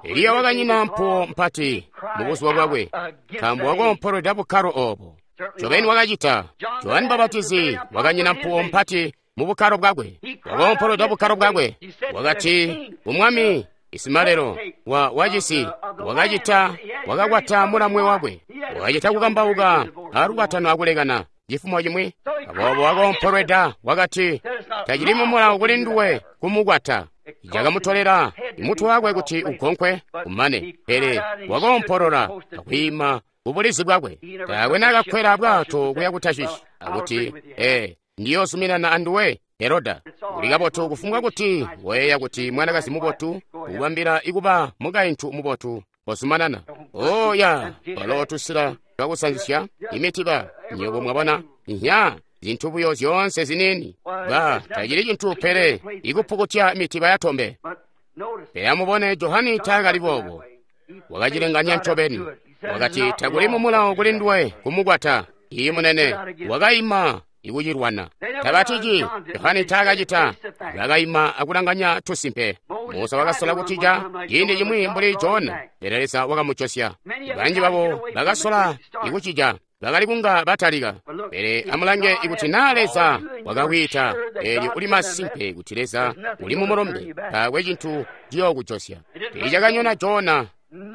Eliya wakanyina mpuwo mpati mu buzuba bwakwe, nkaambo wakoompolweda bukkalo obo. Ncobeni wakacita. Johane Mbapatizi wakanyina mpuwo mpati mu bukkalo bwakwe, wakoompolweda bukkalo bwakwe. Wakati kumwami Isimalelo wa wacisi wakacita wakakwata mulamwe wakwe, wakacita kukambauka alukwatano akulekana cifumo cimwi. Aboobo wakoompolweda wakati, tacili mumulawo kuli nduwe kumukwata. Cakamutolela mutwe wakwe kuti ugonkwe kumane, pele wakoompolola akwiima kubulizi bwakwe. Taakwe naakakwela bwato kuya ku Tashishi akuti, ee, ndiyoozuminana anduwe Heroda. Uli kabotu kufumbwa kuti weeya kuti mwanakazi mubotu ukubambila ikuba mukaintu mubotu kozumanana. Oh ya, walo tusila twakusanzisya imitiba, nywebo mwabona, nya zintu buyo zyoonse ziniini. Ba tacili cintu pele ikupukutya mitiba yatombe. Pele amubone Johane taakali boobo. Wakacilenganya ncobeni. Wakati takuli mumulawo kuli nduwe kumukwata. Iyi munene wakaima ikucilwana. Tabatiji Johane taakacita. Bakaima akulanganya tusimpe. Musa wakasola kutija ciindi cimwi mbuli Jona, pele Leza wakamucosya. Banji babo bakasola ikucija, bakali kunga batalika. Pele amulange ikuti naa Leza wakakwiita, eelyo uli masimpe kuti Leza uli mumulombe, taakwe cintu ciyookujosya. Tiicakanyona Jona.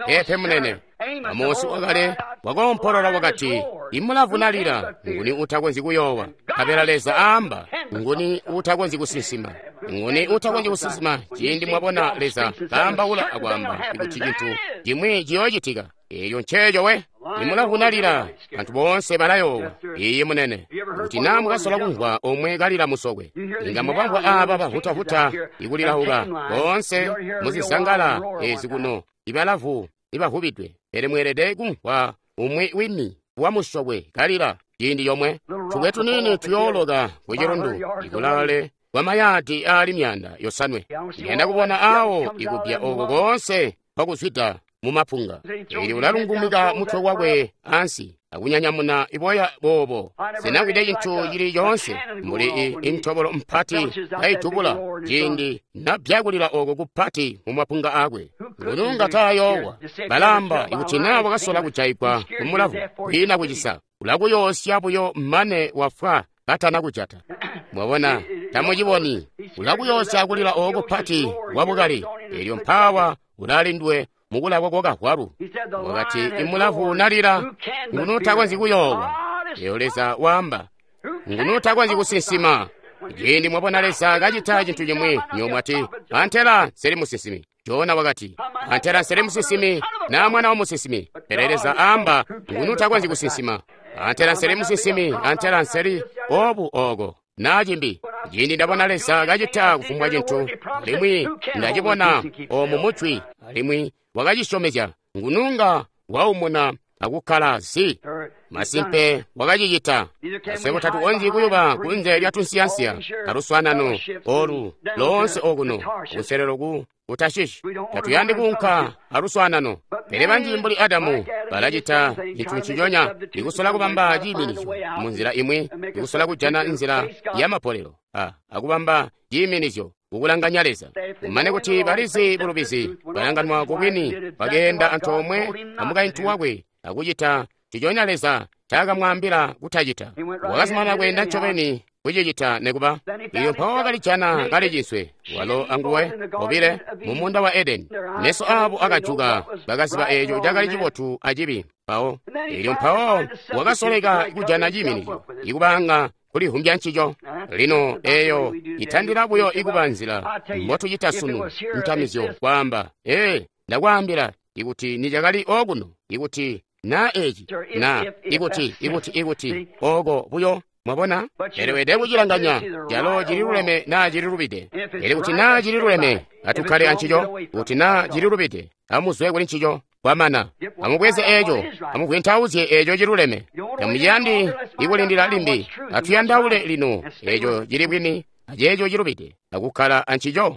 Pepe munene. Amosi wakale wakoompolola wakati, imulavu nalila, nguni utakonzyi kuyoowa? Nkabela Leza aamba, nguni utakonzyi kusinsima? Nguni utakonzyi kusinsima? Ciindi mwabona Leza kaambaula akwaamba kuti cintu cimwi ciyoocitika, eeyo nceeco we. Imulavu nalila, bantu boonse balayoowa. Iye munene. Kuti naa mukasola kumvwa omwe kalila musokwe, inga mwabamvwa aaba bahutahuta ikulilauka boonse muzizangala ezi kuno, ibalavu ibavubidwe. Pele mweelede kumvwa umwi wini wa musokwe kalila ciindi comwe. Tubwe tuniini tuyooloka kucilundu ikulale kwa mayaadi aali myanda yosanwe. Ndiyanda kubona awo ikupya oko koonse kwakuzwida mumapunga. Eelyo ulalungumika mutwe wakwe ansi akunyanyamuna iboya boobo. Sinakwide cintu cili coonse mbuli intobolo mpati kaidubula ciindi nabyakulila oko kupati mumapunga akwe. Ngununga taayoowa. Balamba ikuti naa wakasola kujaigwa kumulavu kwiina kucisa, ulakuyoosya buyo mane wafwa katana kujata. Mwabona, tamuciboni. Ulakuyoosya kulila oko pati wabukali. Eelyo mpawa ulalindwe mukulakwa kwakavwalu. Wakati imulavu nalila, nguni utakonzyi kuyoowa? Eyo Leza waamba, nguni utakonzyi kusinsima? Ciindi mwabona Leza kacita cintu cimwi, nywebo mwati, antela nseli musinsimi. Jona wakati, antela nseli musinsimi na mwana wa musinsimi. Pele Leza aamba, nguni utakonzyi kusinsima? Antela nseli musinsimi, antela nseli obu oko naa cimbi. Ciindi ndabona Leza kacita kufumbwa cintu, alimwi ndacibona omu mujwi, alimwi wakacisyomezya, ngununga waumuna akukkala zi. Masimpe wakacicita. Aswebo tatukonzyi kuyuba kunze lya tunsiyansiya aluswaanano olu loonse okuno kunselelo ku Kutashishi. Tatuyandi kuunka aluswaanano. Pele banji mbuli Adamu balacita cintu nciconya, ikusola kubamba ciiminizyo munzila imwi, ikusola kujana nzila ya mapolelo a akubamba ciiminizyo kukulanganya Leza. Kumane kuti balizi bulubizi, balanganwa kubwini, bakeenda antoomwe amukaintu wakwe akucita nciconya Leza caakamwaambila kutacita. Wakazumanana kweenda ncobeni kucicita nekuba. Iyo mpawo wakalijana kaliciswe, walo anguwe bobile mumunda wa Edeni. Meso abo akajuka, bakaziba eeco cakali cibotu acibi. Mpawo eelyo mpawo wakasoleka kujana ciiminizyo, ikubanga kulihumbya ncico. Lino eeyo itandila buyo ikuba nzila mbotucita sunu ntamizyo kwaamba, ee, ndakwaambila ikuti nicakali okuno, ikuti na eci, na ikuti ikuti ikuti oko buyo. Mwabona, pele weelede kucilanganya calo cililuleme naa cililubide. Pele kuti naa cililuleme, atukkale ancico. Kuti naa cililubide, amuzwe kuli ncico. Kwamana, amubweze eeco, amuvwentauzye eeco ciluleme. Tamuciyandi ikulindila limbi, atuyandaule lino eeco cili bwini aceeco cilubide, akukkala ancico.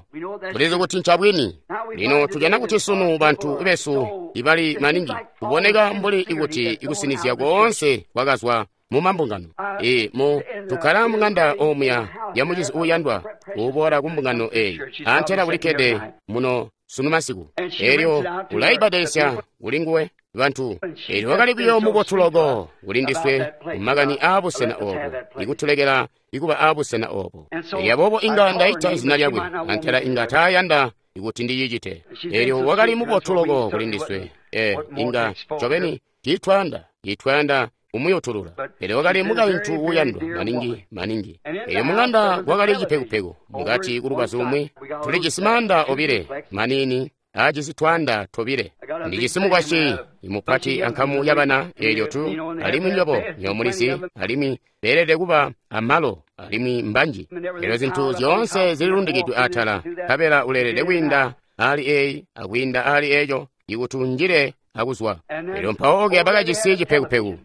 Tulizi kuti ncabwini. Lino tujana kuti sunu bantu besu ibali maningi kuboneka mbuli ikuti ikusinizya koonse kwakazwa mu mambungano. E mu tukkala mung'anda omuya ya mucizi uuyandwa uboola ku mbungano eyi, antela kulikkede muno sunu masiku. Elyo ulaibadesya kuli nguwe bantu. Elyo wakali buyo mubotu loko kuli ndiswe mumakani aabusena obo, ikutulekela ikuba aabusena obo. Elyo aboobo inga ndaita izina lyakwe, antela inga taayanda ikuti ndicicite. Elyo wakali mubotu loko kuli ndiswe. E inga ncobeni tiitwayanda tiitwayanda kumuyutulula. Pele wakali mukaintu uuyandwa maningi maningi. Elyo mung'anda kwakali cipekupeku mukati kulubazu lumwi. Tulijisi maanda obile maniini aajisi twaanda tobile. Ndijisi mukwasyi mupati ankamu yabana, eelyo tu alimwi nyobo nyomulizi, alimwi beelede kuba amalo, alimwi mbanji. Elyo zintu zyoonse zililundikidwe atala, nkabela uleelede kwiinda ali eyi akwiinda ali eyo ikuti unjile akuzwa. Elyo mpawo ke bakajisi cipekupeku.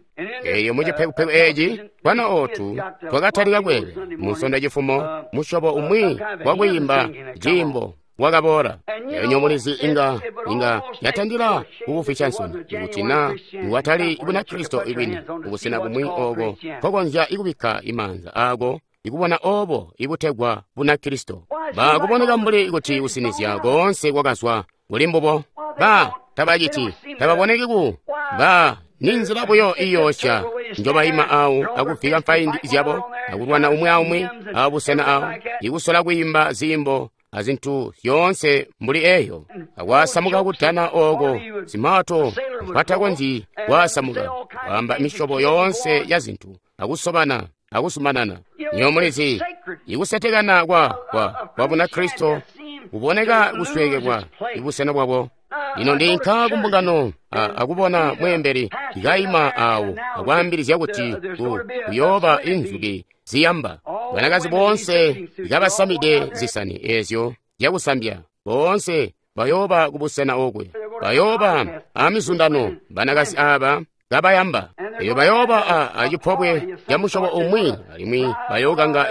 Elyo mu cipekupeku eeci twana ootu twakatalika kweela munsondo cifumo, musyobo umwi wakwiimba ciimbo wakaboola. Elyo nyomulizi inga inga yatandila kukufwisya nsoni ikuti na watali Bunakristo ibwini kubusena bumwi ooko nkokonzya ikubikka imaanza aako ikubona obo ibutegwa Bunakristo. Ba kuboneka mbuli kuti kusinizya koonse kwakazwa kuli mbubo. Ba tabaciti, tababoneki ku ba ninzila buyo iyoosya njobayima awo akuvika mfaindi zyabo akulwana umwi aumwi abusena awo ikusola kwiimba ziimbo azintu zyoonse mbuli eyo, akwasamuka kudana ooko zimato mpatakonzyi kwasamuka, kwaamba misyobo yoonse ya zintu, akusobana akusumanana. Nyomulizi ikusetekana kwa kwa kwa Bunakristo kuboneka kusweekebwa ibusena bwabo. Lino ndinka kumbungano akubona mweembeli kaima awo akwaambilizya kuti kuyooba inzuki ziyamba. Banakazi boonse kabasamide zisani ezyo zyakusambya, boonse bayooba kubusena okwe. Bayooba amizundano banakazi aba kabayamba. Eyo bayooba acipobwe ca musyobo umwi, alimwi bayookanga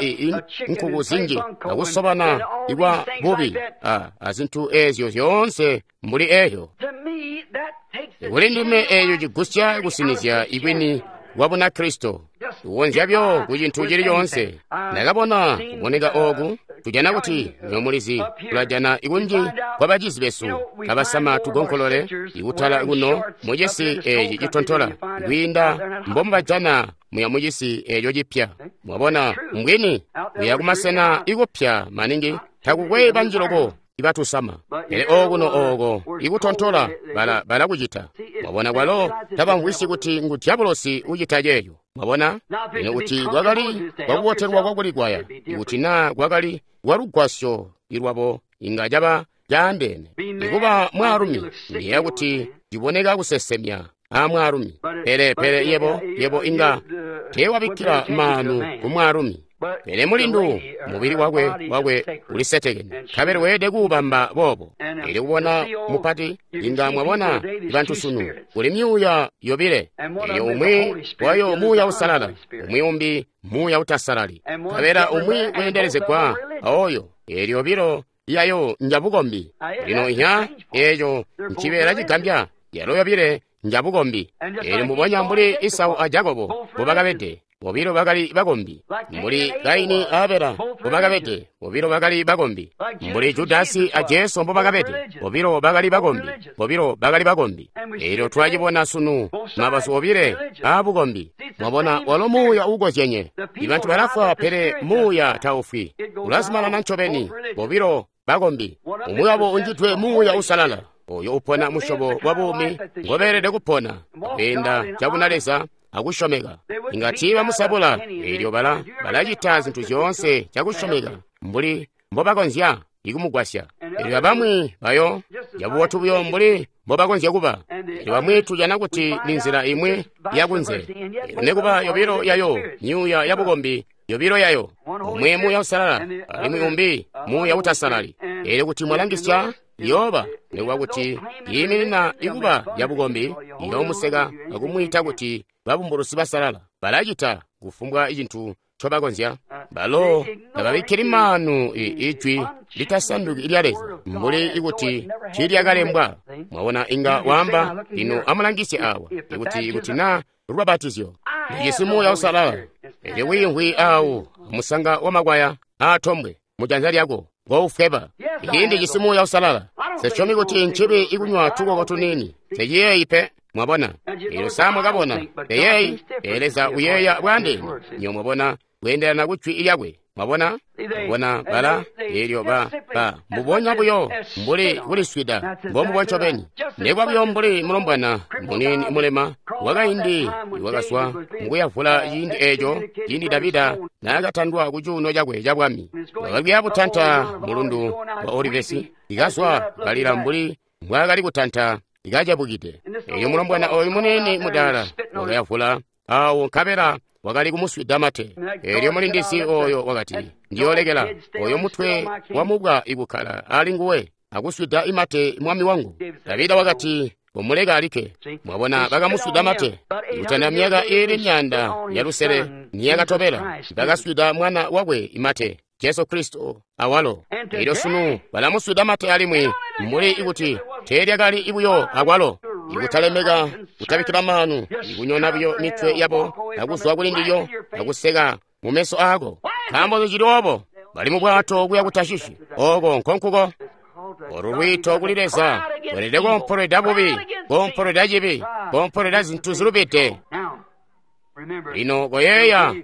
nkuku zinji akusobana ikwa bubi azintu ezyo zyoonse mbuli eyo. Kuli ndime eyo cigusya kusinizya ibwini bwa Bunakristo kukonzya byo ku cintu cili coonse. Ndakabona kuboneka ooku, tujana kuti nyomulizi tulajana ikunji kwa bacizi besu kabasama tugonkolole ikutala kuno mucisi eeci citontola kwiinda mbomubajana muya mucisi eeco cipya. Mwabona mbwini muya kumasena ikupya maningi takukwe banji loko ibatusama. Pele okuno ooko ikutontola bala balakucita. Mwabona kwalo tabamvwisyi kuti ngu dyabulosi ucita ceeco. Mwabona lino kuti kwakali kwakubotelwa kwakulikwaya, ikuti naa kwakali kwalugwasyo ilwabo inga caba caandeene. Ikuba mwaalumi ndiyeeya kuti ciboneka kusesemya a mwaalumi, pele pele yebo yebo inga teewabikkila maanu ku mwaalumi. Pele mulindu mubili wakwe wakwe ulisetekene, nkabela weelede kuubamba boobo. Elyo kubona mupati inga mwabona bantu sunu kuli myuuya yobile. Elyo umwi wayo muuya usalala, umwi umbi muuya utasalali, nkabela umwi weendelezegwa aoyo. Elyo yobilo yayo njabukombi. Lino inya eeco ncibeela cigambya, yalo yobile njabukombi. Elyo mbubonya mbuli Isau a Jakobo mbobakabede, bobilo bakali bakombi. Mbuli Kaini a Abela mbobakabede, bobilo bakali bakombi. Mbuli Judasi a Jesu mbobakabede, bobilo bakali bakombi, bobilo bakali bakombi. Elyo twacibona sunu mabazu obile aabukombi. Mwabona walo muuya uukozyenye. Ibantu balafwa pele muuya taufwi, ulazumanana ncobeni. Bobilo bakombi, umwi wabo unjidwe muuya usalala, oyo upona musyobo wa buumi ngobeelede kupona kwiinda cabunaleza akusyomeka. Inga tiibamusabula, eelyo bala balacita zintu zyoonse cakusyomeka mbuli mbobakonzya ikumugwasya. Eelyo abamwi bayo cabubotu buyo mbuli mbobakonzya kuba. Eelyo bamwi tujana kuti ni nzila imwi yakunze. Eelyo nekuba yobilo yayo myuuya yabukombi, yobilo yayo, umwi muuya usalala alimwi umbi muuya utasalali. Eelyo kuti mwalangisya yooba nikuba kuti yiiminina ikuba yabukombi, iyoomuseka akumwiita kuti babumbulusi basalala. Balacita kufumbwa cintu ncoba konzya. Balo tababikkili maanu ijwi litasanduki lya Leza mbuli ikuti tiilyakalembwa. Mwabona, inga waamba, lino amulangisye awa, ikuti ikuti na lubapatizyo lijisi Muuya Uusalala, elyo wiimvwi awo musanga wa makwaya aatombwe mu janza lyako ngoufweba. Iki ndijisi Muuya Uusalala. Sesyomi kuti ncibi ikunywa tukoko tuniini. Seciyeeyi pe. Mwabona, elyo sa mwakabona peyeeyi, pele Leza uyeeya bwandeene. Nyo mwabona, kweendelana ku jwi lyakwe. Mwabona, mwabona bala elyo ba ba mbubonya buyo mbuli kuliswida mbombubo ncobeni. Nekwa buyo mbuli mulombwana muniini mulema wakaindi wakazwa mukuyavula ciindi eeco ciindi Davida naakatandwa ku cuuno cakwe ca bwami. Wakali butanta mulundu wa Olivesi, ikazwa kalila mbuli mbwaakali kutanta ikacebukide. Elyo mulombwana oyu muniini mudaala wakayavula awo nkabela wakali kumuswida mate. Elyo mulindizi oyo wakati, ndiyoolekela oyo mutwe wa mubwa ikukkala ali nguwe akuswida imate mwami wangu. Davida wakati, umuleka alikke. Mwabona, bakamuswida mate. Ikutanda myaka iili myanda ya lusele niyakatobela, bakaswida mwana wakwe imate, Jesu Kristo awalo. Elyo sunu balamuswida mate alimwi mbuli ikuti teelyakali ibuyo akwalo. Ikutalemeka, kutabikkila maanu, ikunyona buyo mitwe yabo akuzwa kuli ndilyo akuseka mu meso aako. Nkaambo cili obo, bali mu bwato kuya ku Tashishi. Oko nkonkuko. Olu lwiito kuli Leza lweelede koompolweda bubi, koompolweda cibi, koompolweda zintu zilubide. Lino koyeeya,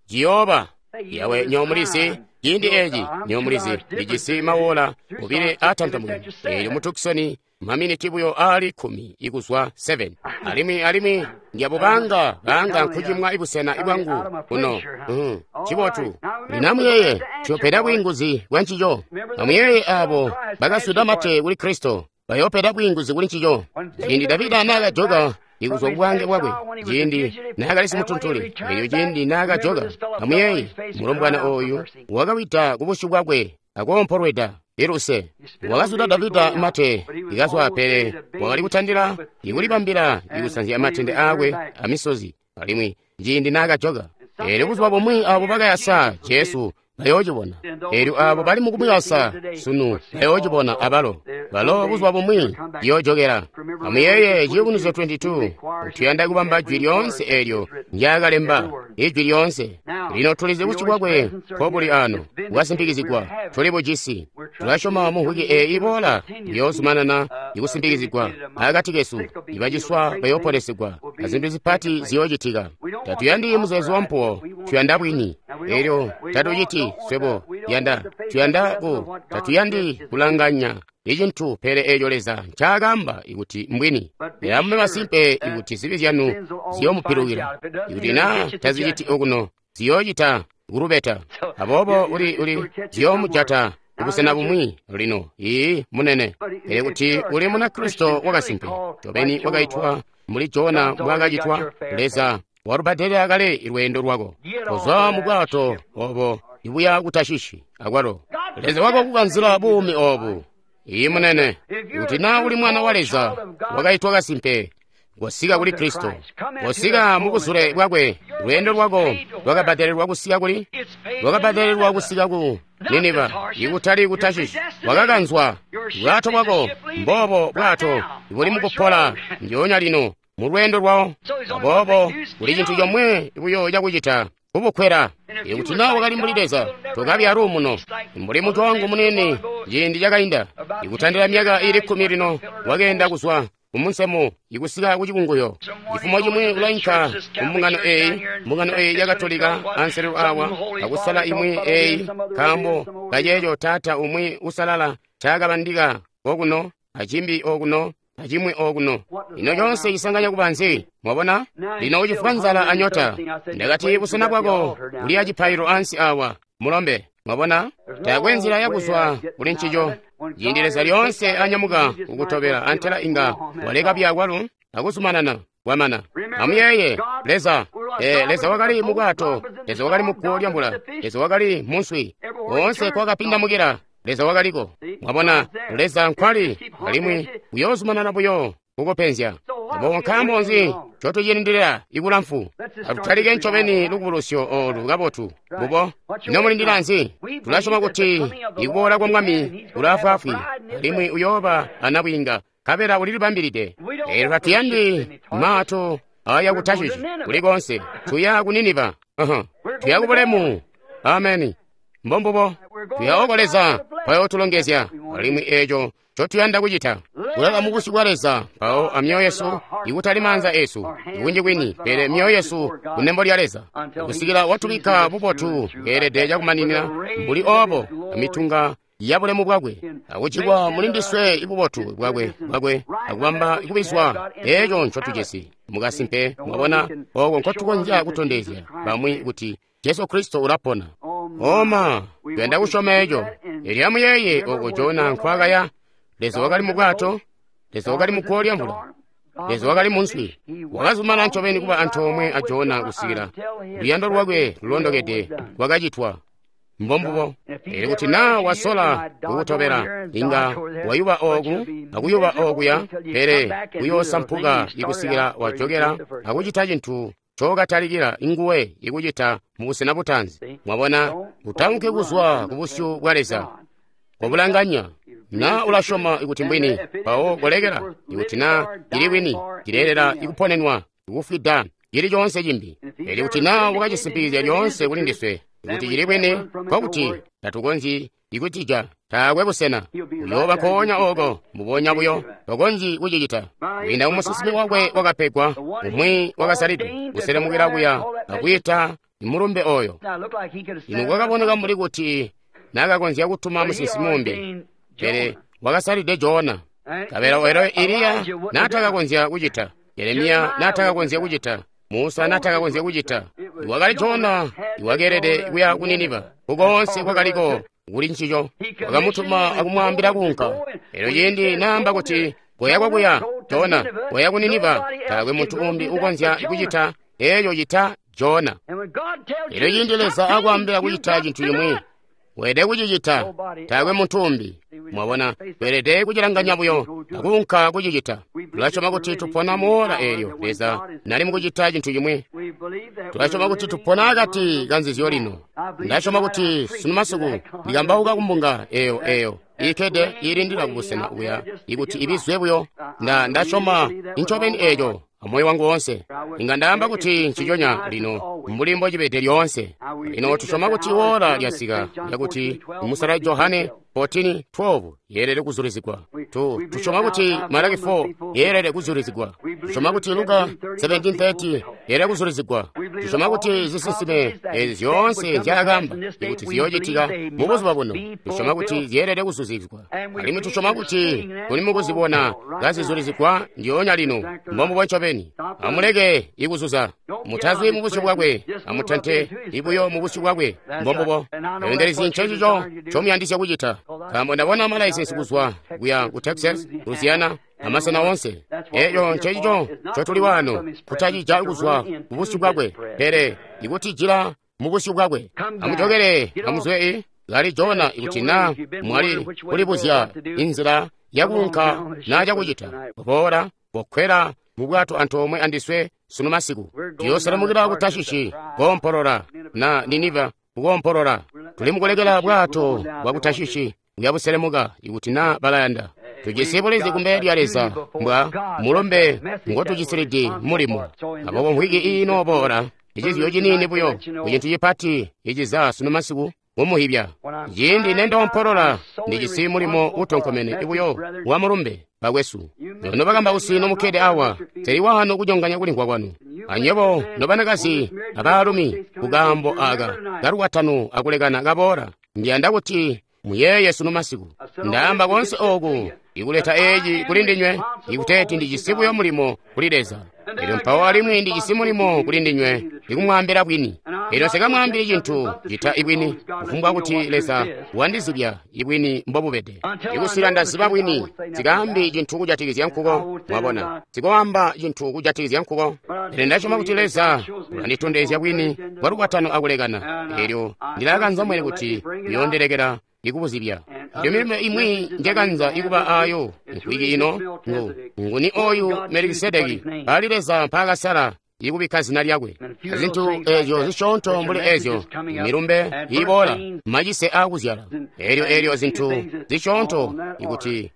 ciyooba. Yawe nyomulizi, ciindi eeci nyomulizi lijisi mawola obile aatantamukene. Eelyo mu Tucson maminiti buyo aali kkumi ikuzwa seven. Alimwi alimwi ndiyabubanga banga nkucimwa ibusena bwangu kuno. Mm, cibotu. Lino amuyeeye, tuyopeda bwiinguzi bwa ncico. Amuyeeye abo bakaswida mate kuli Kristo, bayopeda bwiinguzi kuli ncico. Ciindi Davida naakajoka ikuzwa kubwange bwakwe, ciindi naakali simutuntuli, elyo ciindi naakajoka, amuyeeye mulombwana oyu wakawida kubusyu bwakwe akoompolweda iluse. Wakaswida Davida mate ikazwa, pele wakali kutandila ikulibambila ikusanzya matende aakwe amisozi. Alimwi ciindi naakajoka, elyo buzuba bumwi abo bakayasa Jesu bayoocibona. Elyo abo bali mukumuyasa sunu bayoocibona abalo. Balo buzuba bumwi ciyoojokela. Amuyeeye Ciyubunuzyo twenty-two, tuyanda kubamba jwi lyoonse elyo ndyaakalemba, ijwi lyoonse. Lino tulizi busyu bwakwe nkobuli ano, bwasimpikizigwa, tuli bujisi. Tulasyoma mu mvwiki eeyi iboola iyoozumanana ikusimpikizigwa akati kesu. Ibaciswa bayooponesigwa, azintu zipati ziyoocitika. Tatuyandi muzeezo wampuwo, tuyanda bwini. Elyo tatuciti swebo yanda, tuyanda ku, tatuyandi kulanganya icintu pele eeco Leza ncaakaamba ikuti mbwini. Pele amube masimpe ikuti zibi zyanu ziyoomupilukila. Ikuti naa taziciti okuno, ziyoocita kulubeta. Aboobo uli uli ziyoomujata kubusena bumwi lino. Ii munene. Pele kuti uli Munakristo wakasimpe, ncobeni wakaitwa mbuli Jona mbwaakacitwa, Leza walubadelela kale lweendo lwako. Kozwa mu bwato obo ibuya ku Tashishi akwalo. Leza wako kukanzila buumi obu. Ii munene. Kuti naa uli mwana wa Leza wakaitwa kasimpe, kosika kuli Kristo, kosika mu buzule bwakwe. Lweendo lwako lwakabadelelwa kusika kuli, lwakabadelelwa kusika ku Niniva, ikutali ku Tashishi. Wakakanzwa bwato bwako, mbobo bwato buli mukupola ndyoonya lino mu lweendo lwawo. Aboobo kuli cintu comwe buyo cakucita, kubukwela. Ikuti naa wakali mbuli Leza, tokabi aluumuno. Mbuli mutu wangu munene ciindi cakainda, ikutandila myaka iili kkumi lino, wakeenda kuzwa kumunsemu ikusika ku cikunguyo. Cifumo cimwi ulainka ku mbungano eeyi, mbungano eeyi ya Katolika anselelo awa, akusala imwi eeyi, nkaambo kaceeco taata umwi usalala ncaakabandika okuno, acimbi okuno, acimwi okuno. Lino conse cisanganya kuba nzi? Mwabona? Lino ucifwa nzala anyota. Ndakati busena bwako buli acipaililo ansi awa, mulombe. Mwabona? Taakwe nzila yakuzwa kuli ncico. Ciindi Leza lyoonse anyamuka kukutobela, antela inga waleka byakwalo akuzumanana kwamana. Amuyeeye, Leza, eh, Leza wakali mu bwato, Leza wakali mu guwo lyamvula, Leza wakali mu nswi. Koonse kwakapindamukila, Leza wakaliko. Mwabona, Leza nkwali, alimwi uyoozumanana buyo kukupenzya. Aboobo nkaambo nzi ncotucilindilila ikulamfu? Atutalike ncobeni lukubulusyo oolu kabotu. Mbubo. Ino mulindila nzi? Tulasyoma kuti ikuboola kwa Mwami kulaafwaafwi, alimwi uyooba anabwiinga, nkabela ulilibambilide. Eelyo tatuyandi maato aya ku Tashishi kulikonse. Tuya ku Niniva. Uh-huh. Tuya ku bulemu. Ameni. Mbombubo. Tuya oko Leza kwayootulongezya, alimwi eeco ncotuyanda kucita. Kulala mu busyu bwa Leza, mpawo amyoyo yesu, ikutali maanza esu, ikunji kwini, pele myoyo yesu kunembo lya Leza, kusikila watubikka bubotu bweelede cakumaninina mbuli oobo amitunga ya bulemu bwakwe, akucikwa muli ndiswe ibubotu bwakwe bwakwe, akubamba kubizwa eeco ncotujisi. Mukasimpe, mwabona, oko nkotukonzya kutondezya bamwi kuti Jesu Kristo ulapona. Oma, tuyanda kusyoma eco. Elyo amuyeeye oko Jona nkwakaya. Leza wakali mu bwato, Leza wakali mu guwo lya mvula, Leza wakali mu nswi. Wakazumana ncobeni kuba antoomwe a Jona kusikila luyando lwakwe lulondokede lwakacitwa. Mbombubo. Elyo kuti naa wasola kukutobela, inga wayuba ooku akuyuba ookuya, pele uyoosampuka ikusikila wajokela akucita cintu ncokatalikila nguwe ikucita mubusena butaanzi. Mwabona, utaunke kuzwa kubusyu bwa Leza. Kobulanganya. Na ulasyoma ikuti mbwini, mpawo kolekela. Ikuti na cili bwini, cileelela ikuponenwa, ikufwida, cili coonse cimbi. Elyo kuti na wakacisimpikizya lyoonse kuli ndiswe ikuti cili bwini, nkokuti tatukonzyi ikutija, taakwe busena. Uyooba nkoonya oko, mbubonya buyo, tokonzyi kucicita. Kwiinda mumusinsimi wakwe wakapegwa, umwi wakasalidwe, kuselemukila kuya akwiita mulumbe oyo. Ino kwakaboneka mbuli kuti nakakonzya kutuma musinsimi umbi, pele wakasalide Jona. Kabela oyo Eliya natakakonzya kucita, Jeremiya natakakonzya kucita, Musa natakakonzya kucita. Iwakali Jona iwakeelede kuya ku Niniva, kukoonse kwakaliko kuli ncico. Wakamutuma akumwaambila kuunka. Elyo ciindi naamba kuti koya kwakuya, Jona, koya ku Niniva, taakwe muntu umbi ukonzya kucita eeco cita Jona. Elyo ciindi Leza akwaambila kucita cintu cimwi, weelede kucicita, taakwe muntu umbi. Mwabona, weelede kucilanganya buyo akuunka kucicita. Tulasyoma kuti tupona muola eelyo Leza nali mukucita cintu cimwi. Tulasyoma kuti tupona akati kanzizyo lino. Ndasyoma kuti sunu masiku ndikambauka kumbunga eyo eyo iikkede iilindila kubusena kuya ikuti ibizwe buyo. Nda ndasyoma incobeni eeco amoyo wangu woonse. Inga ndaamba kuti nciconya lino mbuli mbocibede lyoonse. Lino tusyoma kuti woola lyasika lyakuti musala Johane fourteen twelve yeelede kuzulizigwa. Tu tusyoma kuti Malaki four yeelede kuzulizigwa. Tusyoma kuti Luka seventeen thirty yeelede kuzulizigwa. Tusyoma kuti zisinsime ezi zyoonse nzyaakaamba ikuti ziyoocitika mubuzuba buno. Tusyoma kuti zyeelede kuzulizigwa. Alimwi tusyoma kuti tuli mukuzibona kazizulizigwa ndyoonya lino. Mbombubo ncobeni. Amuleke ikuzuza. Mutazwi mubusyu bwakwe, amutante ibuyo mubusyu bwakwe. Mbombubo. Eendelizi ncencico ncomuyandisya kucita. Nkaambo ndabona malaisensi kuzwa kuya ku Texas, Louisiana, amasena onse. Eeco ncencico ncotuli waano, kutaccija kuzwa kubusyu bwakwe, pele ikutijila mubusyu bwakwe. Amujokele, amuzwe kali Jona ikuti na mwali kulibuzya inzila yakuunka naa cakucita. Boola, kokwela mu bwato antoomwe andiswe sunu masiku. Tuyoselemukila ku Tashishi koompolola, na Niniva kukoompolola. Tuli mukulekela bwato bwa ku Tashishi kuya buselemuka ikuti na balayanda. Tujisi bulizi kumbele lya Leza mbwa mulumbe ngotujisilidi mulimo. Aboobo mvwiki iino boola, icizyo ciniini buyo kucintu cipati iciza sunu masiku mumuhibya. Ciindi nendoompolola ndijisi mulimo utonkomene buyo wa mulumbe bakwesu. Nobakambausi nomukkede awa, teli wano kunyonganya kulimvwa kwanu. Anywebo nobanakazi abaalumi kukaambo aka kalukwatano akulekana kaboola, ndiyanda kuti muyeeye sunu masiku. Ndaamba konse oku ikuleta eeci kuli ndinywe, ikuteeti ndijisi buyo mulimo kuli Leza. Elyo mpawo alimwi ndijisi mulimo kuli ndinywe ikumwaambila bwini. Elyo nsikamwaambili cintu cita ibwini, kufumbwa kuti Leza wandizibya ibwini mbobubede. Ikusila ndaziba bwini, sikaambi cintu kujatikizya nkuko. Mwabona, sikoamba cintu kujatikizya nkuko. Pele ndasyoma kuti Leza ulanditondezya bwini bwa lukwatano akulekana. Elyo ndilakanza mwene kuti uyoondilekela ikubuzibya. Elyo milumbe imwi njekanza ikuba ayo mvwiki ino ngu nguni oyu Melikisedeki ali Leza mpaakasala ikubikka zina lyakwe. Zintu ezyo zisyoonto mbuli ezyo milumbe iboola macise aakuzyala. Elyo elyo zintu zisyoonto ikuti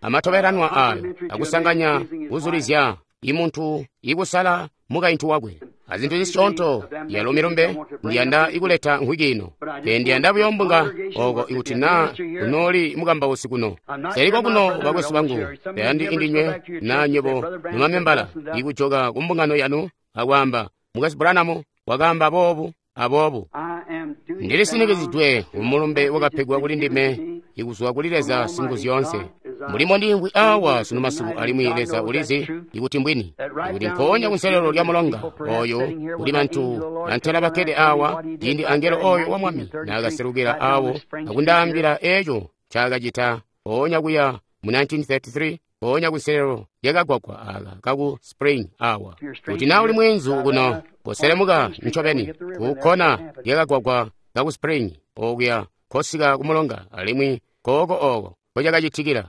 amatobelanwa ayo akusanganya kuzulizya imuntu ikusala mukaintu wakwe. Azintu zisyoonto yalo milumbe ndiyanda ikuleta nkhwiki ino. Pe ndiyanda buyo mbunga oko ikuti naa kunooli mukambausi kuno. Seliko kuno bakwesu bangu, tayandi indinywe naa nywebo numamembala ikujoka kumbungano yanu akwaamba Mukwesu Branham wakaamba boobu aboobu. Ndilisinikizidwe kumulumbe wakapegwa kuli ndime ikuzwa kuli Leza Singuzyoonse. Mulimo ndimvwi awa sunu masiku alimwi Leza ulizi ikuti mbwini. Ikuti mpoonya kunselelo lya mulonga oyo kuli bantu antela bakkede awa ciindi angelo oyo wa Mwami naakaselukila awo akundaambila eco ncaakacita mpoonya kuya mu nineteen thirty-three mpoonya kunselelo lyakagwagwa aka kaku Spring awa. Kuti naa uli mweenzu kuno koselemuka ncobeni kukkona lyakagwagwa kaku Spring okuya kosika kumulonga alimwi kooko oko kocakacitikila.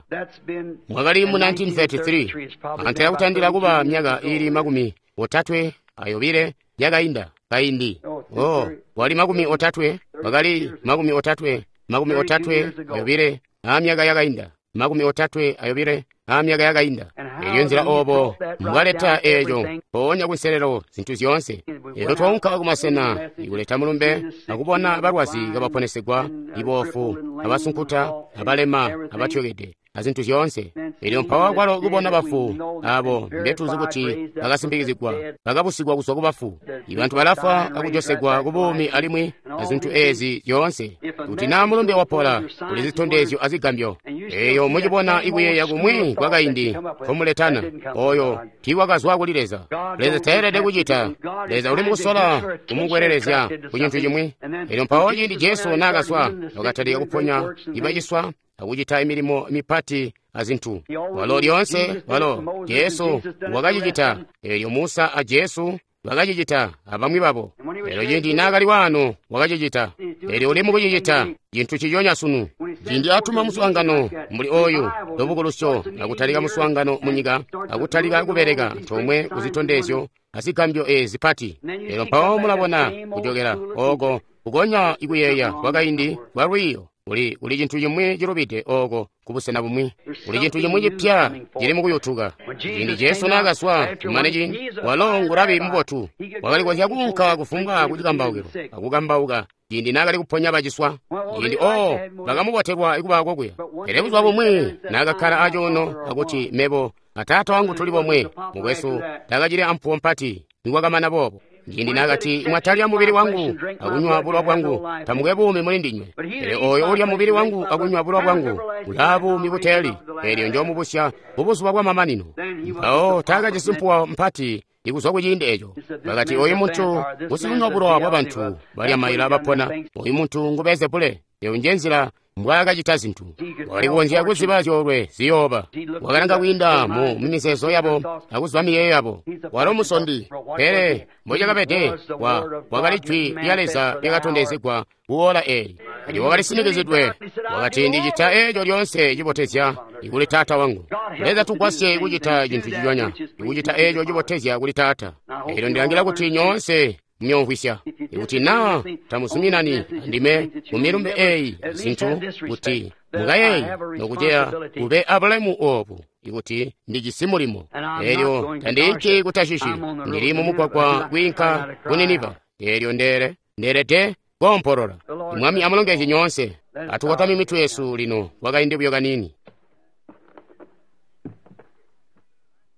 Mwakali mu nineteen thirty-three, antela kutandila kuba myaka ili makumi otatwe ayobile yakainda kaindi. Oh, wali makumi otatwe, wakali makumi otatwe, makumi otatwe ayobile amyaka yakainda, makumi otatwe ayobile amyaka yakainda. Elyo nzila obo mbwaleta eco mpoonya kunselelo zintu zyoonse. Elyo twaunka kumasena ikuleta mulumbe akubona balwazi kabaponesegwa, iboofu, abasunkuta, abalema, abatyokede, azintu zyoonse. Elyo mpawo kwalo kubona bafu abo mbetuzi kuti bakasimpikizigwa, bakabusigwa kuzwa kubafu. Ibantu balafwa akujosegwa kubuumi alimwi azintu ezi zyoonse. Kuti naa mulumbe wapola kuli zitondezyo azigambyo. Eyo mucibona ikuyeeya kumwi kwakaindi komuletana oyo tiiwakazwa kuli Leza. Leza tayelede kucita. Leza uli mukusola kumukwelelezya ku cintu cimwi. Elyo mpawo ciindi Jesu naakazwa wakatalika kuponya ibaciswa akucita milimo mipati azintu. Walo lyoonse walo Jesu wakacicita. Elyo Musa a Jesu bakacicita abamwi babo. Elyo ciindi naakali waano wakacicita. Elyo uli mukucicita cintu ciconya sunu. Ciindi atuma muswaangano mbuli oyu lubukulusyo akutalika muswaangano munyika akutalika kubeleka tomwe kuzitondezyo azigambyo ezi zipati. Elyo mpawo mulabona kujokela oko kukonya ikuyeeya kwakaindi kwa lwiiyo. Kuli kuli cintu cimwi cilubide oko kubusena bumwi. Kuli cintu cimwi cipya cili mukuyutuka. Ciindi Jesu naakazwa kumane ciindi, walo ngurabi mubotu. Wakali konzya kuunka kufumbwa kucikambaukilo akukambauka ciindi naakali kuponya baciswa. Ciindi oo bakamubotelwa ikuba kokuya. Pele buzuba bumwi naakakkala acuuno akuti mebo ataata wangu tuli bomwe, mukwesu takacili ampuwo mpati nikwakamana boobo. Ciindi naakati mwatalya mubili wangu akunywa bulowa bwangu tamukwe buumi muli ndinywe. Pele oyo ulya mubili wangu akunywa bulowa bwangu ulaa buumi buteeli, elyo njoomubusya kubuzuba bwamamanino. Mpawo taakajisi mpuwo mpati ikuzwa kuciindi eco. Bakati oyu muntu ngusikunywa bulowa bwabantu balya maila bapona, oyu muntu ngu Beelzebule. Eyo nje nzila mbwaakacita zintu. Wakali kukonzya kuziba zyoolwe ziyooba. Wakalanga kwiinda mu mizeezo yabo akuziba miyeeyo yabo. Walo musondi, pele mbocakabede wa wakali jwi lya Leza lyakatondezegwa kuola eeli. Elyo wakali sinikizidwe. Wakati ndicita eeco lyoonse cibotezya ikuli Taata wangu. Leza tugwasye kucita cintu ciconya, ikucita eeco cibotezya kuli Taata. Elyo ndilangila kuti nyoonse muyomvwisya. Ikuti naa tamuzuminani andime mu milumbe eeyi zintu kuti mukayeeye nokuceya kube abulemu obu ikuti ndijisi mulimo. Elyo tandiinki ku Tashishi, ndili mumugwagwa kwiinka ku Niniva. Elyo ndele ndelede koompolola. Mwami amulongezye nyoonse. Atukotame mitwe yesu lino kwakaindi buyo kanini.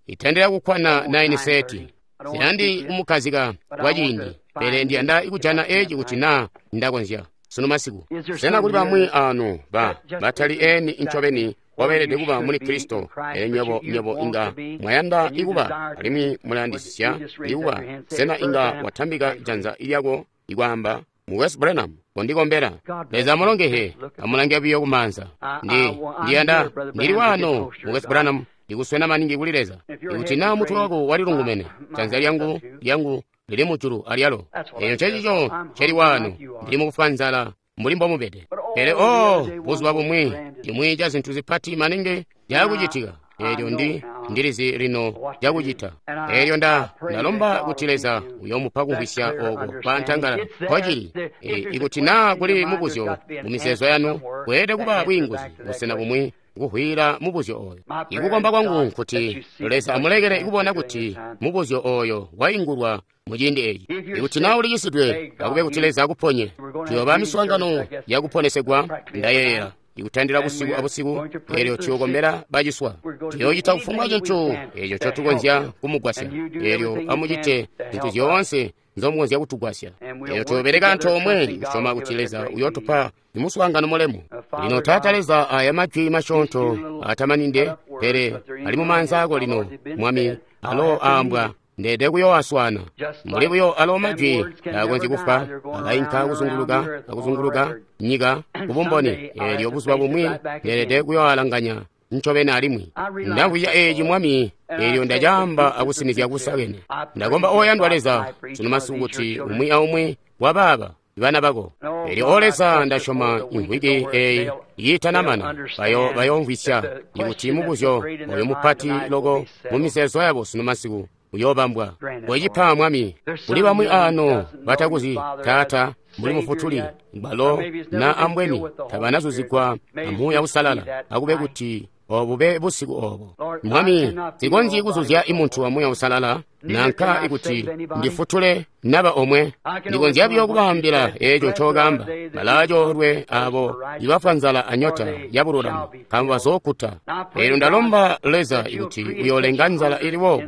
Itendera kukkwana nine thirty. Siyandi kumukhazika kwa ciindi, pele ndiyanda ikujana eci kuti naa ndakonzya sunu masiku. Sena kuli bamwi anu ba batali eni ncobeni wabeelede kuba muli Kristo, ele nywebo nywebo inga mwayanda ikuba alimwi mulayandisisya ikuba. Sena inga watambika janza lyako ikwaamba Mukwesu Branham kondikombera. Leza amulongehe, amulange buyo kumanza. Ndi ndiyanda ndili wano Mukwesu Branham ndikuswena maningi kuli Leza. Ikuti naa mutwe wako walilungumene, janza lyangu lyangu lili mujulu alyalo. Eyo ncecico nceli wano, ndili mukufwa nzala mbuli mbomubede. Pele oh, buzuba bumwi cimwi ca zintu zipati maningi cakucitika, eelyo ndi ndilizi lino cakucita. Eelyo nda ndalomba kuti Leza uyomupa kumvwisya oko kwantangala kwacili. E, ikuti naa kuli mubuzyo mu mizeezo yanu, kweelede kuba bwiinguzi busena bumwi kuhwila mubuzyo oyo. Ikukomba kwangu nkuti Leza amulekele kubona kuti mubuzyo oyo waingulwa muciindi eeci. Ikuti naa ulicisidwe, akube kuti Leza akuponye. Tuyooba miswaangano yakuponesegwa, ndayeeyela, ikutandila busiku abusiku, eelyo tuyokombela baciswa. Tuyoocita kufumbwa cintu eeco ncotukonzya kumugwasya, eelyo amucite zintu zyoonse nzomukonzya kutugwasya. Eelyo tuyobeleka antoomwe kusyoma kuti Leza uyootupa imuswaangano mulemu. Lino Taata Leza, aya majwi masyoonto atamaninde, pele ali mumaanza ako lino, Mwami, alo aambwa ndeede kuyoaswana. Mbuli buyo alo majwi taakonzyi kufwa, alainka kuzunguluka akuzunguluka nyika kubumboni. Eelyo buzuba bumwi ndeelede kuyoalanganya ncobeni alimwi. Ndamvwisya eeci, Mwami, eelyo ndacaamba akusinizya kusakene. Ndakomba oyandwa Leza, sunu masiku kuti umwi aumwi wabaaba bana bako. Eelyo o Leza, ndasyoma imvwiki eeyi iitanamana bayo bayoomvwisya ikuti mubuzyo oyo mupati loko mu mizeezo yabo sunu masiku uyoobambwa. Wecipa, Mwami, kuli bamwi ano batakuzi Taata mbuli Mufutuli, balo na ambweni tabanazuzigwa amuuya usalala, akube kuti obube busiku obo. Mwami, sikonzyi kuzuzya imuntu wa Muuya Usalala, nanka ikuti ndifutule naba omwe. Ndikonzya buyo kubaambila eeco ncookamba. Balaacoolwe abo ibafwa nzala anyota ya bululami, nkaambo bazookuta. Eelyo ndalomba Leza ikuti uyoolenga nzala ili boobu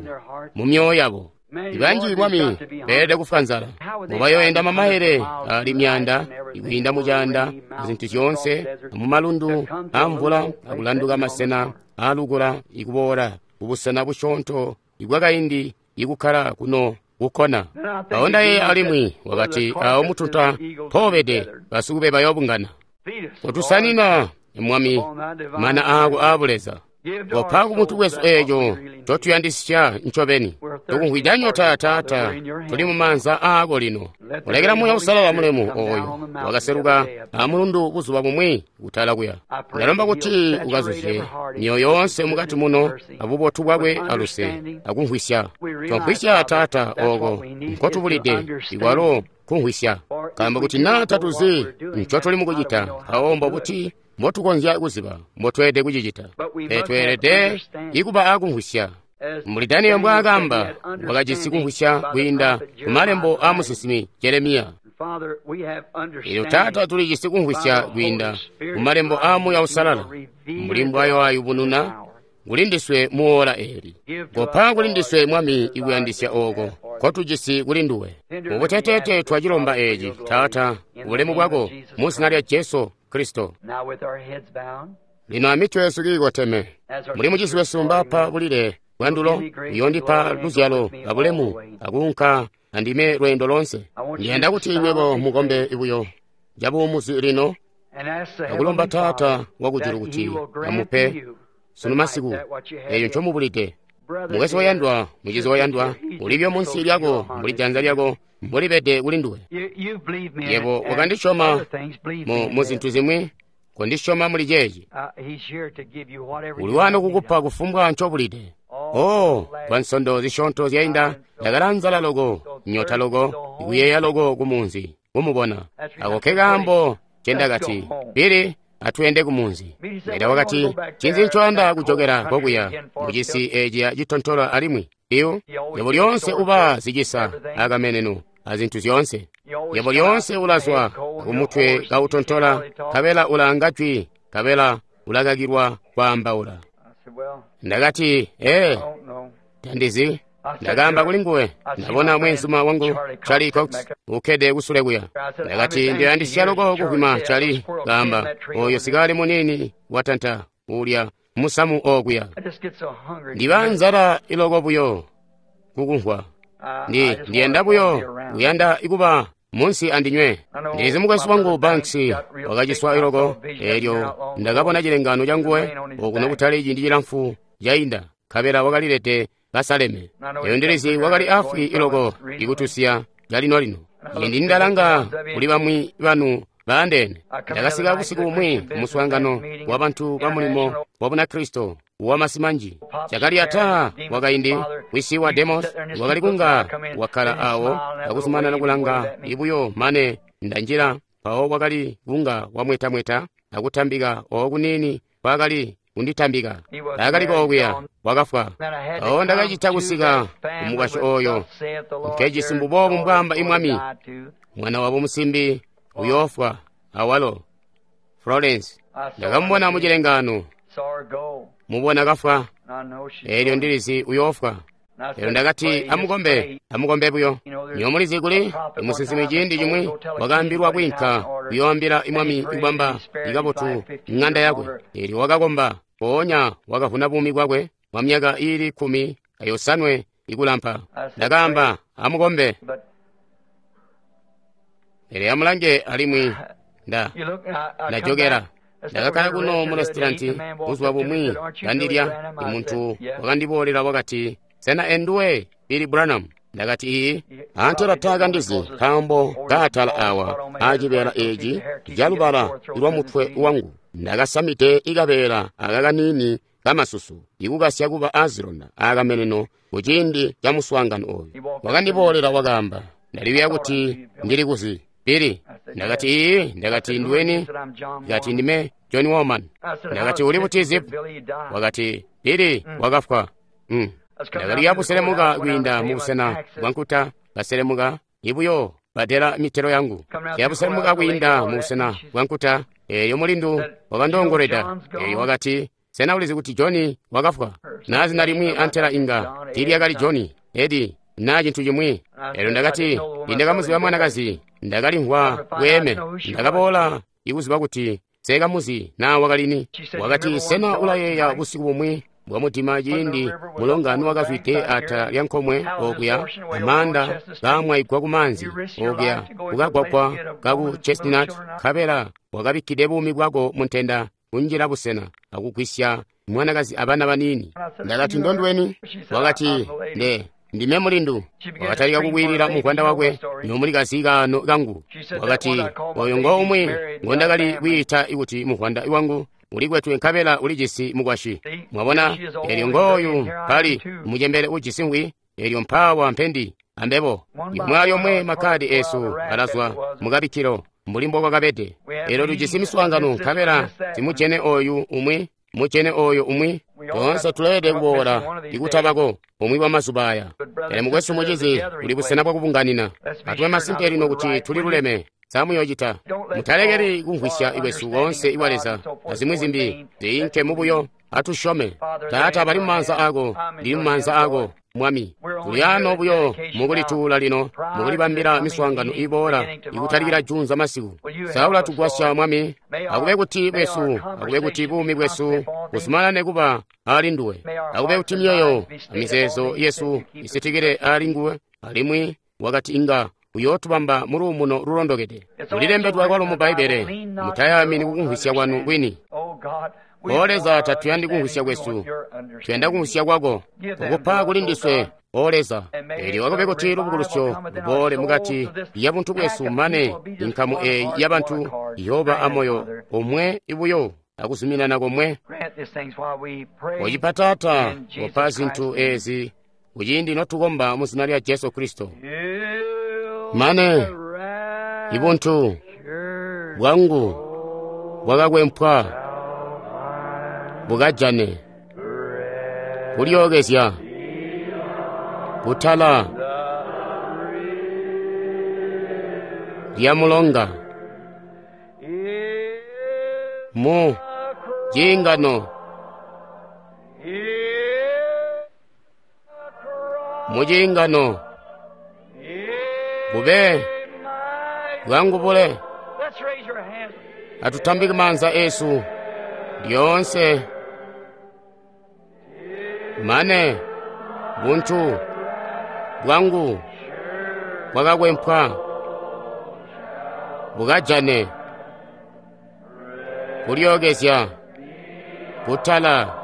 mu myoyo yabo. Ibanji, Mwami, beelede kufwa nzala. Mubayoenda mamaele ali myanda, ikwiinda mucaanda, azintu zyoonse, mumalundu amvula, akulanduka masena aalukula, ikuboola kubusena busyoonto ibwakaindi ikukkala kuno kukona. Awo ndayeeya alimwi wakati awo mutunta mpoobede basukube bayoobungana. Kotusanina, Mwami, mana aako aabuleza. Kopa kumuntu wesu eeco ncotuyandisya ncobeni. Tukumvwida nyota, Taata, tuli mumaanza aako lino. Kulekela Muuya Usalala mulemu ooyo wakaseluka amulundu buzuba bumwi kutala kuya. Ndalomba kuti ukazuzye myoyo yoonse mukati muno abubotu bwakwe aluse akumvwisya. Twamvwisya, Taata, ooko nkotubulide ikwalo kumvwisya. Nkaambo kuti naa tatuzi ncotuli mukucita, mpawo mbobuti mbotukonzya kuziba mbotweelede kucicita? Pele tweelede ikuba akumvwisya. Mbuli Daniel mbwaakamba, wakajisi kumvwisya kwiinda kumalembo aa musinsimi Jeremiya. Eelyo Taata, tulijisi kumvwisya kwiinda kumalembo aa Muuya Usalala, mbuli mbwayoayubununa kulindiswe muola eeli. Kopa kulindiswe, Mwami, ikuyandisya ooko nkotujisi kuli nduwe. Mubuteteete twacilomba eeci, Taata, bulemu bwako, mu zina lya Jesu Kristo. Lino amitwe yesu kiikoteme, mbuli mucizi wesu mbapa bulile bwandulo, uyondipa luzyalo abulemu akuunka andime lweendo lonse. Ndiyanda kuti nywebo mukombe buyo cabuumuzi lino akulomba Taata wakujulu kuti amupe sunu masiku eeco ncomubulide. Mukwesu wayandwa, mucizi wayandwa, ulibyo munsi lyako mbuli janza lyako mbolibede kuli nduwe. Yebo wakandisyoma mu zintu zimwi, kondisyoma muli ceeci. Uli wano kukupa kufumbwa ncobulide. Oh, kwa nsondo zisyoonto zyainda ndakala nzala loko, nyota loko, ikuyeeya loko kumunzi kumubona. Ako ke kaambo ncendakati, Bili, atweende kumunzi. Leta wakati, cinzi ncoyanda kujokela kokuya mucisi eeciya citontola alimwi iwo? Yebo lyoonse uba zicisa akameneno azintu zyoonse. Yebo lyoonse ulazwa kumutwe kautontola, nkabela ulanga jwi, nkabela ulakakilwa kwaambaula. Ndakati, ee, tandizi. Ndakaamba kuli nguwe, ndabona mweenzuma wangu Charlie Cox ukkede kusule kuya. Ndakati, ndiyandisya loko kuvwima Charlie, kaamba, oyo sikali munini watanta ulya musamu okuya. Ndiba nzala iloko buyo kukumvwa. Ndi ndiyenda buyo kuyanda ikuba munsi andinywe. Ndizi mukwesu wangu Banks wakaciswa iloko, eelyo ndakabona cilengano canguwe okuno kutali ciindi cilamfu cainda, nkabela wakalilede basaleme. Eyo ndilizi wakali afwi iloko ikutusiya calino-lino. Ciindi ndalanga kuli bamwi banu baandeene. Ndakasika busiku bumwi kumuswaangano wa bantu ba mulimo wa Bunakristo wamasi manji. Cakali ata wakaindi wisi wa Demos wakali kunga wakkala awo akuzumanana kulanga ibuyo mane ndanjila, mpawo wakali kunga wamwetamweta akutambika okunini kwakali kunditambika. Ndakaliko okuya wakafwa. Mpawo ndakacita kusika kumukwasyi oyo nkejisi mbuboobu mbwaamba imwami, mwana wabo musimbi uyoofwa awalo Florence. Ndakamubona mucilengaano, mubona kafwa, eelyo ndilizi uyoofwa. Eelyo ndakati, amukombe, amukombe buyo. Nyo mulizi kuli musinsimi ciindi cimwi wakaambilwa kwiinka kuyooambila imwami kubamba ikabotu ng'anda yakwe. Eelyo wakakomba, mpoonya wakavuna buumi bwakwe bwa myaka iili kkumi ayosanwe ikulampa. Ndakaamba, amukombe. Pele amulange alimwi nda ndajokera. Ndakakkala kuno mu restaurant buzuba bumwi kandilya, imuntu wakandiboolela wakati, sena enduwe Billy Branham? Ndakati iyi. Antela taakandizi nkaambo kaatala awa aacibeela eeci calubala lwamutwe wangu. Ndakasamide ikabeela aka kaniini kamasusu ikukasya kuba aazilonda aakameneno kuciindi ca muswaangano oyu. Wakandiboolela wakaamba, ndaliwiya kuti ndili kuzi Billy. Ndakati iyi. Ndakati ndiweni? Ndakati ndime John Woman. Ndakati uli buti Zip? Wakati Billy wakafwa. Mm. Ndakali buselemuka kwiinda mubusena bwa nkuta, kaselemuka ibuyo badela mitelo yangu. Yabuselemuka kwiinda mubusena bwa nkuta, eeyo mulindu wakandongolweda. Eeyo wakati, sena ulizi kuti Johnny wakafwa? Na zina limwi antela inga tiilyakali Johnny, Eddie, na cintu cimwi. Eelyo ndakati, ndakamuziba mwanakazi, ndakalimvwa bweeme. Ndakaboola ikuziba kuti sekamuzi na wakalini. Wakati, sena ulayeeya busiku bumwi bwamudima ciindi mulonga nuwakazwide ata lya nkomwe okuya amanda kaamwaigwa kumaanzi okuya kukagwagwa kaku Chestnut, nkabela wakabikkide buumi bwako muntenda kunjila busena akugwisya mwanakazi abana baniini. Ndakati ndondweni? Wakati nde ndime mulindu. Wakatalika kukwilila muvwanda wakwe nomulikazi kaano kangu. Wakati oyo ngo umwi ngondakali kwiita kuti muvwanda wangu ulikwetwe nkabela ulijisi mukwasyi. Mwabona, eelyo ngooyu mpali mucembele ujisi ngwi, eelyo mpaawa mpendi ambebo. Limwe lyomwe makkadi eesu alazwa mukabikkilo mbuli mbokwakabede. Eelyo tujisi miswaangano nkabela simujene oyu umwi mujene oyo umwi. Toonse tuleelede kuboola ikutabako umwi wa mazuba aya. Pele mukwesu mucizi uli busena bwakubunganina. Atube masimpe lino kuti tuli luleme. Samuyocita mutalekeli kumvwisya kwesu koonse ikwa Leza azimwi zimbi ziinke mubuyo. Atusyome. Taata, bali mumaanza ako, ndili mumaanza ako Mwami. Tuli ano buyo mukulituula lino, mukulibambila miswaangano iboola ikutalikila junza masiku. Saula tugwasya Mwami, akube kuti bwesu, akube kuti buumi bwesu buzumanane kuba ali nduwe. Akube kuti myoyo amizeezo yesu isitikile ali nguwe, alimwi wakati inga uyootubamba muluumuno lulondokede. Lulilembedwe kwalo mu Bbaibbele, mutayamini kukumvwisya kwanu kwini. O Leza, tatuyandi kumvwisya kwesu, tuyanda kumvwisya kwako. Kukupa kuli ndiswe, O Leza. Eelyo akube kuti lubukulusyo luboole mukati ya buntu bwesu mane inkamu eeyi yabantu iyooba amoyo omwe ibuyo akuzuminana komwe. Ocipa Taata, opa zintu eezi kuciindi notukomba mu zina lya Jesu Kristo. Mane ibuntu bwangu bwakakwempwa bukajane kulyookezya kutala lya mulonga mu ciingano mu ciingano bube bwangu bule. Atutambike maanza esu lyoonse mane buntu bwangu bwakakwempwa bukajane kulyookezya kutala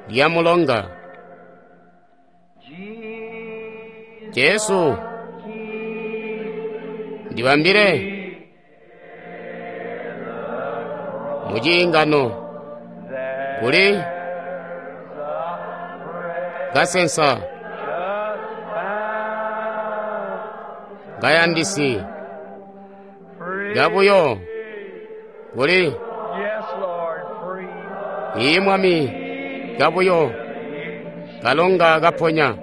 lya mulonga. Jesu Ndibambile muciingano kuli kasensa kayandisi kabuyo kuli ii Mwami kabuyo kalonga kaponya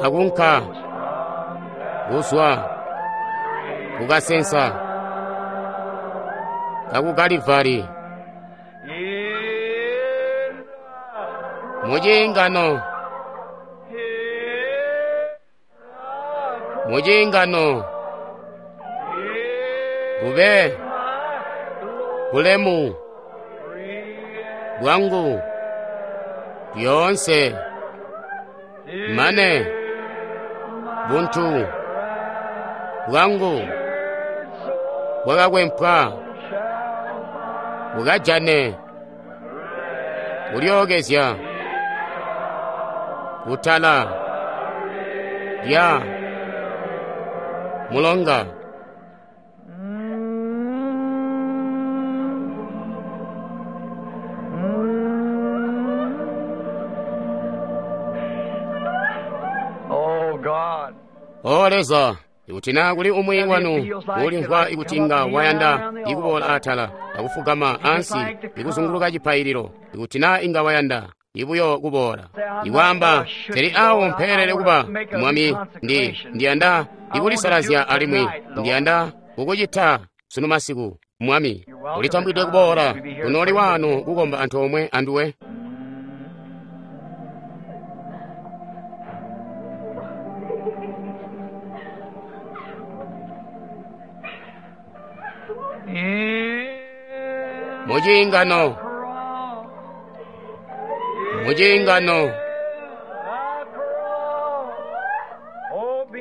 kakunka kuzwa kukasensa kaku Kalivari muciingano muciingano kube bulemu bwangu lyoonse mane buntu bwangu bwakakwempwa bukajane kulyookezya kutala lya mulonga. Oh God. O Leza, ikuti naa kuli umwi wanu ulimvwa ikuti inga wayanda ikuboola atala akufugama ansi ikuzunguluka cipaililo, ikuti naa inga wayanda ibuyo kuboola ikwaamba teli awo mpeelele kuba Mwami, ndi ndiyanda ikulisalazya alimwi ndiyanda kukucita sunu masiku. Mwami, ulitambwidwe kuboola kunooli wanu kukomba antoomwe anduwe. Muciingano, muciingano,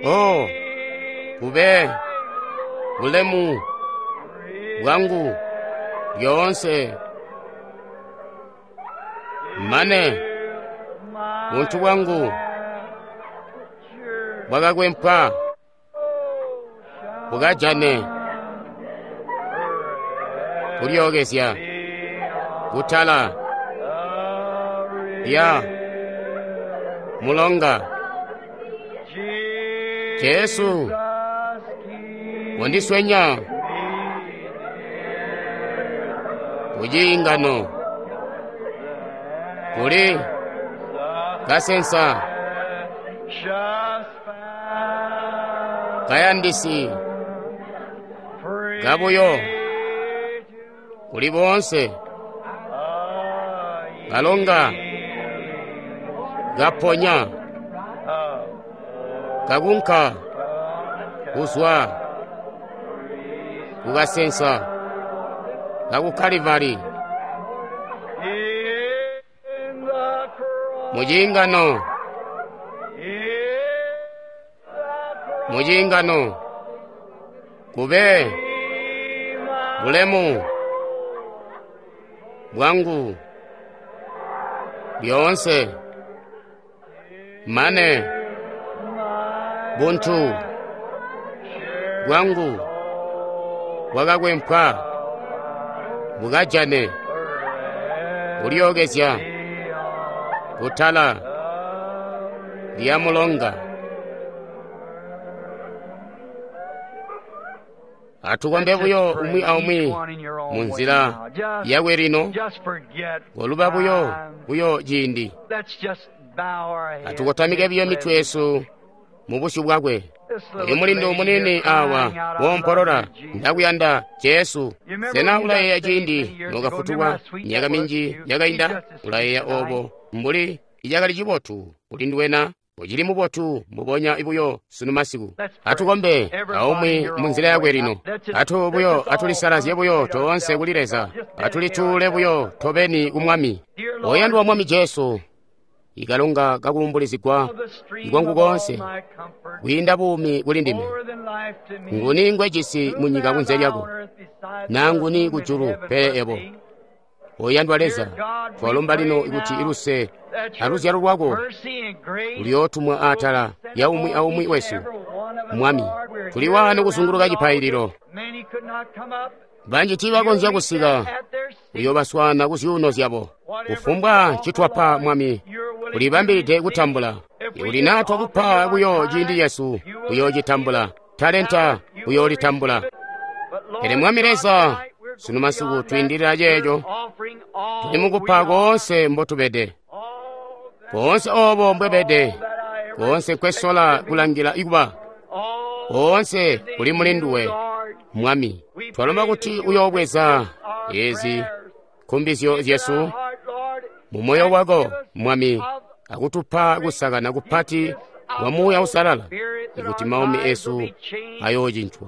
o kube bulemu bwangu lyoonse mane buntu bwangu bwakakwempwa bukajane kulyookezya kutala lya mulonga. Jesu wandiswenya kuciingano kuli kasensa kayandisi kabuyo kuli boonse kalonga kaponya kakunka kuzwa kukasensa kaku Kalivari muciingano, muciingano kube bulemu bwangu lyoonse mane buntu bwangu bwakakwempwa bukajane kulyookezya kutala lya mulonga. Atukombe buyo umwi aumwi munzila yakwe lino, koluba buyo buyo ciindi. Atukotamike buyo mitwe yesu mu busyu bwakwe. Uyu mulindu munini awa wompolola, ndakuyanda Jesu. Sena ulayeeya ciindi nokafutulwa myaka minji yakainda? Ulayeeya obo mbuli icakali cibotu kuli nduwena? Ucili mubotu mbubonya buyo sunu masiku. Atukombe aumwi munzila yakwe lino. Atu buyo atulisalazye buyo toonse kuli Leza. Atulituule buyo tobeni ku Mwami. Oyandwa Mwami Jesu, ikalonga kakuumbulizigwa ikwangu koonse kwiinda buumi kuli ndime. Nguni ngwejisi munyika kunze lyako, naa nguni kujulu pele ebo? Oyandwa Leza, twalomba lino kuti iluse aluzyalo lwako luyootumwa atala ya umwi aumwi wesu Mwami. Tuli waano kuzunguluka cipaililo. Banji tiibakonzya kusika, uyoobaswaana ku zyuuno zyabo. Kufumbwa ncitwapa, Mwami, ulibambilide kutambula. Ikuti naa twakupa buyo ciindi cesu, uyoocitambula. Talenta uyoolitambula. Pele Mwami Leza, sunu masiku twiindilila ceeco, tuli mukupa koonse mbotubede, koonse oobo mbwebede, koonse nkwesola kulangila ikuba, koonse kuli muli nduwe, Mwami. Twalomba kuti uyoobweza ezi nkumbizyo zyesu mu moyo wako, Mwami, akutupa kusakana kupati kwa Muuya Uusalala, ikuti maumi esu ayoocincwa.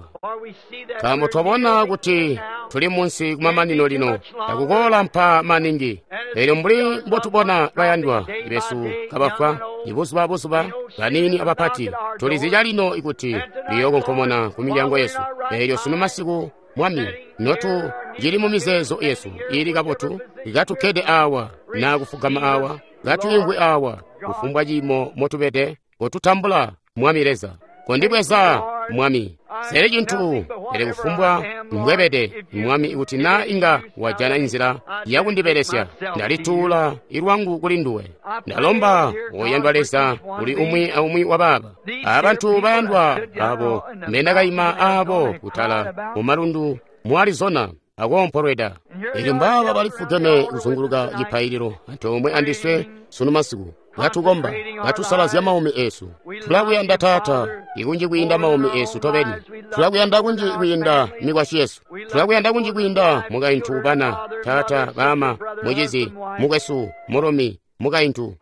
Nkaambo twabona kuti tuli munsi kumamanino lino, takukoolampa maningi. Elyo mbuli mbotubona bayandwa besu kabafwa ibuzuba buzuba, baniini abapati, tulizi calino ikuti liyookonkomona ku milyango yesu. Elyo sunu masiku, Mwami, notu cili mu mizeezo yesu iili kabotu, katukkede awa naa kufugama awa, katwiimvwi awa, kufumbwa ciimo motubede, kotutambula, Mwami Leza. Kondibweza, Mwami. Sele cintu, pele kufumbwa mbwebede, Mwami, ikuti naa inga wajana inzila yakundibelesya, ndalituula ilwangu kuli nduwe. Ndalomba, oyandwa Leza, kuli umwi aumwi wa baaba. Abantu bayandwa abo mbendakaima abo kutala mu malundu mu Arizona akoompolweda. Elyo mbaaba balifugeme kuzunguluka cipaililo antoomwe andiswe sunu masiku, katukomba, katusalazya maumi esu. Tulakuyanda, Taata, ikunji kwiinda maumi esu tobeni. Tulakuyanda kunji kwiinda mikwasyi yesu. Tulakuyanda kunji kwiinda mukaintu, bana, taata, baama, mucizi, mukwesu, mulumi, mukaintu.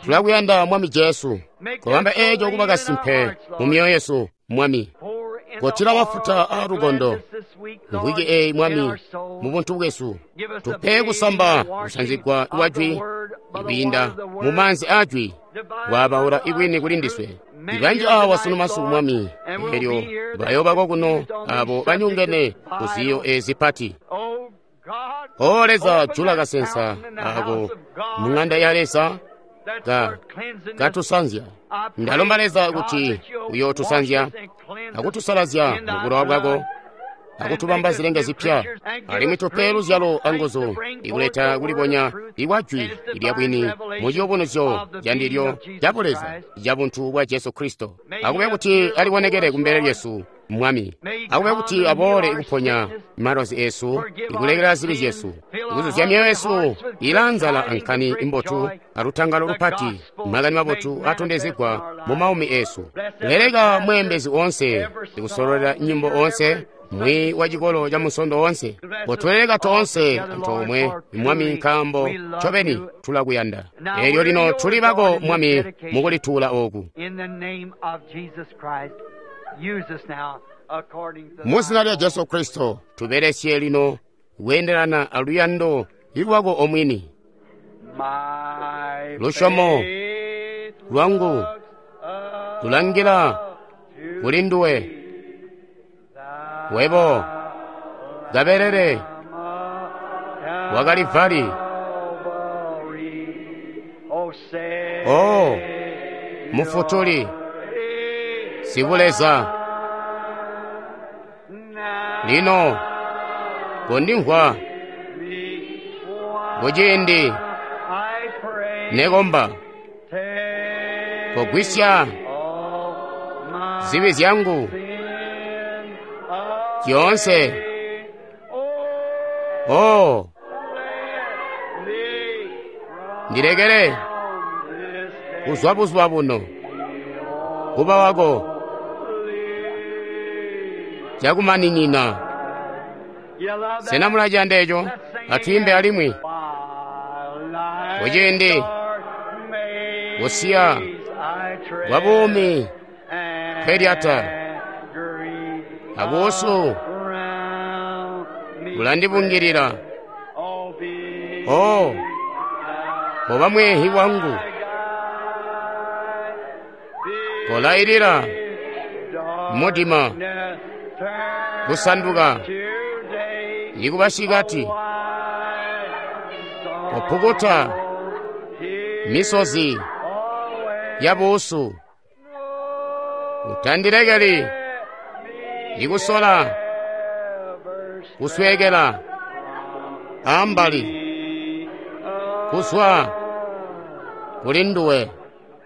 Tulakuyanda, Mwami Jesu. Kobamba eeco kuba kasimpe mu myoyo yesu, Mwami. Kotila mafuta aa lukondo mvwiki eeyi, Mwami, mu buntu bwesu. Tupe kusamba kusanzigwa kwa jwi ikwiinda mu maanzi aa jwi, kwabaula ibwini kuli ndiswe. Ibanji awa sunu masiku, Mwami, elyo bayoobako kuno abo banyongene ku ziyo ezi pati. O Leza, jula kasensa ako mu ŋanda ya Leza ka katusanzya. Ndalomba, Leza, kuti uyootusanzya akutusalazya mu bulowa bwako, akutubamba zilenge zipya, alimwi tupe luzyalo anguzu ikuleta kulibonya ikwa jwi lya bwini mu ciyubunuzyo ca ndilyo ca Buleza ca buntu bwa Jesu Kristo. Akube kuti alibonekele kumbele lyesu, Mwami. Akube kuti aboole ikuponya malozi esu, ikulekela zibi zyesu, ikuzuzya myoyo yesu ilanzala ankani imbotu alutangalo lupati, makani mabotu atondezegwa mu maumi esu. Leleka mweembezi onse, ikusololela nyimbo onse, mwi wa cikolo ca musondo onse. Kotuleleka toonse antoomwe, Mwami, nkaambo ncobeni tulakuyanda. Elyo lino tuli bako, Mwami, mukulituula oku. Mu zina lya Jesu Kristo, tubelesye lino kweendelana aluyando lwako omwini. Lusyomo lwangu tulangila kuli nduwe, webo kabelele wa Kalivali. O Mufutuli Sibuleza, lino kondimvwa kuciindi nekomba. Kogwisya zibi zyangu zyoonse. O ndilekele kuzwa buzuba buno kuba wako cakumaninina. Sena mulaciyanda eco? Atwiimbe alimwi. Kuciindi kusiya kwa buumi nkelyata abuusu bulandibungilila. O koba mweehi wangu, kolailila mudima kusanduka ikuba syikati, kopukuta misozi ya buusu. Utandilekeli ikusola kuswekela ambali kuzwa kuli nduwe.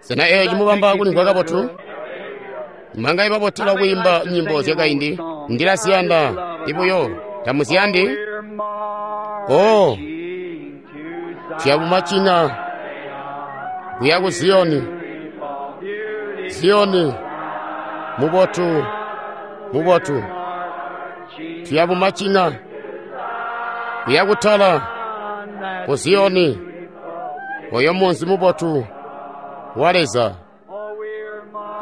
Sena eeci mubamba kulimvwa kabotu? Manga ibabotela kwiimba nyimbo zyakaindi. Ndilaziyanda ibuyo. Tamuziyandi? Oh, tuyabumacina kuya ku Ziyoni. Ziyoni mubotu, mubotu. Tuyabumacina kuya kutala ku Ziyoni, oyo munzi mubotu wa Leza.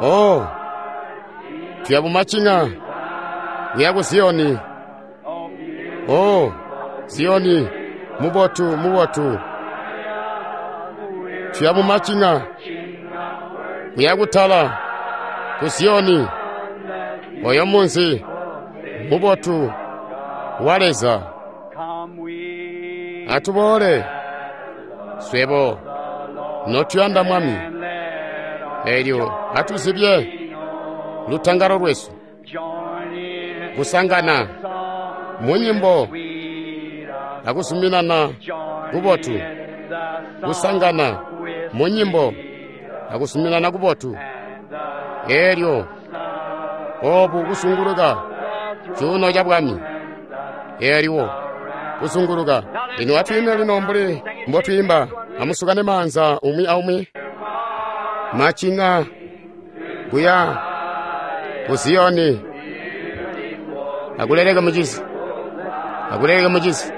Oh, tuyabumacina kuya ku Ziyoni. Oh, Ziyoni mubotu, mubotu. Tuyabumacina kuya kutala ku Ziyoni, oyo munzi mubotu wa Leza. Atuboole swebo notuyanda Mwami, elyo atuzibye lutangalo lwesu kusangana mu nyimbo akuzuminana kubotu, kusangana mu nyimbo akuzuminana kubotu, elyo obu kusunguluka cuuno ca bwami, elyo kusunguluka. Lino atwiime lino mbuli mbotwiimba, amusukane maanza umwi aumwi. Macina kuya ku Ziyoni. Akuleleka mucizi, akuleleka mucizi,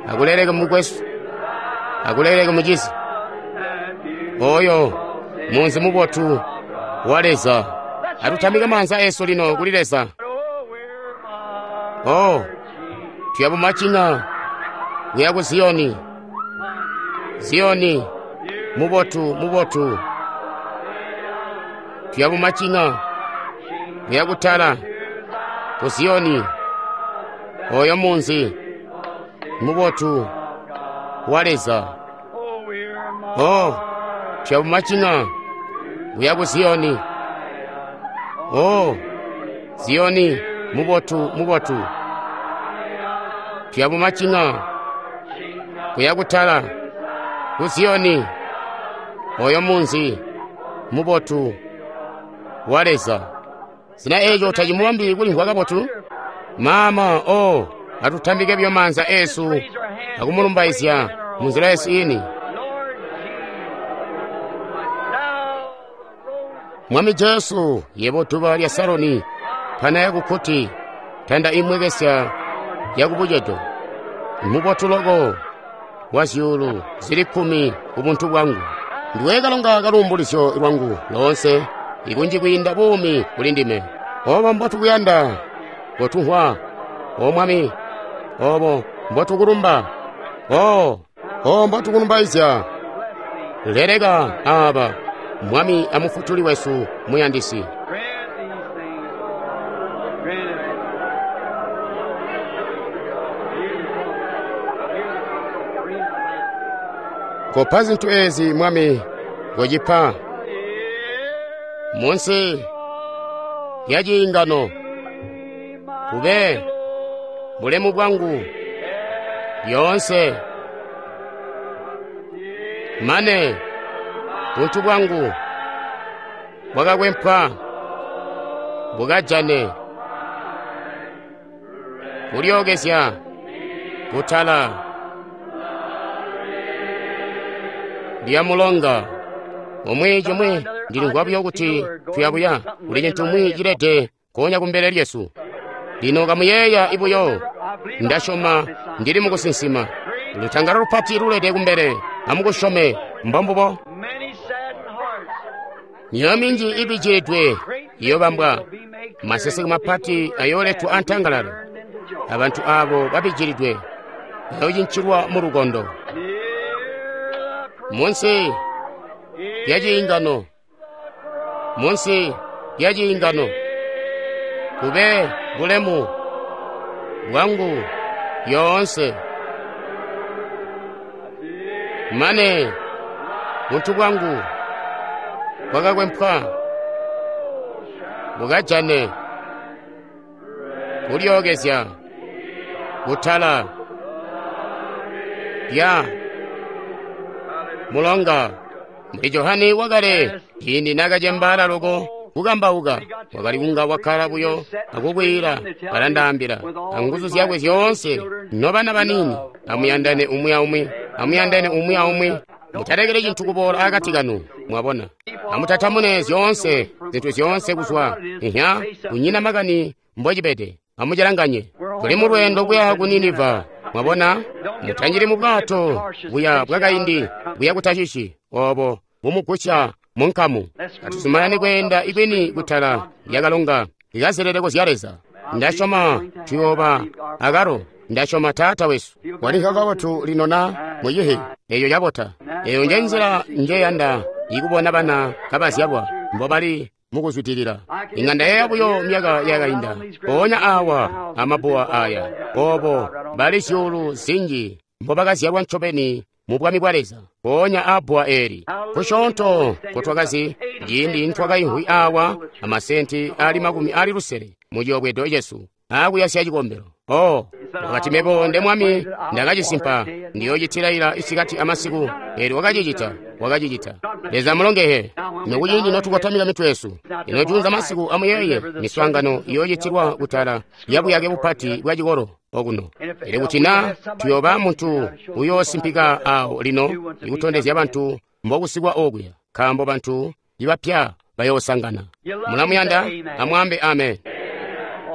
akuleleka mukwesu, akuleleka mucizi. Oyo munzi mubotu wa Leza. Atutambike maanza esu lino kuli Leza. Oh, tuyabumacina kuya ku Ziyoni. Ziyoni mubotu, mubotu. Tuyabumacina kuya kutala ku Ziyoni, oyo munzi mubotu wa Leza. Oh, tuyabumacina kuya ku Ziyoni. Oh, Ziyoni mubotu, mubotu. Tuyabumacina kuya kutala ku Ziyoni, oyo munzi mubotu wa Leza. Sena eeco tacimubambi kulimvwa kabotu? Mama, oh, atutambike buyo maanza esu akumulumbaizya munzila yesu ini. Mwami Jesu, yebo duba lya Saroni, pana yakukkuti, tanda imwekesya yakubucedo, mubotu loko wa zyuulu zili kkumi ku buntu bwangu. Ndiwe kalonga kaluumbulizyo lwangu loonse, ikunji kwiinda buumi kuli ndime. Obo mbotukuyanda, mbotumvwa, O Mwami, obo mbotukulumba, o o mbotukulumbaizya. Leleka aba, Mwami amufutuli wesu muyandisi. Grant these things, Lord. Grant it. Beautiful, beautiful. Kopa zinthu ezi Mwami, kochipa munsi ya chiingano kube bulemu bwangu lyoonse mane buntu bwangu bwakakwempwa bukajane kulyookezya kutala lya mulonga. Omwe chomwe ndilimvwa buyo kuti tuyabuya kuli cinthu mwi chilete konya kumbele lyesu. Lino kamuyeeya ibuyo, ndasyoma ndili mukusinsima. Lutangalo lupati lulete kumbele, amukusyome mbombubo. Many saddened hearts. Myoyo minji ibijilidwe iyobambwa, maseseke mapati ayooletwa antangalala. Abantu abo babijilidwe bayoocincilwa mu lukondo. Munsi lya ciingano, munsi lya ciingano, kube bulemu bwangu lyoonse mane buntu bwangu kwakakwempwa mukajane kulyookezya kutala lya mulonga. Mbuli Johane wakale ciindi naakacembaala loko kukambauka, wakali kunga wakkala buyo akukwiila, balandaambila anguzu zyakwe zyoonse, nobana baniini, amuyandane umwi aumwi, amuyandane umwi aumwi, mutalekele cintu kuboola akati kanu. Mwabona, amutatamune zyoonse zintu zyoonse kuzwa ihya, kunyina makani mbocibede, amucilanganye. Tuli mu lweendo kuya ku Niniva. Mwabona, mutanjili mu bwato buya bwakaindi buya ku Tashishi obo bumugusya mu nkamu. Atuzumanane kweenda ibwini kutala lyakalonga likazeleleko zya Leza. Ndasyoma tuyooba akalo. Ndasyoma Taata wesu walinka kabotu lino na muyihi eyo yabota. Eyo nje nzila njeyanda ikubona bana kabazyalwa mbobali mukuzwidilila. Inga ndayeeya buyo myaka yakainda mpoonya awa amabuwa aya obo bali zyuulu zinji mbobakazyalwa ncobeni mu bwami bwa Leza mpoonya abuwa eeli. Kusyoonto nkotwakazi ciindi ntwakaimvwi awa amasenti ali makumi ali lusele mu ciyobwedo cesu akuyasya cikombelo. Oh, wakati mebo nde mwami ndakacisimpa, ndiyoocitilaila isikati amasiku. Eelyo wakacicita, wakacicita. Leza mulongehe. Nokuciindi notukotamika mitwe yesu, ino juunza masiku amuyeeye miswaangano iyoocitilwa kutala lyabuyake bupati bwa cikolo okuno. Pele kuti na tuyooba muntu uyoosimpika awo lino ikutondezya bantu mbokusikwa okuya, nkaambo bantu ibapya bayoosangana. Mulamuyanda? Amwaambe amen.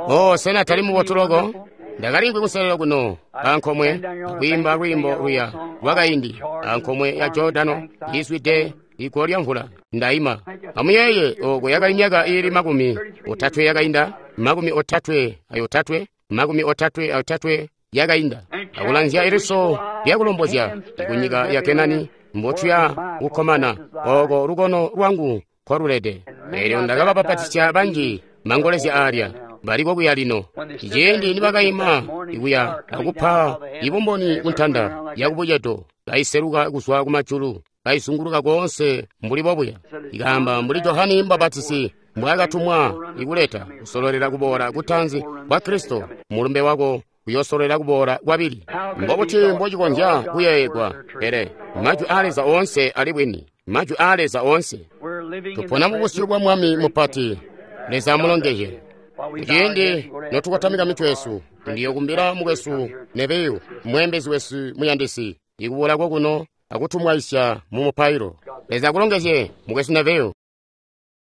Oh, sena tali mubotu loko? Ndakalimvwi kuselelo kuno ankomwe akwiimba lwiimbo luya lwakaindi ankomwe ya Jordano izwide igwo lya mvula. Ndaima. Amuyeeye oko yakali myaka iili makumi otatwe yakainda, makumi otatwe ayotatwe, makumi otatwe ayotatwe yakainda. Akulanzya iliso lyakulombozya kunyika ya Kenani mbotuya kukkomana oko lukono lwangu nkolulede. Eelyo ndakabapapatisya banji mangolezya aalya baliko kuya lino. Ciindi nibakaima ikuya akupa ibumboni kuntanda yakubucedo, kaiseluka kuzwa kumajulu, kaizunguluka koonse mbuli bobuya. Ikaamba mbuli Johane Mubapatisi mbwaakatumwa ikuleta kusololera kuboola kutanzi kwa Kristo, mulumbe wako uyosololera kuboola kwabili. Mbobuti mbocikonzya kuyeeyegwa? Pele majwi aa Leza oonse ali bwini, majwi aa Leza oonse. Tupona mu busyu bwa Mwami mupati. Leza amulongezye. Kuciindi notukotamika mitwe yesu, ndiyokumbila mukwesu Nebeyu, mweembezi wesu muyandisi, ikuboola kokuno akutumwaisya mu mupailo. Leza akulongezye mukwesu Nebeyu.